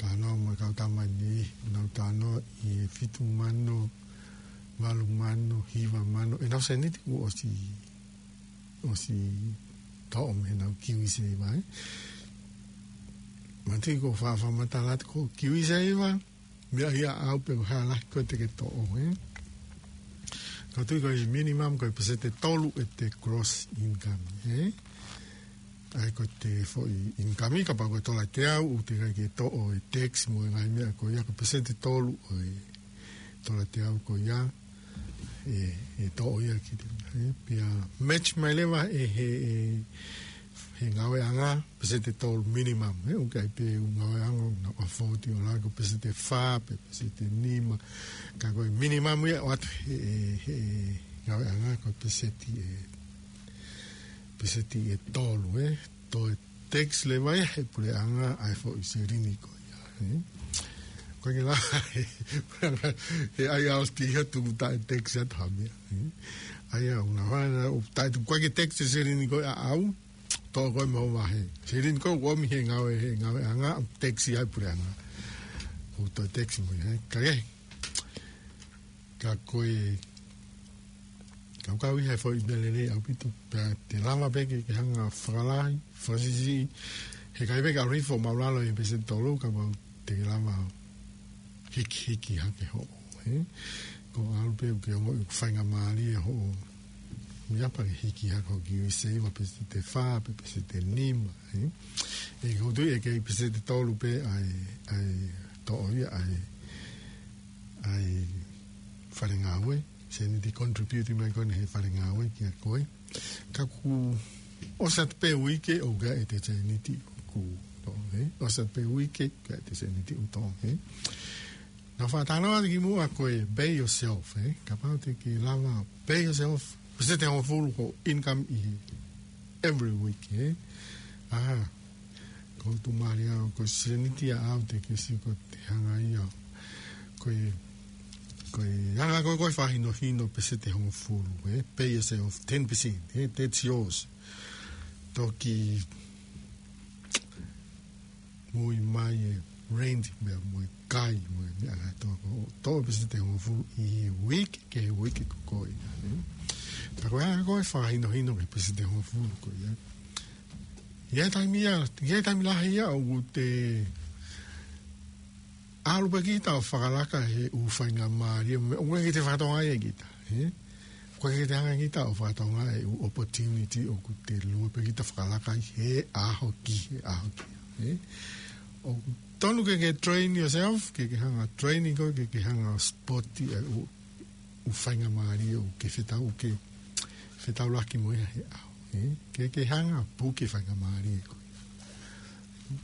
talanoa mo e kau tama ni, nau talanoa ʻi he fitu mano, valu mano, hiva mano, ʻenau sēniti kuo ʻosi, ʻosi toʻo mei heʻenau KiwiSaver, ē. Manatuʻi ko e faʻa fakamatala atu ko e KiwiSaver, meʻa ia ʻaʻau pe ko e hā lahi ko ē te ke toʻo, ē. Ka ʻoku ou tui ko e minimum ko e peseti ʻe tolu ʻete gross income, ē. ʻA ia ko ʻete foʻi income, kapau ko e tola ʻe teau, ʻoku teʻeki ai ke toʻo e tax mo e ngaahi meʻa ko ia, ko e peseti ʻe tolu ʻo e tola ʻe teau ko ia, ʻe, ʻe toʻo ia ki he, ē, pea match mai leva ʻe he, ʻe he ngāueʻanga, peseti ʻe tolu minimum, ē, ʻoku ʻi ai pē ʻū ngāueʻanga ʻoku nau afford ʻo lava ko e peseti ʻe fā, pe peseti ʻe nima, ka ko e minimum ia ʻoatu ʻe he, he, he ngāueʻanga ko e peseti ʻe, peseti ʻe tolu, ē, toe tax leva ia he puleʻanga ʻa e foʻi selini ko ia, ē. Ko e ke la, he ʻai ʻalu ʻo tiki atu ʻoku taʻe tax atu ha meʻa, ē. ʻA ia ʻoku nau hanga ʻo taʻe tuku ʻaki e tax e selini ko ia ʻaʻau, toʻo ko ē mei hoʻo vahe. Selini ko ē ʻoku ʻomi he ngāue, he ngāueʻanga, tax ia he puleʻanga. ʻOku toe tax mo ia, ē. Ka ke, ka ko e, ka ʻoku kau ia he foʻi meʻa lelei ʻaupito, pea te lava pē ke, ke hanga fakalahi, fakasiʻisiʻi, he ʻikai pē ke ʻalu hifo ʻo māʻulalo he peseti ʻe tolu, kapau te ke lava hikihiki hake hoʻo, ē? Ko e ʻalu pē ke ongoʻi ʻoku faingamālie hoʻo meʻa pea ke hiki hake hoʻo KiwiSaver peseti ʻe fā, pe peseti ʻe nima, ē? ʻOku ou tui ʻe kei peseti ʻe tolu pē ʻa e, ʻa e toʻo ia ʻa e, ʻa e fale ngāue, sēniti contribute mai ko eni he fale ngāue kia koe. Ka kuo ʻosi atu pē uike ʻoku ʻikai ʻete sēniti ʻoku toʻo, ē? ʻOsi atu pē uike, ʻikai ʻete sēniti ʻoku toʻo, ē? Naʻa ku faʻa talanoa atu kimuʻa ko e pay yourself, ē? Kapau te ke lava pay yourself, peseti ʻe hongofulu hoʻo income ʻi he every week, ē? ʻA, ko e tuʻumālie ʻaʻau, ko e sēniti ʻaʻau te ke sio ko ʻete hanga ia. Ko e, ko e hanga ko ē ʻo fakahinohino peseti ʻe hongofulu, ē? Pay yourself ten percent, ē? That's yours. Toki mui mai e rent, meʻa mo e kai, mo e meʻa kātoa ko ē. Toʻo peseti ʻe hongofulu ʻi he uike, ki he uike ko ē, ē? Ka ko e hanga ko ē ʻo fakahinohino ki he peseti ʻe hongofulu ko ia. ʻI he taimi ia, ʻi he taimi lahi ia ʻoku te ʻalu pē kita ʻo fakalaka he ʻū faingamālie, mo e, ʻoku ʻikai ke te fakatokangaʻi ʻe kita, ē? ʻOku ʻikai ke te hanga kita ʻo fakatokangaʻi e ʻū opportunity ʻoku te lue pē kita ʻo fakalaka ai he ʻaho ki he ʻaho ki he ʻaho, ē? ʻOku tonu ke ke train yourself, ke ke hanga ʻo train koe, ke ke hanga ʻo spot e ʻū ʻū faingamālie ʻoku ke fetau, ke fetaulaki mo ia he ʻaho, ē? Ke, ke hanga ʻo puke faingamālie ko ia.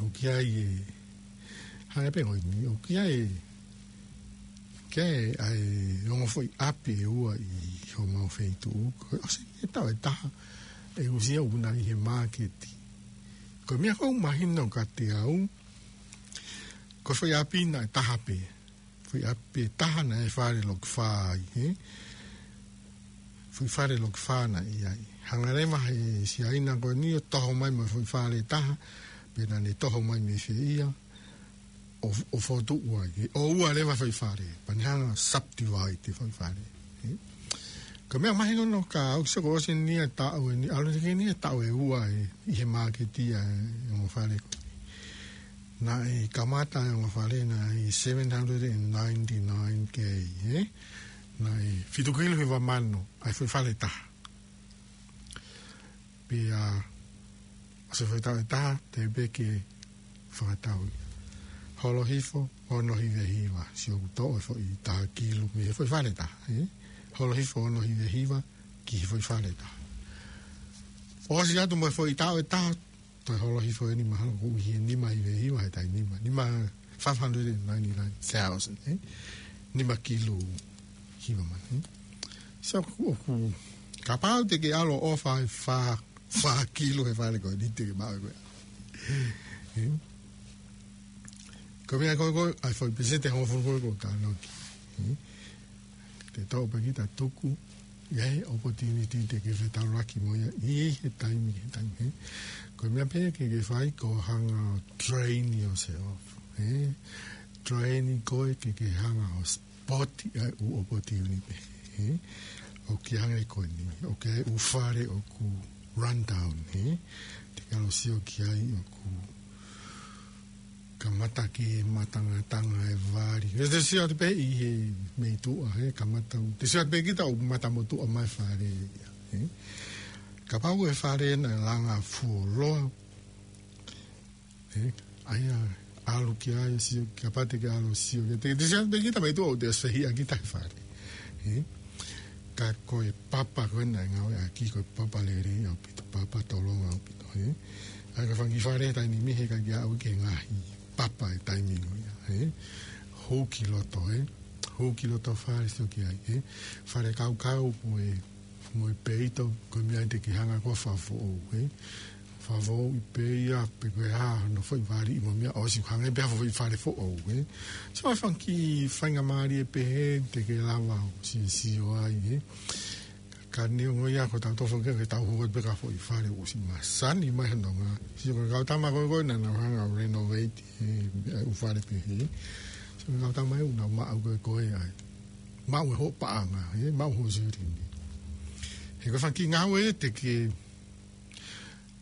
ʻOku ʻi ai e, hanga pē ko eni, ʻoku ʻi ai e, ke ʻai ongo foʻi ʻapi ʻe ua ʻi homau feituʻu, ko e ʻosi e taʻu ʻe taha, ʻe usia una ʻi he māketi. Ko e meʻa ʻoku mahino kiate au, ko e foʻi ʻapi naʻe taha pē. Foʻi ʻapi ʻe taha naʻe fale loki fā ai, ē? Foʻi fale loki fā naʻe ʻi ai. Hanga leva he Siaina ko eni ʻo toho mai mo e foʻi fale ʻe taha, pea naʻa ne toho mai mei fē ia, ʻo, ʻo fokotuʻu ai, ē? ʻO ua leva foʻi fale, pea ne hanga ʻo subdivide e foʻi fale, ē? Ko e meʻa mahino ka ʻoku sio ko ʻosi eni ʻa e taʻu eni, ʻalu eni ki he taʻu ʻe ua ʻi he māketi ʻa e ongo fale ko eni. Naʻe kamata ʻa e ongo fale naʻe seven hundred and ninety-nine K, ē? Naʻe fitu kilu hiva mano ʻa e foʻi fale ʻe taha. Pea ʻosi e foʻi taʻu ʻe taha, teʻeki ke fakatau ia. Holo hifo, ono hiva hiva, sio ʻoku toʻo e foʻi taha kilu mei he foʻi fale ʻe taha, ē? Holo hifo, ono hiva hiva, ki he foʻi fale ʻe taha. ʻOsi atu mo e foʻi taʻu ʻe taha, toe holo hifo eni mahalo ʻoku ʻi he nima hiva hiva he taimi ni, nima, five hundred and ninety-nine thousand, ē? Nima kilu hiva mano, ē? So, ʻoku, kapau te ke ʻalu ʻo ʻofa ʻa e fā, fā kilu he fale ko eni te ke maʻu ko ē. Ē? Ko e meʻa ko ē ko ē, ʻa e foʻi peseti ʻe hongofulu ko ē ʻoku ou talanoa ki ai. Ē? Te tau pē kita tuku, ʻi ai e opportunity te ke fetaulaki mo ia, ʻi he taimi, he taimi, ē. Ko e meʻa pē ke ke fai ko e hanga ʻo train yourself, ē. Train koe ke ke hanga ʻo spot ʻa e ʻū opportunity, ē. ʻOku ʻi ai hangē ko eni, ʻoku ʻi ai e ʻū fale ʻoku run down, ē. Te ke ʻalu ʻo sio ki ai ʻoku kamata ke matangatanga e vali. Ē, te sio atu pē ʻi he meituʻa, ē, kamata u. Te sio atu pē kita ʻoku mata motuʻa mai e fale ia, ē. Kapau e fale naʻe langa fuoloa, ē, ʻa ia ʻalu ki ai, sio, kapau te ke ʻalu ʻo sio ki ai. Te, te sio atu pē kita meituʻa ʻoku te ʻosi fehiʻa kita he fale, ē. Ka ko e papa ko ē naʻe ngāueʻaki ko e papa lelei ʻaupito, papa tolonga ʻaupito, ē. ʻA ia ko e fanga kiʻi fale he taimi ni heʻikai ke aʻu ki he ngaahi papa he taimi ni ia, ē. Hū ki loto, ē. Hū ki loto fale sio ki ai, ē. Fale kaukau mo e, mo e peito, ko e meʻa ia te ke hanga ko ē ʻo fakafoʻou, ē. Fakafoʻou ʻi pē ia, pe ko e hā hono foʻi vali ʻi mo e meʻa ʻosi hangē pē ha foʻi fale foʻou, ē. So, ʻa e fanga kiʻi faingamālie pehē te ke lava ʻo sio, sio ai, ē. Ka neongo ia ko ʻetau tofo ke, ke tau hū atu pē ki ha foʻi fale ʻosi masani mai hono ngāue. Sio ko e kau tama ko ē ko ē naʻa nau hanga ʻo renovate e, e ʻū fale pehē. Sio ko e kau tama ē ʻoku nau maʻu ko ē ko ē ai. Maʻu e hoʻo paʻanga, ē, maʻu hoʻo silini. He ko e fanga kiʻi ngāue te ke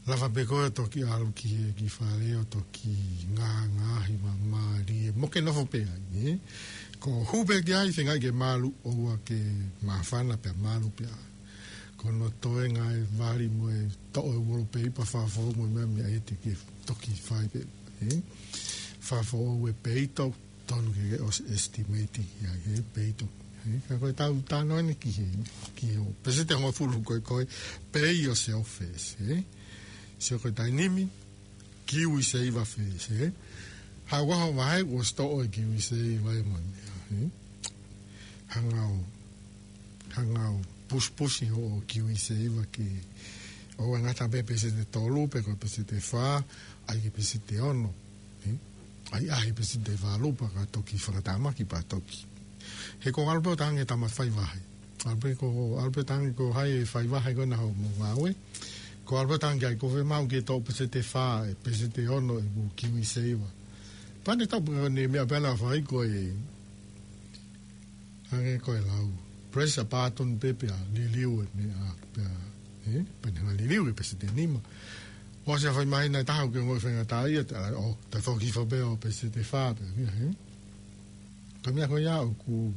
lava pē ko ē ʻo toki ʻalu ki he kiʻi fale ʻo toki ngāngāhi māmālie mo ke nofo pē ai, ē. Ko e hū pē ki ai, feinga ke malu, ʻoua ke māfana pea malu pē ai. Ko hono toenga e vali mo e toʻo e wallpaper, fakafoʻou mo e meʻa, meʻa ia te ke toki fai pē, ē. Fakafoʻou e peito, tonu ke ke ʻosi estimate ki ai, ē, peito. Ē, ka ko ʻetau talanoa eni ki he, ki he peseti ʻe hongofulu ko ē, ko e pay yourself first, ē. Sio ko e taimi ni, KiwiSaver first, ē. Haʻu ʻo vahe ʻosi toʻo e KiwiSaver ē mo e meʻa, ē. Hanga ʻo, hanga ʻo pusipusi hoʻo KiwiSaver ke ʻoua ʻe ngata pē he peseti ʻe tolu, pe ko e peseti ʻe fā, ʻai ki he peseti ʻe ono, ē? ʻAi, ʻai ki he peseti ʻe valu pea ka toki fakatamaki pea toki. He ko e ʻalu pē ʻo talaange ki he tama faivahe. ʻAlu pē ko, ʻalu pē ʻo talaange ko hai e faivahe ko ena hoʻomo ngāue. Ko e ʻalu pē ʻo talaange ki ai ko fē maʻu ke toʻo peseti ʻe fā, ē, peseti ʻe ono ʻeku KiwiSaver. Pea ne tapu ko eni meʻa pē naʻa fai ko e hangē ko e lau. Press a button pē pea liliu e meʻa pea, ē, pea ne hanga liliu e peseti ʻe nima. ʻOsi ʻa e fai mai naʻe taha ke ngoi fenga tā ia, tā, ʻo, tā foki fo pē ʻo peseti ʻe fā pē, ē, ē. Ka meʻa ko ia ʻoku,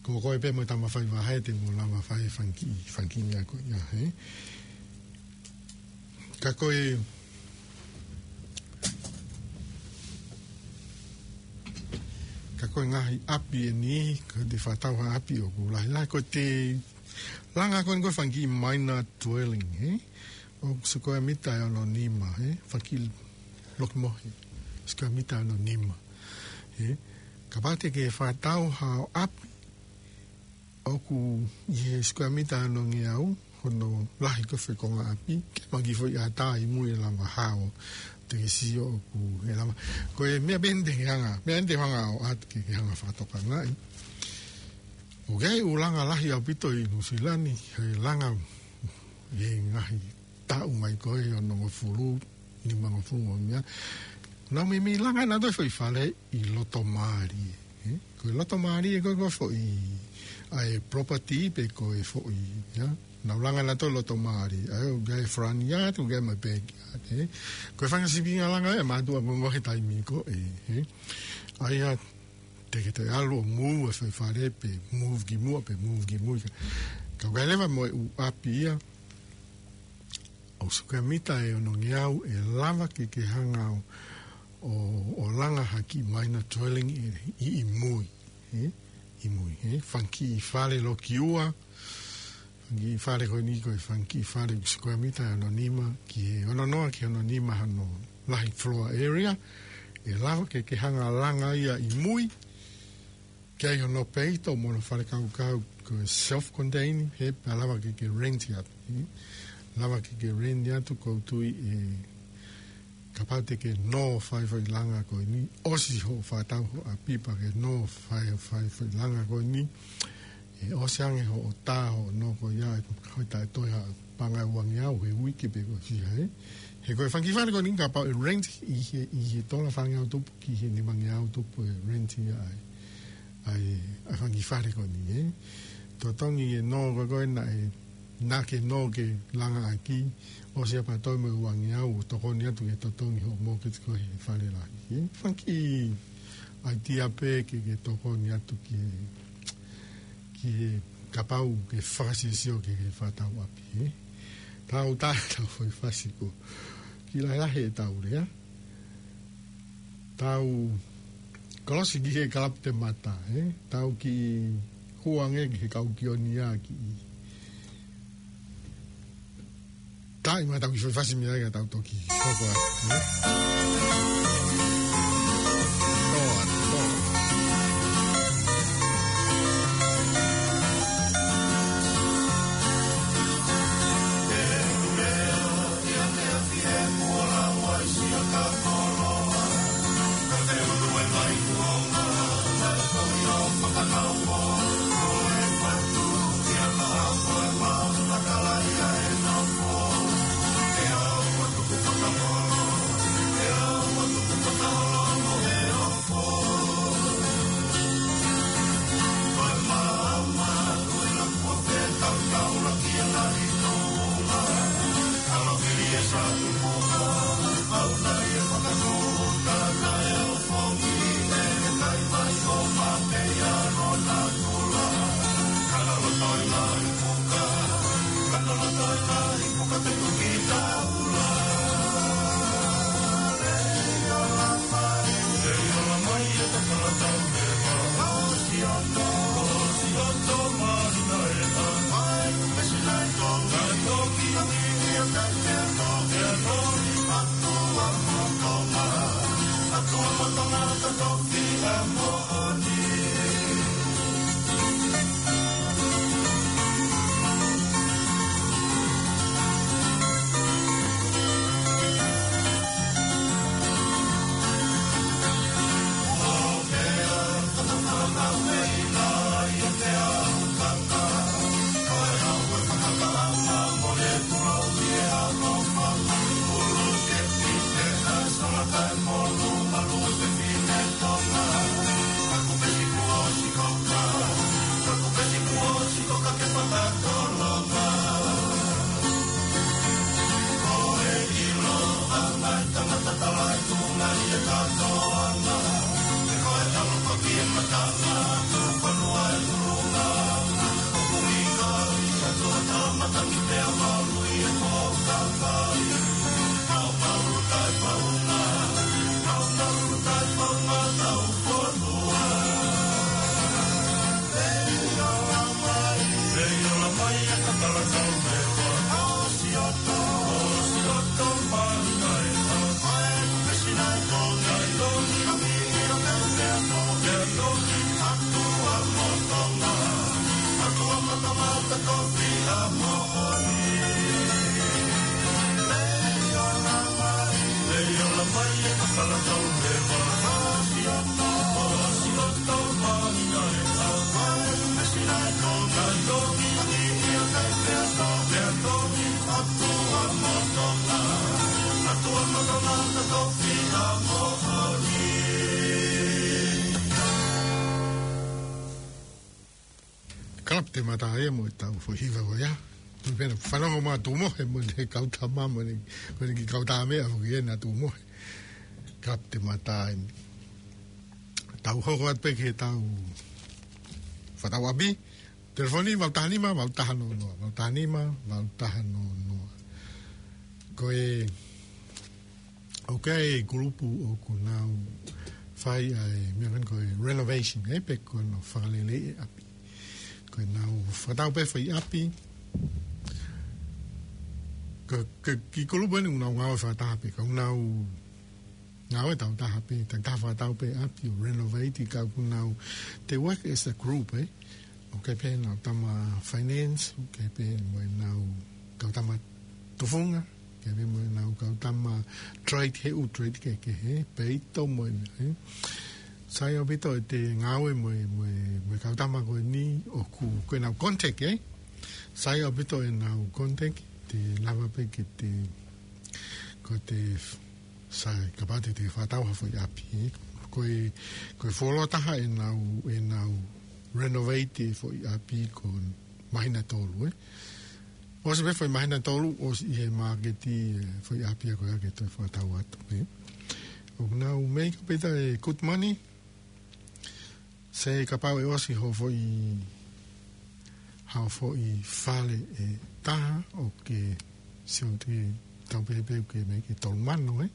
ko koe pē mo e tama faivahe te mo lava fai e fanga kiʻi, fanga kiʻi meʻa ko ia, ē. Ka ko e, ka ko e ngaahi ʻapi eni, ka te fakatau ha ʻapi ʻoku lahilahi, ko e te langa ko eni ko e fanga kiʻi minor dwelling, ē? ʻOku sikuea mita ʻe ono nima, ē? Fanga kiʻi loki mohe, sikuea mita ʻe ono nima, ē? Kapau te ke fakatau ha ʻapi, ʻoku ʻi he sikuea mita ʻe ono ngeau, hono lahi ko e fekonga ʻapi, ke maki foʻi ʻatā ʻi mui ʻe lava hao, te ke sio ʻoku ʻe lava. Ko e meʻa pē eni te ke hanga, meʻa eni te ke hanga ʻo ʻoatu ke, ke hanga fakatokangaʻi. ʻOku ʻi ai e ʻū langa lahi ʻaupito ʻi Nuʻusila ni, he langa ʻi he ngaahi taʻu mai ko ē ʻi he onongofulu, nimangofulu mo e meʻa. Nau meimei langa ʻe nautolu e foʻi fale ʻi loto mālie, ē? Ko e loto mālie ko ē ko e foʻi ʻa e property pe ko e foʻi, ia. Nau langa nautolu loto mali, ʻa e, ʻoku ʻi ai e front yard, ʻoku ʻi ai e backyard, ē. Ko e fanga sīpinga langa ē, mātuʻa ko ē he taimi ko ē, ē. ʻA ia, te ke toe ʻalu ʻo move e foʻi fale pe move ki muʻa, pe move ki mui. Ka, ka ʻoku ʻi ai leva mo e ʻū ʻapi ia, ʻoku sikuea mita ʻe onongeau ʻe lava ke ke hanga ʻo, ʻo, ʻo langa ha kiʻi minor dwelling ʻi, ʻi, ʻi mui, ē? ʻI mui, ē? Fanga kiʻi fale loki ua, fanga kiʻi fale ko eni ko e fanga kiʻi fale ʻoku sikuea mita ʻe ono nima ki he, ono noa ki he ono nima hono lahi floor area, ʻe lava ke ke hanga langa ia ʻi mui, ke ʻi ai hono peito mo hono fale kaukau ko e self-contained, he pea lava ke ke rent ia. Lava ke ke rent ia atu ʻoku ou tui ē kapau te ke nō fai foʻi langa ko eni, ʻosi hoʻo fakatau hoʻo ʻapi pea ke nō fai, fai foʻi langa ko eni, ʻe ʻosi ange hoʻo tā hoʻo nō ko ia ʻe hoʻi taʻe toe ha paʻanga ʻe uangeau he uike pe ko e fiha ē. He ko e fanga kiʻi fale ko eni kapau ʻe rent ʻi he, ʻi he tola fangeau tupu ki he nimangeau tupu ʻe rent ia ai. ʻA e, ʻa e fanga kiʻi fale ko eni, ē. Totongi e nō ko ē ko ē naʻe, naʻa ke nō ke langa ʻaki, ʻosi ia pea toe mo e uangeau ʻo tokoni atu ke totongi hoʻo mortgage ko ē he fale lahi, ē. Fanga kiʻi ʻaitia pē ke, ke tokoni atu ki he, ki he kapau ke fakasiosio ki he fakatau ʻapi, ē. Tau tā, tau foʻi fasi ko. Kiʻi lahilahi ʻetau lea. Tau kolosi ki he kalapu te mata, ē? Tau kiʻi hū ange ki he kau kioni ia kiʻi taʻi mai tau kiʻi foʻi fasi mei ai ka tau toki hoko atu, ē? Toa, toa. Te mata ia mo e tau foʻi hiva ko ia. Tui pē naʻa fanongo mai Tumohe mo ʻene kau tama mo ʻene, mo ʻene kiʻi kau tama ʻa foki ena Tumohe. Ka te mata eni. Tau hoko atu pē ki he tau fakatau ʻapi. Telefoni, valu taha nima, valu taha noa noa, valu taha nima, valu taha noa noa. Ko e, ʻoku ʻi ai e kulupu ʻoku nau fai ʻa e, meʻa ko eni ko e renovation, ē, pe ko hono fakalelei e ʻapi. Ko ʻenau fakatau pē foʻi ʻapi. Ko, ko e kiʻi kulupu eni ʻoku nau ngāue fakataha pē, ka ʻoku nau ngāue tau taha pē, tau taha fakatau pē ʻapi ʻo renovate, ka ʻoku nau, they work as a group, ē. ʻOku ʻi ai pē ʻenau tama finance, ʻoku ʻi ai pē mo ʻenau kau tama tufunga, ʻoku ʻi ai pē mo ʻenau kau tama trade, he ʻū trade kehekehe, peito mo e meʻa, ē. Sai ʻaupito ʻete ngāue mo e, mo e, mo e kau tama ko eni, ʻoku, ko ʻenau contact, ē. Sai ʻaupito ʻenau contact, te lava pē ke te, ko te sai, kapau te te fakatau ha foʻi ʻapi, ē. Ko e, ko e fuoloa taha ʻenau, ʻenau renovate e foʻi ʻapi ko e māhina ʻe tolu, ē. ʻOsi pē foʻi māhina ʻe tolu, ʻosi ʻi he māketi e foʻi ʻapi ia ko ia ke toe fakatau atu, ē. ʻOku nau make up ʻaupito e good money, sai kapau ʻe ʻosi ho foʻi, ha foʻi fale ʻe taha ʻoku ke sio ki he tau pehē pē ʻoku ke make tolu mano, ē.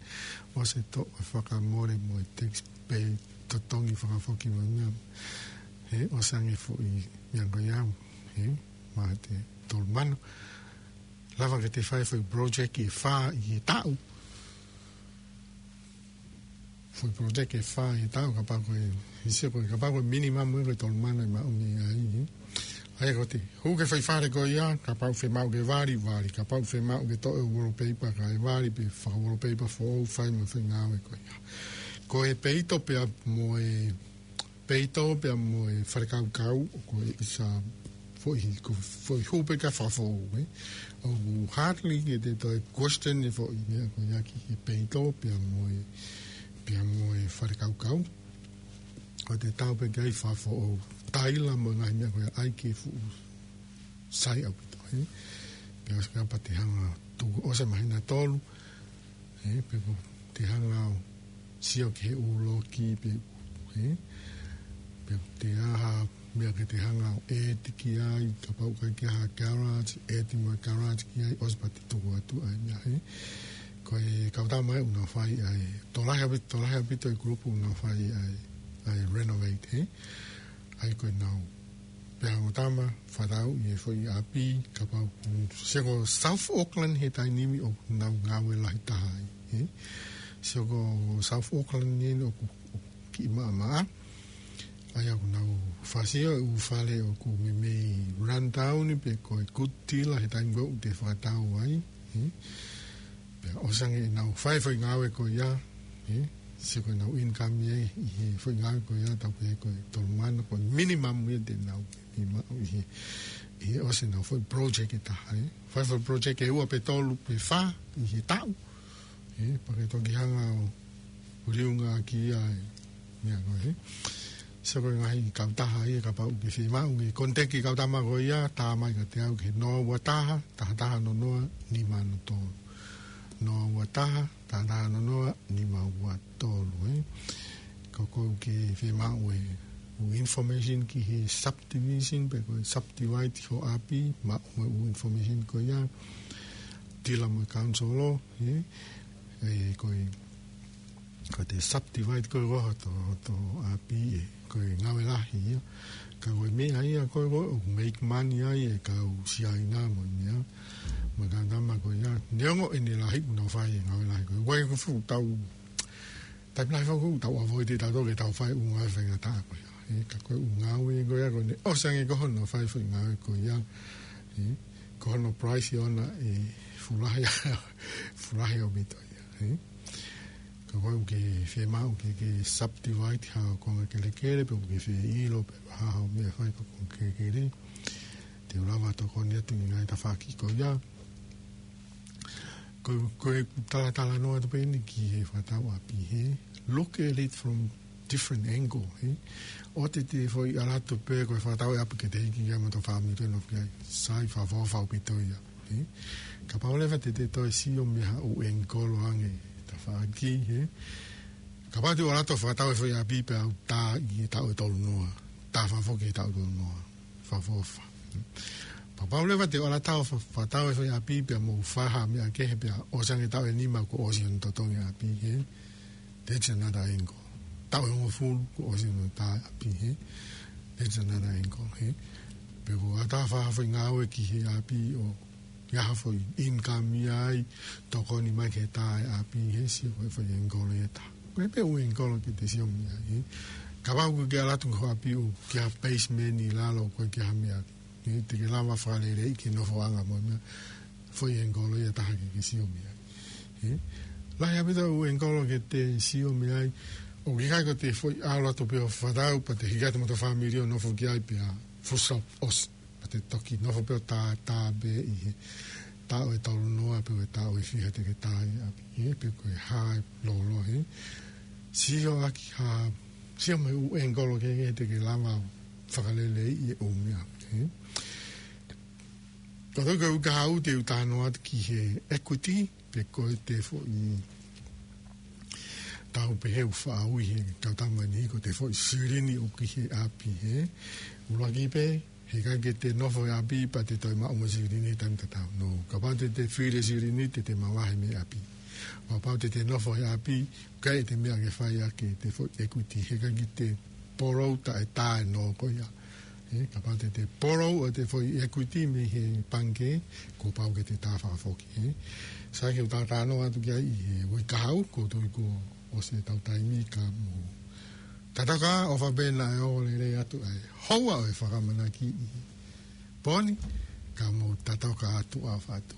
ʻOsi e toʻo e fakamole mo e tax pē totongi fakafoki mo e meʻa. Ē, ʻosi ange foʻi meʻa ko ia, ē, mate tolu mano. Lava ke te fai foʻi project ʻe fā ʻi he taʻu. Foʻi project ʻe fā ʻi he taʻu, kapau ko e, ʻi he sio ko e, kapau ko e minimum ē ko e tolu mano ʻe maʻu mei ai, ē. ʻA ia ko te, hū ki he foʻi fale ko ia, kapau fiemaʻu ke vali, vali, kapau fiemaʻu ke toʻo e wallpaper kae vali, pe faka wallpaper foʻou, fai mo e foʻi ngāue ko ia. Ko e peito pea mo e peito pea mo e fale kaukau, ko e isa foʻi, ko e foʻi hū pē ka fakafoʻou, ē. ʻOku hardly ke te toe question e foʻi meʻa ko ia ki he peito pea mo e, pea mo e fale kaukau. Ko te tau pē ke ʻai fakafoʻou, taila mo e ngaahi meʻa ko ia ʻai ke fuʻu sai ʻaupito, ē. Pea ʻosi kapau te hanga tuku ʻosi e māhina ʻe tolu, ē, pe ko te hanga ʻo sio ki he ʻū loki pe, ē, pe ko te ʻai ha meʻa ke te hanga ʻo ʻeti ki ai, kapau ʻoku ʻikai ke ʻai ha garage, ʻeti mo e garage ki ai, ʻosi pea te tuku atu ai meʻa, ē. Ko e kau tama ē ʻoku nau fai ai, tokolahi ʻaupito, tokolahi ʻaupito e kulupu ʻoku nau fai ai, ʻa e renovate, ē. ʻA ia ko ʻenau pea mo e tama, fakatau ʻi he foʻi ʻapi, kapau ʻoku, sio ko South Auckland he taimi ni ʻoku nau ngāue lahi taha ai, ē? Sio ko South Auckland ni ʻoku, ʻoku kiʻi maʻamaʻa. ʻA ia ʻoku nau fakasio e ʻū fale ʻoku meimei rundown pe ko e good deal he taimi ko ē ʻoku te fakatau ai, ē? Pea ʻosi ange ʻenau fai foʻi ngāue ko ia, ē? Sio ko ʻenau income ia ʻi he foʻi ngāue ko ia, tau pehē ko e tolu mano, ko e minimum ia te nau ʻi maʻu ʻi he, ʻi he ʻosi ʻenau foʻi project ʻe taha, ē? Fai foʻi project ʻe ua pe tolu pe fā ʻi he taʻu, ē? Pea ke toki hanga ʻo liunga ki ai, meʻa ko ē. Sio ko e ngaahi kautaha ia kapau ʻoku ke fiemaʻu ke contact e kau tama ko ia, tā mai kiate au ki he noa ua taha, taha taha noa noa, nima noa tolu. Noa ua taha, taha taha noa noa, nima ua tolu, ē. Ko ʻoku ke fiemaʻu e ʻū information ki he subdivision, pe ko e subdivide ho ʻapi, maʻu e ʻū information ko ia, deal mo e council, ē. Ē, ko e, ko e te subdivide ko ē ko hoto, hoto ʻapi ē, ko e ngāue lahi ia. Ka ko e meʻa ia ko ē ʻoku make money ai e kau Siaina mo e meʻa, mo e kau tama ko ia. Neongo ʻene lahi ʻoku nau fai e ngāue lahi ko ē. Ko e ʻoku fuʻu tau, taimi lahi fuʻu tau avoid ʻe tautolu ke tau fai e ʻū ngāue faingataʻa ko ia. Ē, ka ko e ʻū ngāue ko ia ko ē ʻosi ange ko hono fai foʻi ngāue ko ia. Ē, ko hono price ʻoʻona ʻe fuʻu lahi, fuʻu lahi ʻaupito ia, ē. Ka ko ʻoku ke fiemaʻu ke, ke subdivide ha konga kelekele, pe ʻoku ke fie ʻilo pe ha, ha meʻa fai ko e konga kelekele, te u lava ʻo tokoni atu ʻi he ngaahi tafaʻaki ko ia. Ko, ko e talatala noa atu pē eni ki he fakatau ʻapi, ē. Look at it from different angle, ē. ʻoua te te foʻi ʻalu atu pē ko e fakatau e ʻapi ke te hiki ki ai mo hoto fāmili ʻo nofo ki ai. Sai, fakaʻofoʻofa ʻaupito ia. Ē? Kapau leva te te toe sio mei ha ʻū ʻengikolo ange tafaʻaki, ē? Kapau te u ʻalu atu ʻo fakatau e foʻi ʻapi pea u tā ʻi he taʻu ʻe tolu noa. Tā fakafoki he taʻu ʻe tolu noa. Fakaʻofoʻofa. Kapau leva te u ʻalu atu ʻo fa-, fakatau e foʻi ʻapi pea mou fai ha meʻa kehe pea ʻosi ange taʻu ʻe nima kuo ʻosi hono totongi e ʻapi, ē? That's another angle. Taʻu ʻe hongofulu kuo ʻosi hono tā e ʻapi, ē? That's another angle, ē? Pe ko e ʻalu atu ʻo fai ha foʻi ngāue ki he ʻapi ʻo ʻi ai ha foʻi income ia ai, tokoni mai ke tā e ʻapi, ē? Sio ko e foʻi ʻengikolo ia ʻe taha. Ko e pē ʻū ʻengikolo ke te sio mei ai, ē? Kapau ʻoku ke ʻalu atu ki ho ʻapi ʻoku ʻikai ha basement ʻi lalo, ʻoku ʻikai ha meʻa, ē? Te ke lava ʻo fakaleleiʻi ke nofoʻanga mo e meʻa, foʻi ʻengikolo ia ʻe taha ke ke sio mei ai. Ē? Lahi ʻaupito e ʻū ʻengikolo ke te sio mei ai, ʻoku ʻikai ko ʻete foʻi ʻalu atu pē ʻo fakatau pea te hiki atu mo hoto fāmili ʻo nofo ki ai pea full stop, ʻosi. Pea te toki nofo pē ʻo tā, tā pē ʻi he taʻu ʻe tolu noa pe ko e taʻu ʻe fiha te ke tā ai e ʻapi, ē, pe ko e hā e lōloa, ē. Sio ʻaki ha, sio mei he ʻū ʻengikolo kehekehe te ke lava ʻo fakaleleiʻi e ʻū meʻa, ē. Ko e toki ʻuhinga ʻoku ou talanoa atu ki he equity, pe ko ʻete foʻi, tau pehē ʻoku faʻa ui he kau tama ni ko ʻete foʻi silini ʻoku ʻi he ʻapi, ē. ʻUluaki pē, heʻikai ke te nofo he ʻapi pea te toe maʻu mo e silini he taimi tatau. No, kapau te te fili e silini, te te mavahe mei he ʻapi. Kapau te te nofo he ʻapi, ʻikai ʻete meʻa ke fai ʻaki ʻete foʻi equity, heʻikai ke te borrow taʻe tā e nō ko ia. Ē, kapau te te borrow ʻete foʻi equity mei he pangikē, kuo pau ke te tā fakafoki, ē. Sai, ke u talanoa atu ki ai ʻi he uike kahaʻu, ko e toki kuo ʻosi ʻetau taimi, ka mou tatau ā, ʻofa pē naʻe ō lelei atu ʻa e houa ʻo e fakamanaki ʻi he pō ni, ka mou tatau ā, tuʻa ʻofa atu.